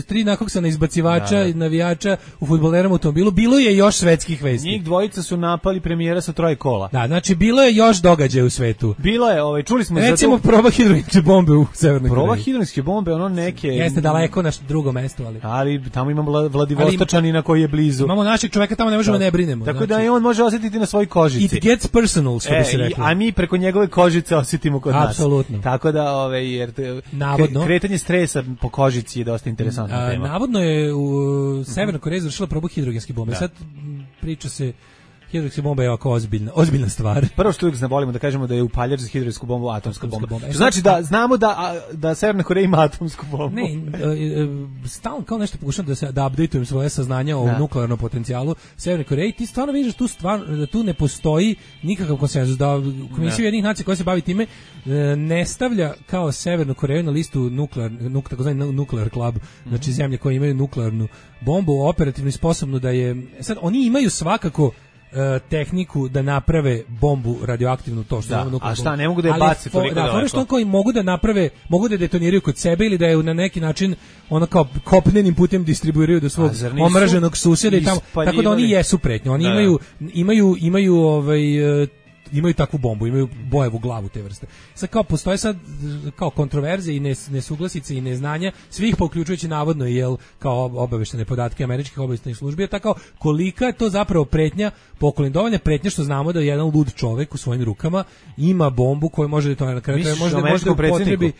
tri nakoksana izbacivača i navijača u fudbaleranom automobilu, bilo je još svetskih vesti. Njih dvojica su napali premijera sa 3 kola. Da, znači bilo je još događaja u svetu. Bilo je, čuli smo recimo proba hidrogenske bombe u Severnoj Koreji. Proba hidrogenske bombe, ono neke... Jeste daleko na drugom mestu, ali tamo imamo Vladivostočanina koji je blizu. Imamo našeg čoveka, tamo ne možemo ne brinemo. Tako da i on može osjetiti na svojoj kožici. It gets personal, što bi se reklo. A mi preko njegove kožice osjetimo kod nas. Apsolutno. Tako da, jer kretanje stresa po kožici je dosta interesantna tema. Navodno je u Severnoj Koreji završila probu hidrogenske bombe. Sad priča se, hidrogenska bomba je ovako ozbiljna stvar. Prvo što uvijek volimo da kažemo da je upaljač za hidrogensku bombu atomska bomba. Što znači da znamo da Severna Koreja ima atomsku bombu. Ne, stalno kao nešto pokušam da updateujem svoje saznanja o nuklearnom potencijalu Severne Koreje. Ti stvarno vidiš da tu ne postoji nikakav konsenzus, da Komisija Ujedinjenih nacija koja se bavi time ne stavlja kao Severnu Koreju na listu takozvani nuklear club, znači zemlje koje imaju nuklearnu bombu, operativno i sposobno da je... Sad, oni imaju svakako tehniku da naprave bombu radioaktivnu, to što zovemo nuklearnu bombu. A šta, ne mogu da je baci toliko daleko? Da, što koji mogu da naprave, mogu da detoniraju kod sebe ili da je na neki način ono kao kopnenim putem distribuiraju do svog omraženog susjeda i tamo, tako da oni jesu pretnje. Oni imaju takvu bombu, imaju bojevu glavu te vrste. Sad kao postoje kao kontroverze i nesuglasice i neznanja svih, pa uključujući navodno kao obaveštene podatke američkih obaveštajnih službi, je tako kolika je to zapravo pretnja, dovoljna pretnja što znamo da jedan lud čovek u svojim rukama ima bombu koju može na kraju može upotrebi.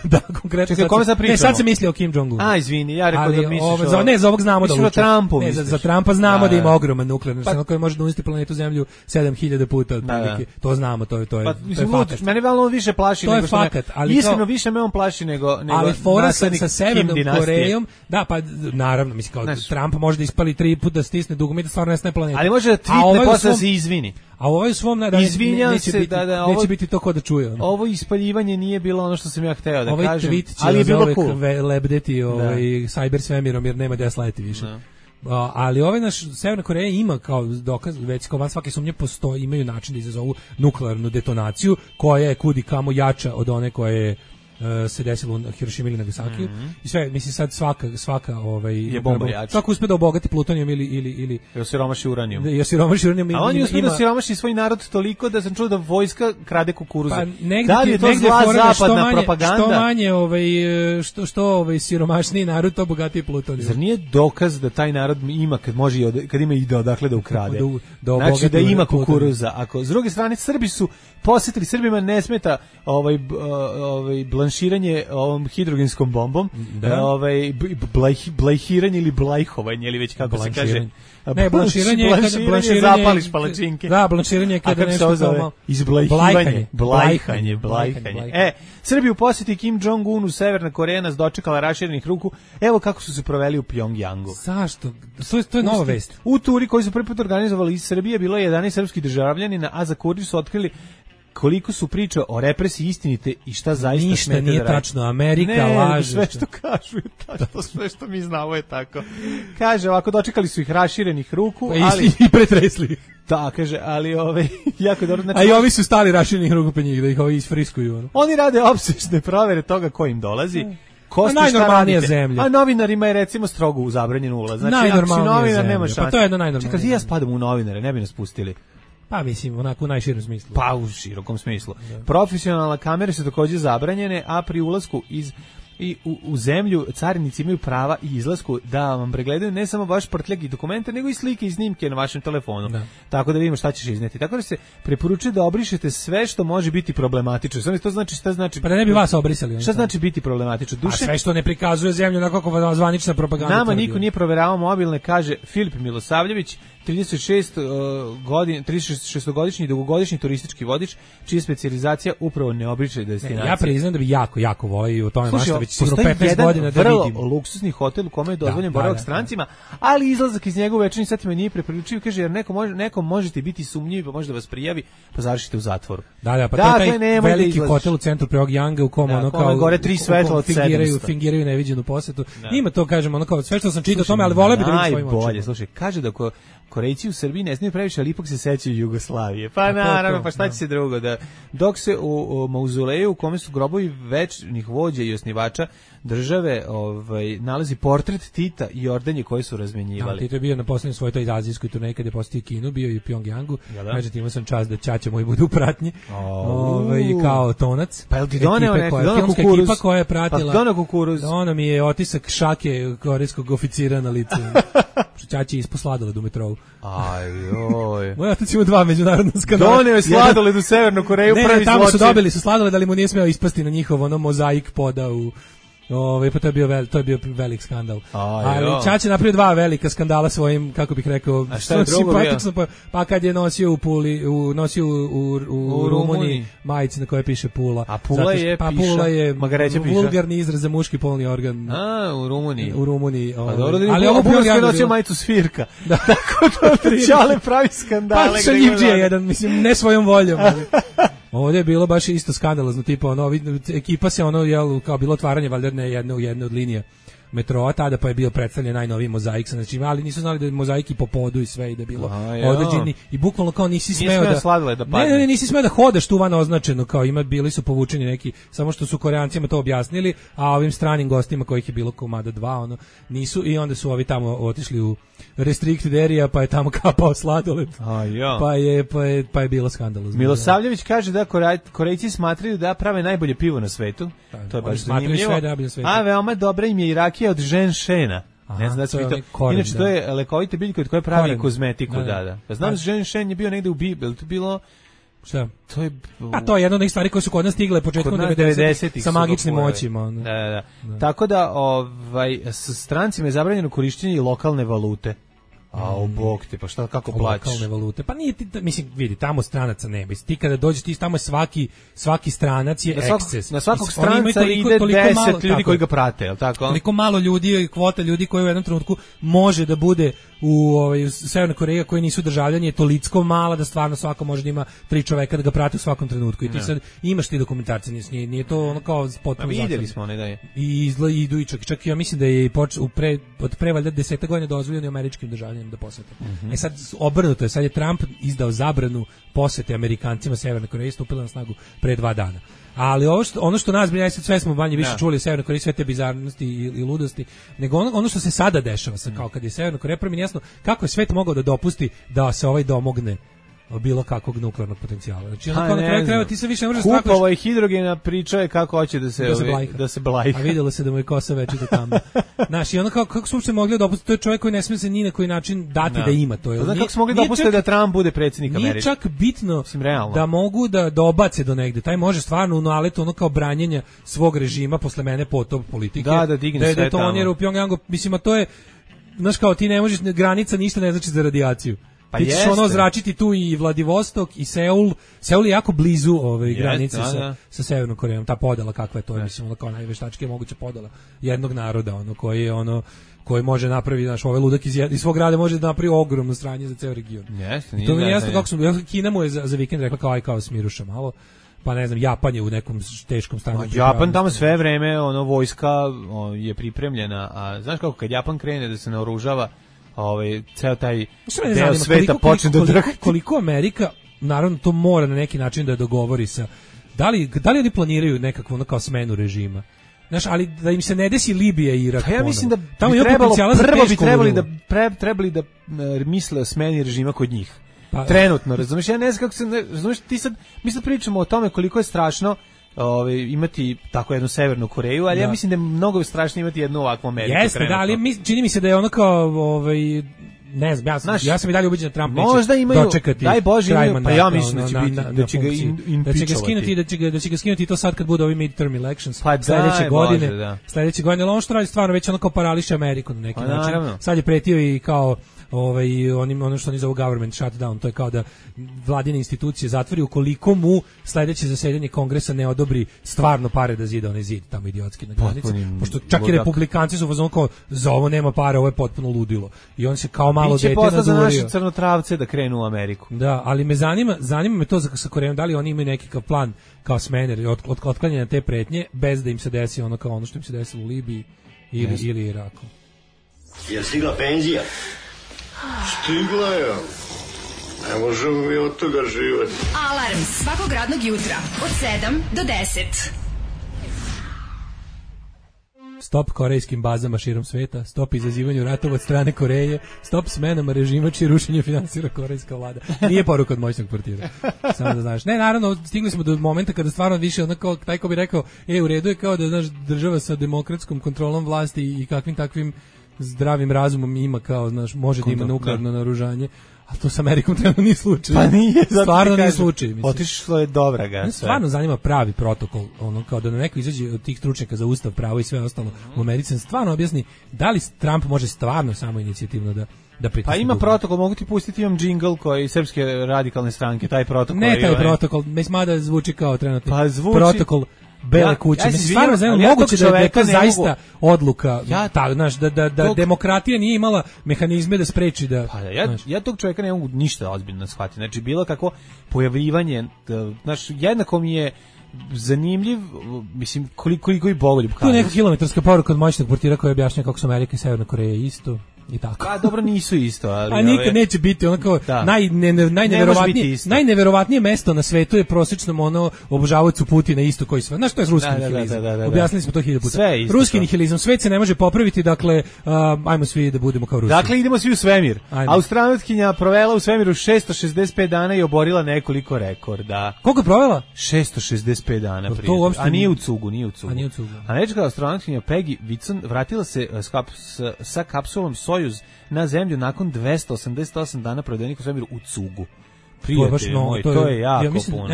Da, konkretno. Čekaj, kome sad pričamo? Sad se misli o Kim Jong-un. Izvini, ja rekao da misliš ne, za ovog znamo da luče. Trumpu ne, za Trumpa znamo da ima ogroman nuklearni arsenal koji može da uništi planetu Zemlju 7000 puta otprilike. To znamo, to je fakat. Mene malo više plaši nego što me. Iskreno više me on plaši nego ali fora sa Severnom Korejom, da, pa naravno, mislim kao Trump može da ispali 3 puta da stisne dugme da stvarno nestane planeta. Ali može da tweetne posle se izvini. A ovo je svom neće biti to ko da čuje. Ovo ispaljivanje nije bilo ono što sam ja hteo da kažem. Tweet će ali za uvek lebdeti cyber svemirom jer nema gde slajeti više. Ali naš Severna Koreja ima kao dokaz, već kao van svake sumnje imaju način da izazovu nuklearnu detonaciju koja je kudi kamo jača od one koja je se desilo u Hirošimi ili Nagasakiju. I sve, mislim sad svaka je bomba jača. Svaka uspe da obogati plutonijom ili osiromaši uranijom. A on je uspio da osiromaši svoj narod toliko da sam čuo da vojska krade kukuruze. Pa da li je to zla zapadna propaganda? Što manje što siromašniji narod, to bogatiji plutonijom. Zar nije dokaz da taj narod ima kad ima ide odakle da ukrade? Znači da ima kukuruza. Ako s druge strane Srbi su posjetili, Srbima ne smeta blanširanje ovom hidrogenskom bombom, blajhiranje ili blajhovanje, ili već kako se kaže. Ne, blanširanje zapališ palačinke. Da, blanširanje je kada nešto kao blajhanje. Srbi u posjeti Kim Jong-unu, Severna Koreja nas dočekala raširenih ruku. Evo kako su se proveli u Pjongjangu. Zašto? To je nova vest. U turi koji su prvi put organizovali iz Srbije bilo je 11 srpskih državljanina, a za kurir su otkrili koliko su priče o represiji istinite i šta zaista smete da radi. Ništa nije tačno, Amerika laže. Sve što kažu je tačno, sve što mi znamo je tako. Kaže, ovako dočekali su ih raširenih ruku, ali i pretresli. Da, kaže, ali jako dobro. Znači, a i ovi su stali raširenih ruku pe njih, da ih ovi isfriskuju. Oni rade opsežne provere toga ko im dolazi. Najnormalnija zemlja. A novinarima je recimo strogo zabranjen ulaz. Znači, ako si novinar, nema šanse. Pa to je jedno najnormalnije. Čekaj, ja spadam u novinare, ne bi nas pustili. Pa mislim, onako u najširom smislu. Pa u širokom smislu. Da. Profesionalne kamere su također zabranjene, a pri ulasku u zemlju carinici imaju prava i izlasku da vam pregledaju ne samo vaš prtljag i dokumente, nego i slike i snimke na vašem telefonu. Da. Tako da vidimo šta ćeš izneti. Tako da se preporučuje da obrišete sve što može biti problematično. Samo to znači šta znači? Pa da ne bi vas obrisali. Šta znači biti problematično? A sve što ne prikazuje zemlju onako kako zvanična propaganda. Nama niko nije proveravao mobilne, kaže Filip Milosavljević, 36-godišnji dugogodišnji turistički vodič, čija je specijalizacija upravo neobične destinacije. Ja priznam da bi jako volio u tome mašta već sigurno 15 godina da vidim. Vrlo luksusni hotel u kome je dozvoljen boravak strancima, ali izlazak iz njegove večernje satima nije preporučiv, kaže, jer nekom možete biti sumnjivi, pa može da vas prijavi, pa završite u zatvoru. Da, pa to je taj veliki hotel u centru Pyongyanga u kom ono kao gore 3 svetla od 700. Fingiraju neviđenu posetu. Ima to, kažemo, ono kao sve što sam čitao o tome, ali voleo bih da vidim svojim očima. Najbolje, slušaj, kaže da Korejci u Srbiji ne smiju previše, ali ipak se sećaju Jugoslavije. Pa naravno, pa šta će se drugo? Dok se u mauzoleju u kome su grobovi večnih vođa i osnivača države nalazi portret Tita i ordenje koje su razmenjivali. Tito je bio na poslednjoj svojoj toj azijskoj turneji kada je posjetio Kinu, bio i u Pyongyangu. Međutim, imao sam čast da ćaća moj bude u pratnji. Kao tonac. Pa jel ti doneo kukuruz? Ekipa koja je pratila. Pa doneo kukuruz. Ono mi je otisak šake korejskog oficira na licu. Ćaći je ispod sladoled u metrou. Ajoj. Moj otac ima 2 međunarodna skandala. Doneo je sladoled u Severnu Koreju, prvi zločin. Tamo su dobili sladoled, ali mu nije smeo ispasti na njihov mozaik poda u... pa to je bio velik skandal. Ali Čače napravio 2 velika skandala svojim, kako bih rekao, simpatično. Pa kad je nosio u Puli, nosio u Rumuniji majice na koje piše Pula. A Pula je vulgarni izraz za muški polni organ. U Rumuniji. U Rumuniji. Ali ovo je nosio majicu svirka. Tako da Čale pravi skandale. Pa šaljivđija jedan, mislim, ne svojom voljom. Ovdje je bilo baš isto skandalozno, tipa ekipa se kao bilo otvaranje valjda jedne od linija metroa, tada pa je bio predstavljen najnoviji mozaik, znači, ali nisu znali da je mozaik i po podu i sve i da je bilo određeni i bukvalno kao nisi smeo da nisi smeo da hodaš tu van označeno, kao bili su povučeni neki, samo što su Koreancima to objasnili, a ovim stranim gostima kojih je bilo komada 2, nisu, i onda su ovi tamo otišli u restricted area, pa je tamo kapao sladoled. Pa je bilo skandalozno. Milosavljević kaže da Korejci smatraju da prave najbolje pivo na svetu. To je baš zanimljivo. A veoma dobra im je i rakija od ženšena. Ne znam da se inače to je lekovite biljka od koje pravi kozmetiku, da. Znam da ženšen je bio negde u Bibli, to bilo šta? To je jedna od onih stvari koje su kod nas stigle početkom 90-ih sa magičnim moćima. Da. Tako da s strancima je zabranjeno korišćenje i lokalne valute. Bog te, pa šta, kako plaćaš? Lokalne valute. Pa nije, mislim, vidi, tamo stranaca nema. Ti kada dođeš, tamo je svaki stranac je eksces. Na svakog stranca ide 10 ljudi koji ga prate, je li tako? Toliko malo ljudi, kvota ljudi koji u jednom trenutku može da bude u Severnoj Koreji koji nisu državljani je toliko mala da stvarno svako može da ima 3 čoveka da ga prate u svakom trenutku. I ti sad imaš ti dokumentarce, nije to ono kao potpuno zatvoreno. Vidjeli smo da je. I idu i čak ja mislim da je od pre valjda 10 godina dozvoljeno američkim državljanima da posete. Sad obrnuto je, sad je Trump izdao zabranu posete Amerikancima Severne Koreje, stupila na snagu pre 2 dana. Ali ono što nas brine, sve smo manje više čuli o Severnoj Koreji, sve te bizarnosti i ludosti, nego ono što se sada dešava, kao kad je Severna Koreja, prvi jasno kako je svet mogao da dopusti da se domogne bilo kakvog nuklearnog potencijala. Znači na kraju krajeva ti se više ne možeš strakaš. Kupovao je hidrogena, pričao je kako hoće da se blajka. A vidjelo se da mu je kosa večito tamo. Znaš, i ono kako su uopšte mogli dopustiti, to je čovjek koji ne smije se ni na koji način dati da ima to. Znači kako su mogli dopustiti da Trump bude predsjednik Amerike? Nije čak bitno da mogu da obace do negde. Taj može stvarno u naletu ono kao branjenja svog režima posle mene potop politike. Da digne sve tamo. Da u Pyongyangu, mislim, a to je, znaš kao ti ne možeš, granica ništa ne znači za radijaciju. Pa ti ćeš zračiti tu i Vladivostok i Seul. Seul je jako blizu granice sa Severnom Korejom. Ta podela kakva je to, mislim, kao najveštačke moguća podela jednog naroda, koji može napraviti, znaš, ovaj ludak iz svog grada može da napravi ogromno sranje za ceo region. I to mi je jasno kako su, Kina mu je za vikend rekla kao smiruša malo. Pa ne znam, Japan je u nekom teškom stanju. Japan tamo sve vreme, vojska je pripremljena, a znaš kako kad Japan krene da se naoružava, ceo taj deo sveta počne da drhti. Koliko Amerika, naravno to mora na neki način da dogovori sa, da li oni planiraju nekakvu kao smenu režima? Znaš, ali da im se ne desi Libija i Irak. Ja mislim da tamo je trebali da misle o smeni režima kod njih. Trenutno, razumiješ, ja ne znam kako se, razumiješ, mi sad pričamo o tome koliko je strašno imati tako jednu Severnu Koreju, ali ja mislim da je mnogo strašnije imati jednu ovakvu Ameriku. Jeste, da, ali čini mi se da je ono kao ne znam, ja sam i dalje ubeđen da Trump možda neće dočekati. Daj Bože, kraj mandata, pa ja mislim da će biti, da će ga impičovati. Da će ga skinuti to sad kad bude ovi midterm elections pa sledeće godine. Bože, da. Sledeće godine, ali ono što radi stvarno već onako parališe Ameriku na neki način. Sad je pretio i kao ono što oni zovu government shutdown, to je kao da vladine institucije zatvori ukoliko mu sledeće zasedanje kongresa ne odobri stvarno pare da zida onaj zid tamo idiotski na granici, pošto čak i republikanci su fazon kao za ovo nema para, ovo je potpuno ludilo i on se kao malo dete nadurio. Za naše crnotravce da krenu u Ameriku. Da, ali me zanima me to sa Korejom, da li oni imaju neki plan kao smene od otklanjanja te pretnje bez da im se desi ono kao ono što im se desilo u Libiji ili Iraku. Je stigla penzija? Stigla je. Ne možemo mi od toga živati. Alarm svakog radnog jutra od 7 do 10. Stop korejskim bazama širom sveta, stop izazivanju ratova od strane Koreje, stop smenama režima čije rušenje finansira korejska vlada. Nije poruka od moćnog portira. Samo da znaš. Ne, naravno, stigli smo do momenta kada stvarno više onako, taj ko bi rekao, u redu je kao da znaš država sa demokratskom kontrolom vlasti i kakvim takvim zdravim razumom ima kao, znaš, može da ima nuklearno naoružanje, a to sa Amerikom trenutno nije slučaj. Pa nije, stvarno nije slučaj. Otišlo je dobra ga. Stvarno zanima pravi protokol, ono kao da neko izađe od tih stručnjaka za ustav, pravo i sve ostalo u Americi, stvarno objasni da li Trump može stvarno samo inicijativno da pritisne. Pa ima protokol, mogu ti pustiti, imam džingl koji Srpske radikalne stranke, taj protokol. Ne taj protokol, mada zvuči kao trenutno. Pa zvuči protokol Bele kuće. Mislim, stvarno znam, moguće da je to zaista odluka, da demokratija nije imala mehanizme da spreči da... Pa ja tog čovjeka ne mogu ništa ozbiljno shvatiti. Znači, bilo kako pojavljivanje, znaš, jednako mi je zanimljiv, mislim, koliko i bogoljub. To je neka kilometarska poruka od moćnog portira koja objašnja kako su Amerika i Severna Koreja isto. I tako. Pa dobro, nisu isto, ali a nikad neće biti onako najneverovatnije mesto na svetu je prosječnom ono obožavaocu Putina isto koji sve. Znaš što je ruski nihilizam? Objasnili smo to 1000 puta. Ruski nihilizam, svet se ne može popraviti, dakle ajmo svi da budemo kao Rusi. Dakle idemo svi u svemir. Astronautkinja provela u svemiru 665 dana i oborila nekoliko rekorda. Koliko je provela? 665 dana prije. A nije u cugu. Američka astronautkinja Peggy Whitson vratila se sa kapsulom Sojuz na zemlju nakon 288 dana provedenih u svemiru u cugu. Prijatelji moji, to je jako puno.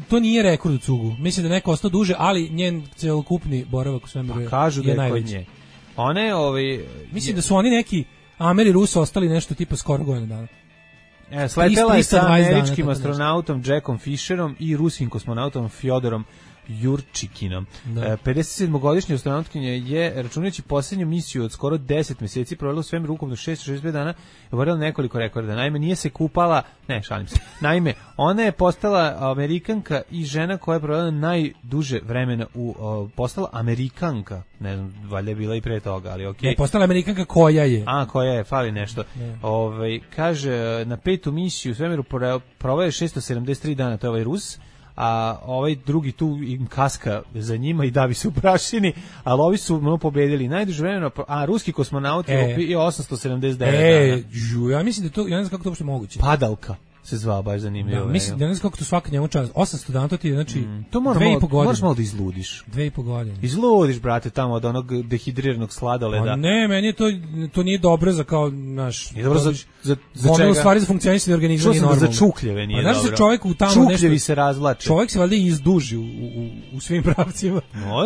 To nije rekord u cugu. Mislim da neko ostao duže, ali njen celokupni boravak u svemiru je kažu da je najveći. Kod nje. Mislim da su oni neki Ameri Rusi ostali nešto tipa skoro godinu dana. Sletela je sa američkim astronautom Jackom Fisherom i ruskim kosmonautom Fjodorom Jurčikinom. 57-godišnja astronautkinja je, računajući posljednju misiju od skoro 10 mjeseci, provela u svemiru ukupno 665 dana i oborila nekoliko rekorda. Naime, nije se kupala, šalim se. Naime, ona je postala Amerikanka i žena koja je provela najduže vremena postala Amerikanka. Ne znam, valjda je bila i pre toga, ali okej. Ne, postala Amerikanka koja je. Koja je, fali nešto. Kaže, na petu misiju u svemiru proveo je 673 dana, to je ovaj Rus, a ovaj drugi tu im kaska za njima i davi se u prašini, ali ovi su pobedili najduže vremena, a ruski kosmonaut je 879 dana. Ja mislim da to, ja ne znam kako to uopšte moguće. Padalka se zvao, baš zanimljivo. Da, mislim, ja ne znam kako to svaka njemu čas. 800 dana, to ti je, znači, 2,5 godine. Moraš malo da izludiš. 2,5 godine. Izludiš, brate, tamo od onog dehidriranog sladoleda. Ne, meni to nije dobro za kao, naš... Nije dobro za čega? U stvari za funkcionisanje organizma nije normalno. Za čukljeve nije dobro. Znaš da čovjek u tamo nešto... Čukljevi se razvlače. Čovjek se valjda izduži u svim pravcima.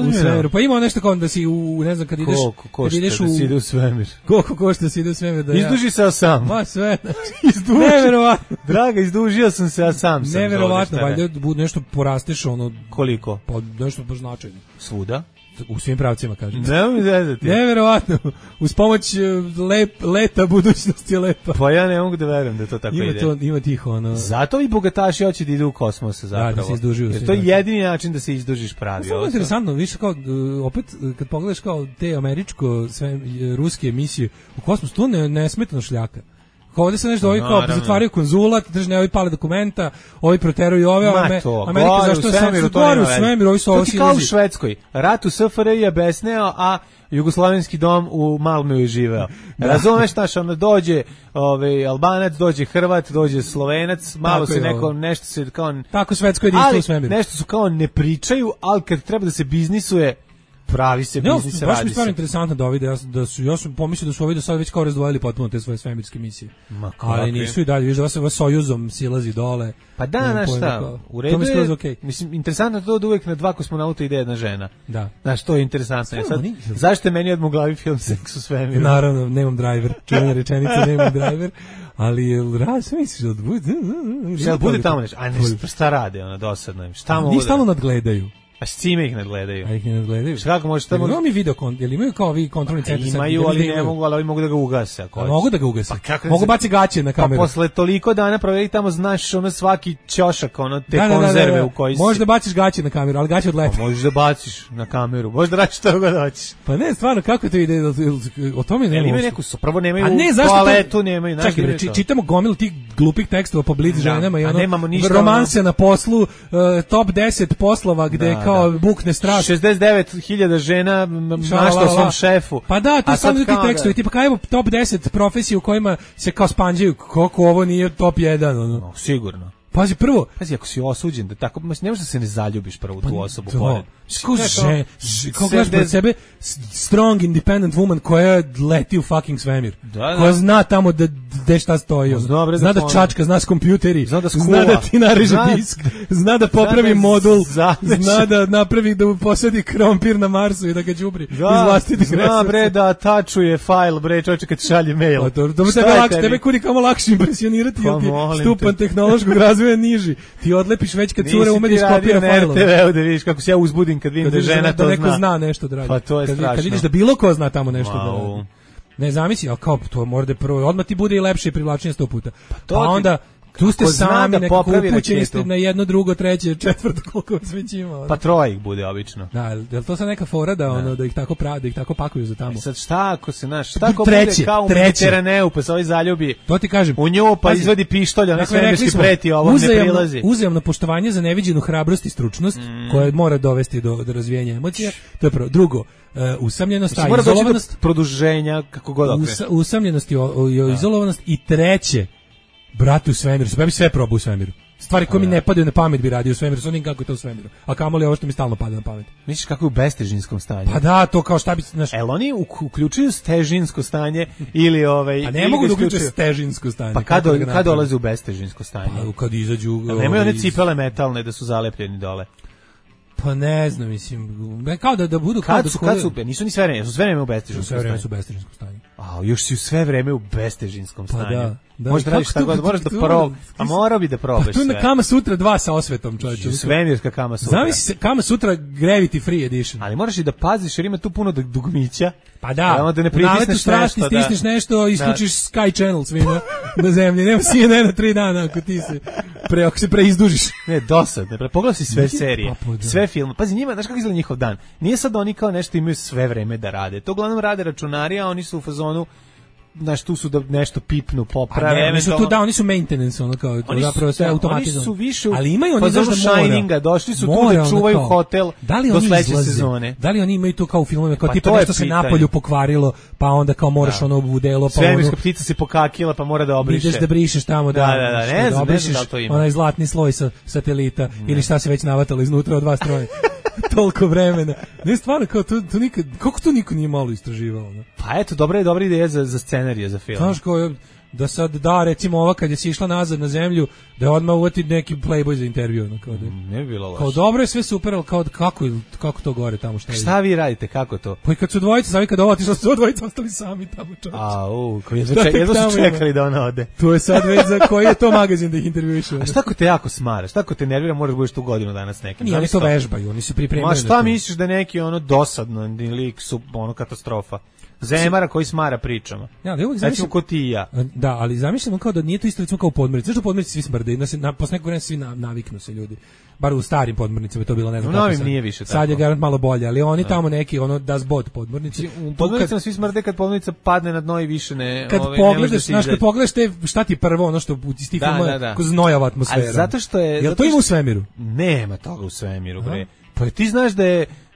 U svemiru. Pa ima nešto kao da si ne znam, kad ideš... Koliko košta da si ide u svemir? Koliko košta da si ide u svemir? Izduži se sam. Ma sve. Neverovatno. Draga, izdužio sam se, ja sam. Neverovatno, valjda nešto porasteš ono... Koliko? Pa nešto baš značajno. Svuda? U svim pravcima, kažem. Ne mi zezati. Neverovatno. Uz pomoć leta budućnost je lepa. Pa ja ne mogu da verujem da to tako ide. Ima tih ono... Zato i bogataši hoće da idu u kosmos zapravo. Da se izdužuju. Jer to je jedini način da se izdužiš pravi. To je interesantno, više kao, opet, kad pogledaš kao te američko, sve ruske emisije u kosmos, to nesmetano šljaka. Ovdje se nešto, ovi kao zatvaraju konzulat, držne, ovi pale dokumenta, ovi proteruju ove, Amerika zašto je gore u svemiru, ovi su ovo silazi. To ti kao u Švedskoj, rat u SFRJ je besneo, a Jugoslavenski dom u Malmöju je živeo. Razumeš, znaš, onda dođe Albanac, dođe Hrvat, dođe Slovenac, malo se neko, nešto se kao... Tako svetsko jedinstvo u svemiru. Nešto su kao ne pričaju, ali kad treba da se biznisuje, pravi se biznis, radi se. Baš mi stvarno interesantno da ovide, ja sam pomislio da su ovi do sada već kao razdvojili potpuno te svoje svemirske misije. Ali nisu i dalje, viš da vas Sojuzom silazi dole. Pa da, znaš šta, u redu je, okay. Mislim, interesantno je to da uvek na 2 kosmonauta ide jedna žena. Da. Znaš, to je interesantno. Ja, sad, zašto je meni odmah u glavi film Seks u svemiru? Naravno, nemam driver, čuvena rečenica, nemam driver. Ali sve misliš da bude tamo nešto? A ne, šta rade, ono, dosadno im? Šta mogu da... stalno nadgledaju. A s cime ih nadgledaju? A ih ne nadgledaju. Kako možeš tamo... Imaju mi video, jel imaju kao vi kontrolni centar? Imaju, ali ne mogu, ali ovi mogu da ga ugase. Mogu da ga ugase. Mogu baci gaće na kameru. Pa posle toliko dana proveri tamo, znaš, ono svaki ćošak, ono, te konzerve u koji si. Možeš da baciš gaće na kameru, ali gaće odlete. Možeš da baciš na kameru, možeš da radiš što god hoćeš. Pa ne, stvarno, kako to ide? O tome nema. Imaju neku, prvo nemaju toaletu, nemaju. Čekaj, čitamo gomilu tih glupih tekstova po Blitz ženama i ono, romanse na poslu, top 10 poslova gde kao bukne 69.000 žena našla svom šefu. Pa da, to samo ti tekstovi, tipa kao evo top 10 profesija u kojima se kao spanđaju, kako ovo nije top 1, ono. No, sigurno. Pazi, prvo, ako si osuđen da tako, ne možeš da se ne zaljubiš prvo u tu osobu pored. Kako gledaš pred sebe strong independent woman koja leti u fucking svemir. Koja zna tamo da šta stoji. Zna da čačka, zna s kompjuteri, zna da ti nareže disk, zna da popravi modul, zna da napravi da posadi krompir na Marsu i da ga đubri iz vlastitih resursa. Zna bre da tačuje fajl, bre, čovječe kad šalje mail. Tebe kudi kamo lakše impresionirati, jer ti stupan tehnološkog razvoja niži. Ti odlepiš već kad cure umediš kopira fajlova. Nisi ti radio na RTV-u da vidiš kako se ja uzbudim kad vidim da žena to zna. Da neko zna nešto da radi. Pa to je strašno. Kad vidiš da bilo ko zna tamo nešto da radi. Ne zamisli, ali kao to mora da prvo, odmah ti bude i lepše i privlačnije 100 puta. Pa onda tu ste sami nekako upućeni ste na jedno, drugo, treće, četvrto, koliko vas već ima. Pa troje ih bude obično. Da, je li to sad neka fora da, ono, da ih tako da ih tako pakuju za tamo? Sad šta ako se naš, šta ako bude kao u Mediteraneu, pa se ovaj zaljubi to ti kažem, u nju, pa izvadi pištolj, onaj svemirski preti, ovo ne prilazi. Uzajamno poštovanje za neviđenu hrabrost i stručnost, koja mora dovesti do razvijenja emocija, to je prvo. Drugo, usamljenost, izolovanost, produženja, kako god okre. Usamljenost i izolovanost i treće, brate u svemiru, ja bi sve probao u svemiru. Stvari koje mi ne padaju na pamet bi radio u svemiru, s onim kako je to u svemiru. A kamoli ovo što mi stalno pada na pamet. Misliš kako je u bestežinskom stanju? Pa da, to kao šta bi... Oni uključuju stežinsko stanje ili A ne mogu da uključuju stežinsko stanje. Pa kad dolaze u bestežinsko stanje? Pa kad izađu... Nemaju one cipele metalne da su zalepljeni dole. Pa ne znam, mislim, kao da budu kad su, nisu ni sve vreme, su sve vreme u bestežinskom stanju. Sve vreme su u bestežinskom stanju. A još si sve vreme u bestežinskom stanju. Pa da. Možda radiš šta god, moraš da probaš. A morao bi da probaš sve. Pa tu na Kama Sutra 2 sa osvetom, čovječe. Svemirska Kama Sutra. Zamisli Kama Sutra Gravity Free Edition. Ali moraš i da paziš jer ima tu puno dugmića. Pa da, da ne pritisneš nešto, stisneš nešto, isključiš Sky Channel svima na zemlji. Nema CNN na 3 dana ako se preizdužiš. Ne, dosadno. Pogledaj si sve serije, sve filme. Pazi, njima, znaš kako izgleda njihov dan? Nije sad oni kao nešto imaju sve vreme da rade. To uglavnom rade računari, a oni su u fazonu tu su da nešto pipnu, poprave. Oni su tu oni su maintenance, ono kao zapravo sve automatizovano. Oni su više, ali imaju oni za Shininga, došli su tu da čuvaju hotel do sledeće sezone. Da li oni imaju to kao u filmovima, kao tipa nešto se napolju pokvarilo, pa onda kao moraš ono u delo, pa svemirska ptica se pokakila, pa mora da obriše. Ideš da brišeš tamo, ne znam da to ima. Onaj zlatni sloj sa satelita ili šta se već navatalo iznutra od 2 stroja. Toliko vremena. Ne, stvarno, kao to nikad, kako to niko nije malo istraživao? Ne? Pa eto, dobra ideja za scenarije, za film. Znaš, kao da sad recimo ova kad je si išla nazad na zemlju, da je odmah uvati neki Playboy za intervju. No, kao da, ne bi bilo loše. Kao dobro je sve super, ali kao kako to gore tamo šta vi radite, kako to? Pa i kad su dvojice, sad kad ovo otišla, su dvojice ostali sami tamo, čovječe. Jedno su čekali da ona ode. To je sad već za koji je to magazin da ih intervjuišu. A šta ko te jako smara, šta ko te nervira, moraš budeš tu godinu dana s nekim. Nije, oni to vežbaju, oni su pripremljeni. Ma šta misliš da neki ono dosadno lik su ono katastrofa? Zemara koji smara pričama. Ja, da uvijek zamišljam ko ti i ja. Da, ali zamišljam kao da nije to isto recimo kao u podmornici. Zašto u podmornici svi smrde? Posle nekog vremena svi naviknu se ljudi. Bar u starim podmornicama je to bilo, ne znam kako sad. Nije više tako. Sad je garant malo bolje, ali oni tamo neki, ono, das bot podmornici. U podmornicama svi smrde kad podmornica padne na dno i više ne... Kad pogledaš, znaš, kad pogledaš šta ti prvo, ono što iz tih filmova, ko znojava atmosfera. Ali zato što je... Jel to ima u svemiru? Nema toga u svemiru, bre. Pa ti znaš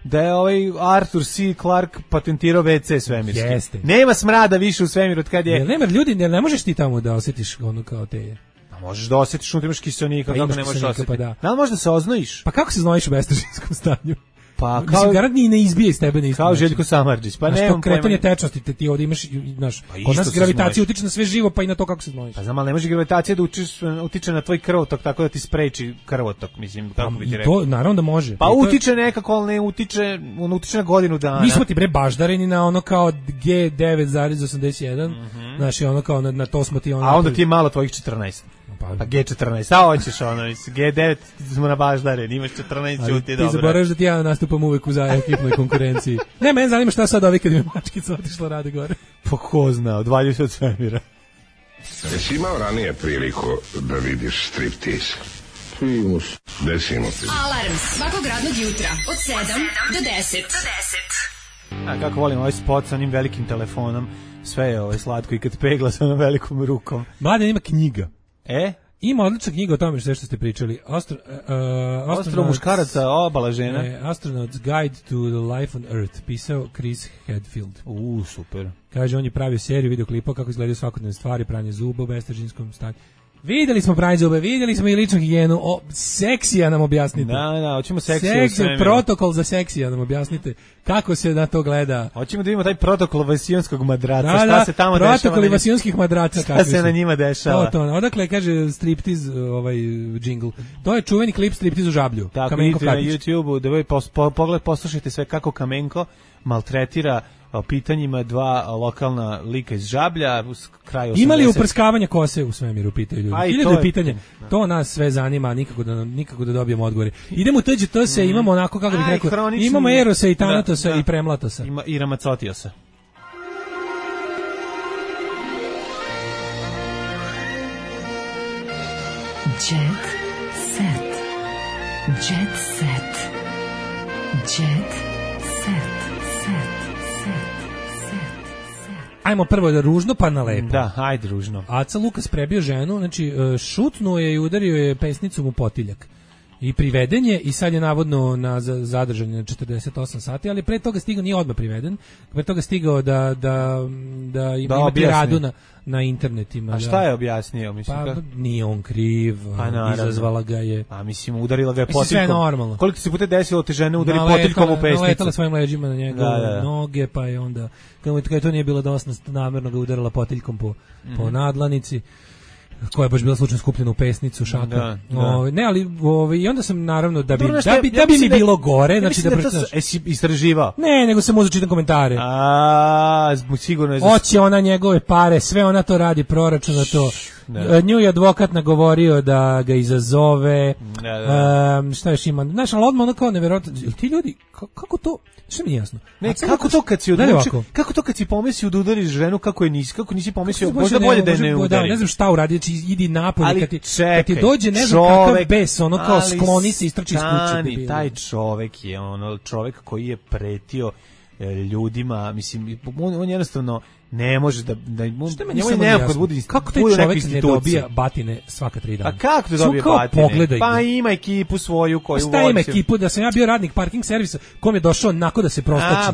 da je ovaj Arthur C. Clarke patentirao WC svemirski. Jeste. Nema smrada više u svemiru od kad je... Nema ljudi, ne možeš ti tamo da osjetiš ono kao te... Pa možeš da osjetiš unutra imaš kiselnika, kako ne možeš osjetiti. Pa da. Da li možeš da se oznojiš? Pa kako se znojiš u bestežinskom stanju? Pa kao garant ni ne izbije iz tebe, kao Željko Samardžić. Pa nemam kretanje tečnosti, ti ovdje imaš, znaš, kod nas gravitacija utiče na sve živo, pa i na to kako se znojiš. Pa znam, ali ne može gravitacija da utiče na tvoj krvotok tako da ti spreči krvotok, mislim, kako bi ti rekao. To naravno da može. Pa utiče nekako, ali ne utiče na godinu dana. Mi smo ti bre baždareni na ono kao G9,81, znači ono kao na to smo ti ono. A onda ti je malo tvojih 14. Pa G14, a hoćeš ono, G9 smo na baždare, imaš 14, čuti dobro. Ti zaboraveš da ti ja nastupam uvek u ekipnoj konkurenciji. Ne, mene zanima šta sad ovi kad mi mačkica otišla rade gore. Pa ko zna, odvaljuju se od svemira. Jesi imao ranije priliku da vidiš striptease? Primus. Desimo ti. Alarm svakog radnog jutra od 7 do 10. A kako volim ovaj spot sa onim velikim telefonom, sve je slatko i kad pegla sa onom velikom rukom. Mladen ima knjiga. Ima odlična knjiga o tome što ste pričali. Ostro muškaraca, obala žena. Astronaut's Guide to the Life on Earth, pisao Chris Hadfield. Super. Kaže, on je pravio seriju videoklipa kako izgledaju svakodnevne stvari, pranje zuba u bestežinskom stanju. Videli smo pranje zube, videli smo i ličnu higijenu. Seksija nam objasnite. Da, hoćemo seksiju. Protokol za seksija nam objasnite. Kako se na to gleda? Hoćemo da vidimo taj protokol vasijonskog madraca. Šta se tamo dešava? Protokoli vasijonskih madraca. Šta se na njima dešava? To. Odakle kaže striptiz, džingl. To je čuveni klip striptiz u Žablju. Tako, vidite na YouTube-u, da vi poslušajte sve kako Kamenko maltretira pitanjima dva lokalna lika iz Žablja uz kraj 80. Ima li uprskavanja kose u svemiru, pitaju ljudi. Hiljadu pitanja. To nas sve zanima, nikako da dobijemo odgovore. Idemo u TGT, imamo onako, kako bih rekao, imamo Erosa i Tanatosa i Premlatosa. Ima i Ramacotiosa. Jet set. Jet set. Jet set. Ajmo prvo da ružno pa na lepo. Da, ajde ružno. Aca Lukas prebio ženu, znači šutnuo je i udario je pesnicom u potiljak. I priveden je i sad je navodno na zadržanje na 48 sati, ali pre toga stigao, nije odmah priveden, pre toga stigao da ima tiradu na internetima. A šta je objasnio? Mislim, pa nije on kriv, izazvala ga je. A mislim, udarila ga je potiljkom. Sve je normalno. Koliko ti se puta desilo te žene udari potiljkom u pesnicu? Naletala svojim leđima na njegove noge, pa je onda, kada to nije bilo dosta, namjerno ga udarila potiljkom po nadlanici, koja je baš bila slučajno skupljena u pesnicu šaka. Ne, ali i onda sam naravno da bi mi bilo gore, znači da jesi istraživao. Ne, nego sam uzeo čitam komentare. Sigurno je. Hoće ona njegove pare, sve ona to radi, proračuna to. Nju je advokat nagovorio da ga izazove. Šta još ima? Znaš, ali odmah ono kao nevjerojatno. Ti ljudi, kako to? Što mi nije jasno? Ne, kako to kad si odlučio? Kako to kad si pomislio da udariš ženu, kako nisi pomislio? Možda bolje da je ne udari. Ne znam šta uradi, znači idi napolje kad ti dođe ne znam kakav bes, ono kao skloni se, istrči iz kuće. Taj čovek je čovek koji je pretio ljudima, mislim, on jednostavno ne može da kako taj čovjek ne dobija batine svaka 3 dana. A kako da dobije batine? Pa ima ekipu svoju koju vozi. Šta ima ekipu? Da sam ja bio radnik parking servisa, kom je došao onako da se prostači.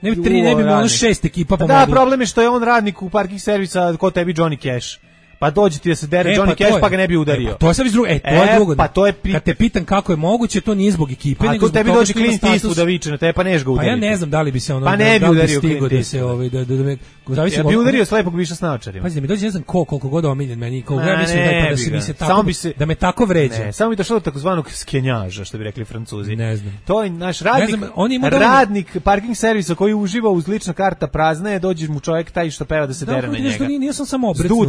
Ne bi 3, ne bi ono 6 ekipa pomogli. Da, problem je što je on radnik u parking servisa, ko tebi Johnny Cash. Pa dođe ti da se dere Johnny Cash pa ga ne bi udario. To je sad drugo. To je drugo. Pa to je kad te pitam kako je moguće, to nije zbog ekipe, nego zbog tebi dođe Clint Eastwood da viče na tebe, pa neš ga udariti. Pa ja ne znam da li bi se ono pa ne bi udario Clint da se ja bi udario slepog biša s naočarima. Pazi, mi dođe ne znam koliko god omiljen meni, koliko ja mislim da se mi se tako da me tako vređa. Ne, samo bi došlo do takozvanog skenjaža, što bi rekli Francuzi. Ne znam. To je naš radnik parking servisa koji uživa uz lična karta prazna, je dođe mu čovjek taj što peva da se dere na njega. Nije samo obrecnuo.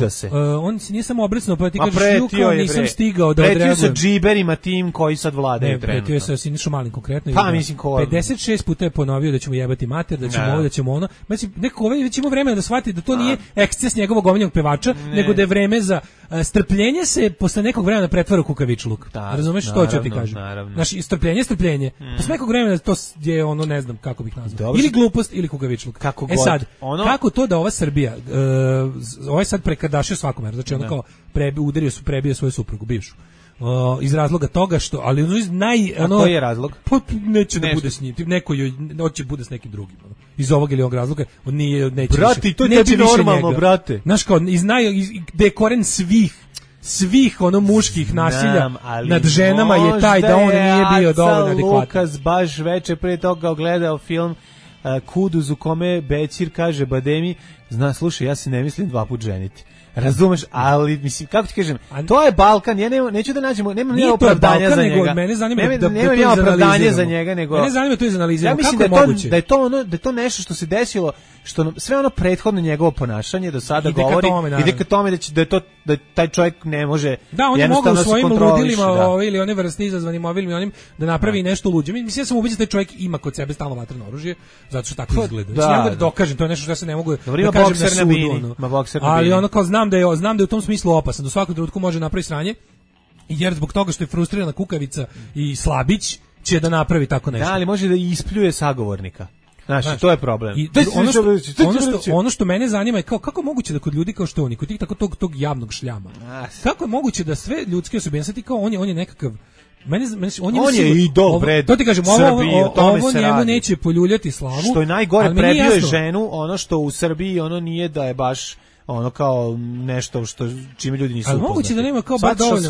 On se nije samo obrecnuo, pa ti kažeš juko nisam stigao da odreagujem. Pretio sa džiberima tim koji sad vladaju trenutno. Pretio sa Sinišom Malim konkretno. Pa mislim ko 56 puta je ponovio da ćemo jebati mater, da ćemo ovo, da ćemo ono. Znači neko već ima vremena da shvati da to nije eksces njegovog omiljenog pevača, nego da je vreme za strpljenje se posle nekog vremena pretvara u kukavičluk. Razumeš što ću ti kažem? Znači strpljenje. Posle nekog vremena to je ono, ne znam kako bih nazvao. Ili glupost ili kukavičluk. Sad, kako to da ova Srbija ovaj sad prekardašio svakome, znači ono kao prebio svoju suprugu bivšu. Iz razloga toga što, ali koji je razlog? Pa neće da bude s njim, neko hoće bude s nekim drugim. Iz ovog ili ovog razloga, on neće. Brate, to je tebi normalno, brate. Znaš kao, gde je koren svih svih ono muških nasilja nad ženama je taj da on nije bio dovoljno adekvatan. Lukas baš veče pre toga gledao film Kuduz u kome Bećir kaže Bademi, slušaj, ja se ne mislim 2 puta ženiti. Razumeš, ali mislim kako ti kažem, to je Balkan, ja neću da nađemo, nema ni opravdanja za njega. Mene zanima nema opravdanja za njega, nego mene zanima to izanaliziramo. Ja mislim da je to nešto što se desilo, što sve ono prethodno njegovo ponašanje do sada govori, ide ka tome da taj čovjek ne može. Da, on je mogao svojim ludilima ili one vrste izazvanim ovim i onim da napravi nešto luđe. Mislim ja sam ubeđen da taj čovjek ima kod sebe stalno vatreno oružje, zato što tako izgleda. Znači, ja mogu da dokažem, to je nešto što ja se ne mogu da kažem na sudu. Ali ono kao znam da je u tom smislu opasan, do svakog trenutku može napraviti sranje, jer zbog toga što je frustrirana kukavica i slabić će da napravi tako nešto. Da, ali može da ispljuje sagovornika. Znači, to je problem. I ono što mene zanima je kako je moguće da kod ljudi kao što oni, kod tih tako tog javnog šljama, kako je moguće da sve ljudske osobine, sad ti kao on je nekakav on je idol pred to ti kažem, ovo njemu neće poljuljati slavu. Što je najgore, prebio je ženu, ono što u Srbiji ono nije da je baš ono kao nešto što čime ljudi nisu upoznati. Ali moguće da nema kao baš dovoljno.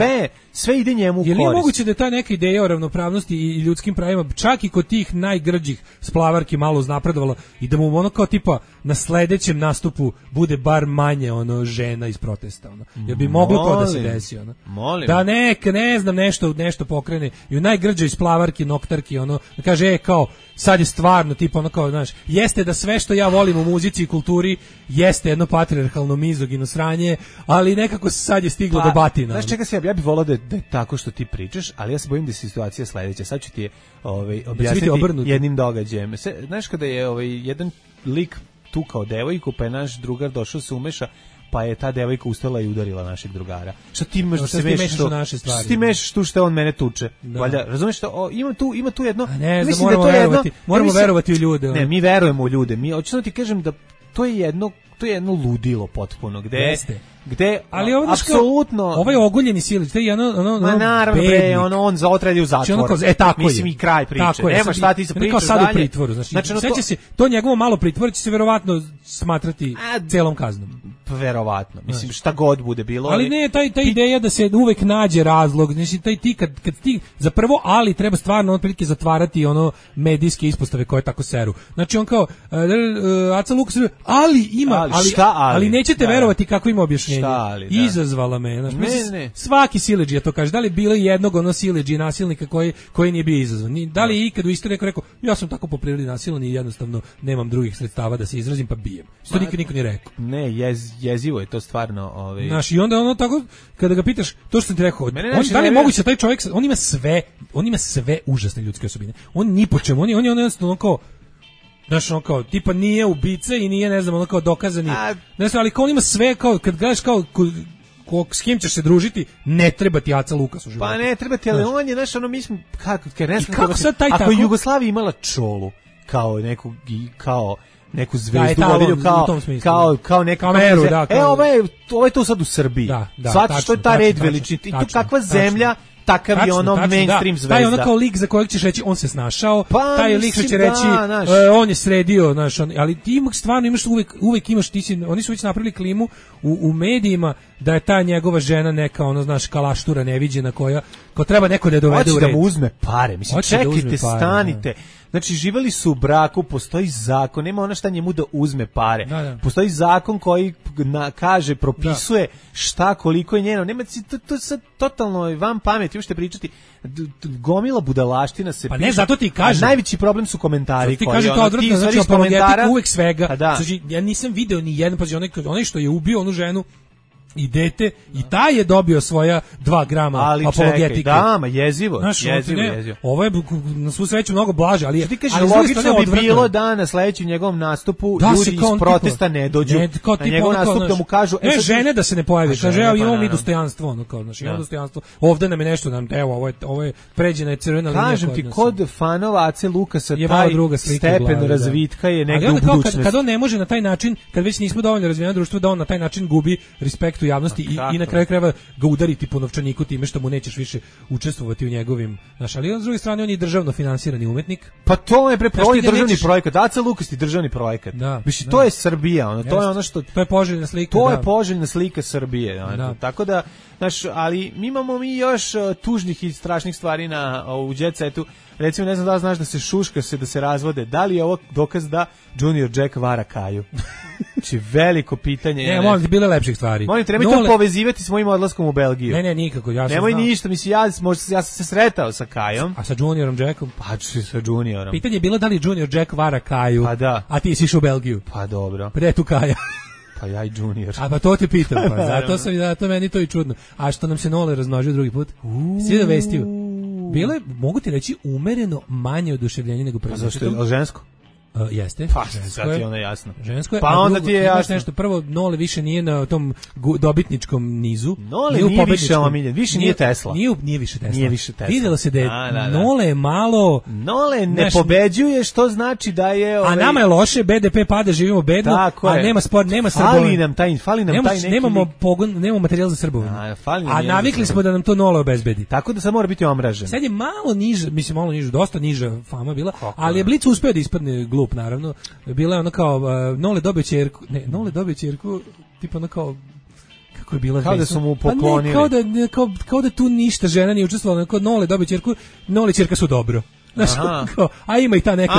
Sve ide njemu u korist. Je li moguće da je ta neka ideja o ravnopravnosti i ljudskim pravima čak i kod tih najgrđih splavarki malo uznapredovala i da mu ono kao tipa na sledećem nastupu bude bar manje ono žena iz protesta ono. Jer bi moglo to da se desi ono. Da ne znam nešto pokrene i u najgrđoj splavarki noktarki ono da kaže kao sad je stvarno tipa ono kao znaš jeste da sve što ja volim u muzici i kulturi jeste jedno patrijarhalno mizogino sranje, ali nekako sad je stiglo do batina. Znaš čega se ja bih volao da je tako što ti pričaš, ali ja se bojim da je situacija sledeća. Sad ću ti je objasniti jednim događajem. Znaš kada je jedan lik tukao devojku, pa je naš drugar došao se umeša, pa je ta devojka ustala i udarila našeg drugara. Šta ti imaš da se mešaš u naše stvari? Šta ti mešaš tu što on mene tuče? Valjda, razumeš što ima tu jedno. Ne, mislim da to je jedno. Moramo verovati u ljude. Ne, mi verujemo u ljude. Mi hoćemo ti kažem da to je jedno ludilo potpuno gde ali apsolutno ovaj oguljeni silić, to je naravno on za otredi u zatvor. Mislim i kraj priče. Nema šta ti se pričaš kao sad u pritvoru, znači se to njegovo malo pritvor će se verovatno smatrati celom kaznom. Verovatno. Mislim šta god bude bilo. Ali ne ta ideja da se uvek nađe razlog, znači taj ti kad ti za prvo ali treba stvarno otprilike zatvarati ono medijske ispostave koje tako seru. Znači on kao Aca Lukas ali nećete verovati kako ima objašnjenje. Izazvala me, znači svaki siledžija to kaže, da li bilo jednog ono siledžije nasilnika koji nije bio izazvan. Da li je ikad u istoriji rekao ja sam tako po prirodi nasilan i jednostavno nemam drugih sredstava da se izrazim pa bijem. To niko nije rekao. Ne, jezivo je to stvarno. Znaš, i onda ono tako, kada ga pitaš, to što sam ti rekao, da li je moguće taj čovjek, on ima sve užasne ljudske osobine. On ni po čemu, on je jednostavno kao, znaš, ono kao, tipa nije ubica i nije, ne znam, ono kao dokazani, ne znam, ali kao on ima sve, kao, kad gledaš kao, s kim ćeš se družiti, ne treba ti Aca Lukas u životu. Pa ne treba ti, ali on je, znaš, ono, mislim, kako sad taj tako? Ako je Jugoslavija imala Čolu, kao neku zvezdu vodilju kao neka kameru, da. Ovo je to sad u Srbiji. Zato što je ta red veličine. I tu kakva zemlja, takav je ono mainstream zvezda. Taj ono kao lik za kojeg ćeš reći on se snašao, taj lik što će reći on je sredio, znaš, ali ti stvarno imaš uvek imaš, oni su već napravili klimu u medijima da je ta njegova žena neka ono, znaš, kalaštura neviđena koja treba neko da je dovede u red. Hoće da mu uzme pare, mislim, čekajte, stanite. Znači, živeli su u braku, postoji zakon, nema ona šta njemu da uzme pare. Postoji zakon koji kaže, propisuje šta, koliko je njeno. Nema, to je sad totalno van pameti, možete pričati. Gomila budalaština se piše. Pa ne, zato ti kažem. Najveći problem su komentari. Ti kaže to odvratno, znači apologetik uvek svega. Znači, ja nisam video ni jedan, pa onaj što je ubio onu ženu i dete, i taj je dobio svoja 2 grama apologetike. Da, jezivo. Ovo je na svu sreću mnogo blaže, ali ti kaže, logično bi bilo da na sledećem njegovom nastupu ljudi iz protesta ne dođu na njegov nastup da mu kažu žene da se ne pojavi. Kaže, evo imamo mi dostojanstvo, ono kao, znači, imamo dostojanstvo. Ovde nam je nešto, evo, ovo je pređena je crvena linija. Kažem ti, kod fanova Ace Lukasa taj stepen razvitka je negde u budućnosti. Kad on ne može na taj način, kad već nismo dovoljno razvijeno društvo, da on na taj način gubi respekt respektu javnosti i na kraju krajeva ga udariti po novčaniku time što mu nećeš više učestvovati u njegovim, znaš, ali s druge strane on je državno finansirani umetnik. Pa to je državni projekat, Aca Lukas je državni projekat. Mislim, to je Srbija, ono, to je ono što to je poželjna slika. To je poželjna slika Srbije, ono, tako da, znaš, ali imamo mi još tužnih i strašnih stvari u Jet Setu. Recimo, ne znam da li znaš da se šuška se, da se razvode. Da li je ovo dokaz da Junior Jack vara Kaju? Znači, veliko pitanje. Ne, molim ti, bilo lepših stvari. Molim, treba to povezivati s mojim odlaskom u Belgiju. Ne, nikako, ja sam Nemoj ništa, mislim, ja sam se sretao sa Kajom. A sa Juniorom Jackom? Pa, sa Juniorom. Pitanje je bilo da li Junior Jack vara Kaju, pa da. A ti si išao u Belgiju. Pa dobro. Gde je tu Kaja? Pa ja i Junior. A pa to te pitam, pa zato meni to i čudno. A što nam se Nole razmnožio drugi put? Svi da vestiju. Bilo je, mogu ti reći, umereno manje oduševljenje nego prvo. A zašto je žensko? Jeste. Pa, sad ti je ono jasno. Žensko je. Pa onda ti je jasno. Nešto, prvo, Nole više nije na tom dobitničkom nizu. Nole nije više omiljen, više nije Tesla. Nije više Tesla. Nije više Tesla. Vidjelo se da je Nole je malo... Nole ne pobeđuje, što znači da je... A nama je loše, BDP pada, živimo bedno, a nema sport, nema srbovanje. Fali nam taj neki... Nemamo materijal za srbovanje. A navikli smo da nam to Nole obezbedi. Tako da sad mora biti omražen. Sad je malo niže, mislim malo niže, dosta niža fama bila, ali je Blic uspeo da ispadne glup, naravno. Bila je ono kao Nole dobio ćerku, tipa ono kao, kako je bila, kao da su mu poklonili, kao da tu ništa žena nije učestvovala, kao Nole dobio ćerku, Nole ćerka su dobro. Znaš, a ima i ta neka,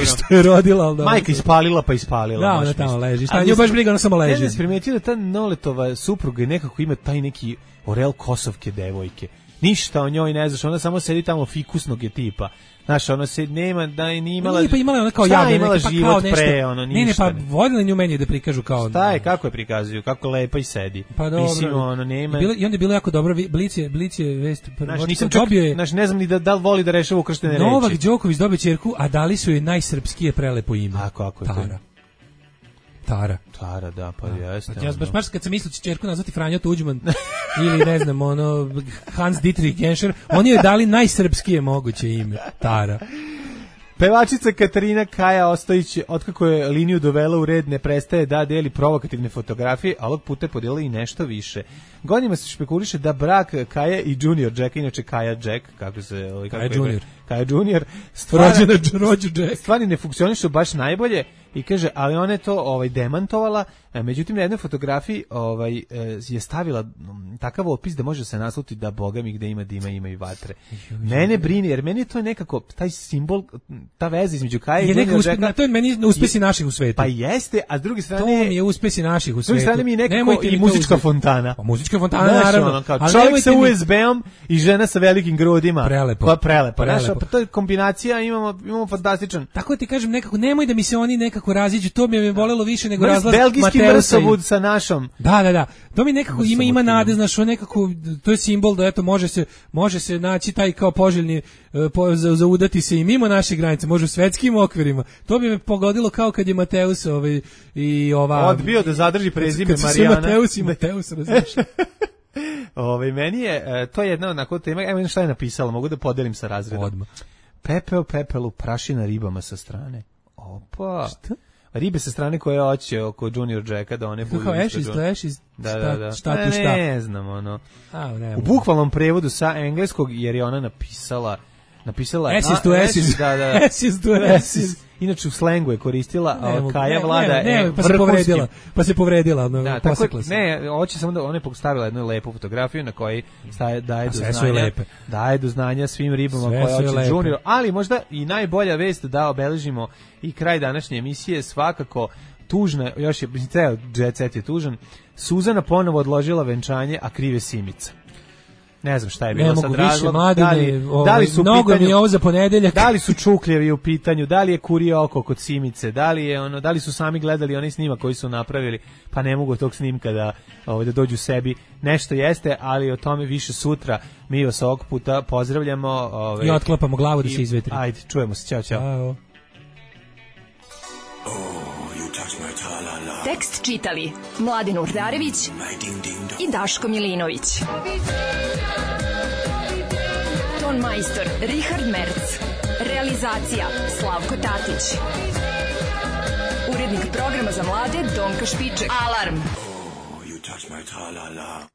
što je rodila, ali majka ispalila pa ispalila. Da, ona tamo leži. Šta nju baš briga, ona samo leži. Ne znam, primetio da ta Noletova supruga i nekako ima taj neki orel kosovke devojke. Ništa o njoj ne znaš, ona samo sedi tamo fikusnog je tipa. Znaš, ono se nema, da je ni imala... Nije pa imala ona kao javno, imala život pa pre, ono, ništa. Ne, pa vodila nju meni da prikažu kao... Šta je, kako je prikazuju, kako lepa i sedi. Pa dobro. Mislim, ono, nema... I onda je bilo jako dobro, Blic je vest... Znaš, nisam čak, znaš, ne znam ni da li voli da rešava ukrštene reči. Novak Đoković dobio ćerku, a dali su joj najsrpskije prelepo ime. A kako je Tara, da, pa jeste. Ja baš kad sam mislio će ćerku nazvati Franjo Tuđman ili ne znam, ono Hans Dietrich Genscher, oni joj dali najsrpskije moguće ime, Tara. Pevačica Katarina Kaja Ostojić, otkako je liniju dovela u red, ne prestaje da deli provokativne fotografije, a ovog puta je podijela i nešto više. Godinama se špekuliše da brak Kaja i Junior Jack, inače Kaja Jack, Kaja Junior, stvari ne funkcionišu baš najbolje i kaže, ali ona je to demantovala, međutim na jednoj fotografiji je stavila takav opis da može se nasluti da Boga mi gde ima dima ima i vatre. Mene brini, jer meni je to nekako taj simbol, ta veza između Kaja i Junior Jacka. To je meni uspesi naših u svetu. Pa jeste, a s druge strane... To mi je uspesi naših u svetu. S druge strane mi je nekako i muzička fontana. Pa muzička fontana, naravno. Čovjek sa USB-om i žena sa velikim grudima. Prelepo. Pa prelepo. Pa to je kombinacija, imamo fantastičan. Tako ti kažem, nekako, nemoj da mi se oni nekako raziđu, to mi je bolelo više nego razlaz belgijski mrsovud sa našom. Da. To mi nekako ima nade, znaš, nekako, to je simbol da eto može se naći taj kao poželjni zaudati se i mimo naše granice, može u svetskim okvirima. To bi me pogodilo kao kad je Mateus i ova... Odbio da zadrži prezime Marijana. Mateus, različno. Meni je, to je jedna onako tema, evo šta je napisala, mogu da podelim sa razredom. Odmah. Pepeo pepelu, prašina ribama sa strane. Opa. Šta? Ribe sa strane koje hoće oko Junior Jacka da one budu... Kao ashes, Da. Šta. Ne znam, ono. U bukvalnom prevodu sa engleskog, jer je ona napisala ashes to ashes. Da. Ashes to ashes. Inače u slengu je koristila, Kaja Vlada pa se povredila, posekla se. Ne, hoće samo da ona je postavila jednu lepu fotografiju na kojoj daje do znanja svim ribama koje hoće Junior, ali možda i najbolja vest da obeležimo i kraj današnje emisije, svakako tužna, još je, ceo Jet Set je tužan, Suzana ponovo odložila venčanje, a krive Simica. Ne znam šta je bilo sad razlog, da li su mnogo pitanju, mi je ovo za ponedeljak. Da li su čukljevi u pitanju, da li je kurije oko kod Simice, da li su sami gledali onaj snimak koji su napravili, pa ne mogu tog snimka da dođu sebi. Nešto jeste, ali o tome više sutra. Mi vas ovog puta pozdravljamo. I otklapamo glavu da se izvetri. Ajde, čujemo se, ćao. Tekst čitali Mladen Urdarević i Daško Milinović. Ton majstor Richard Merc. Realizacija Slavko Tatić. Urednik programa za mlade Donka Špiček. Alarm! tra-la-la.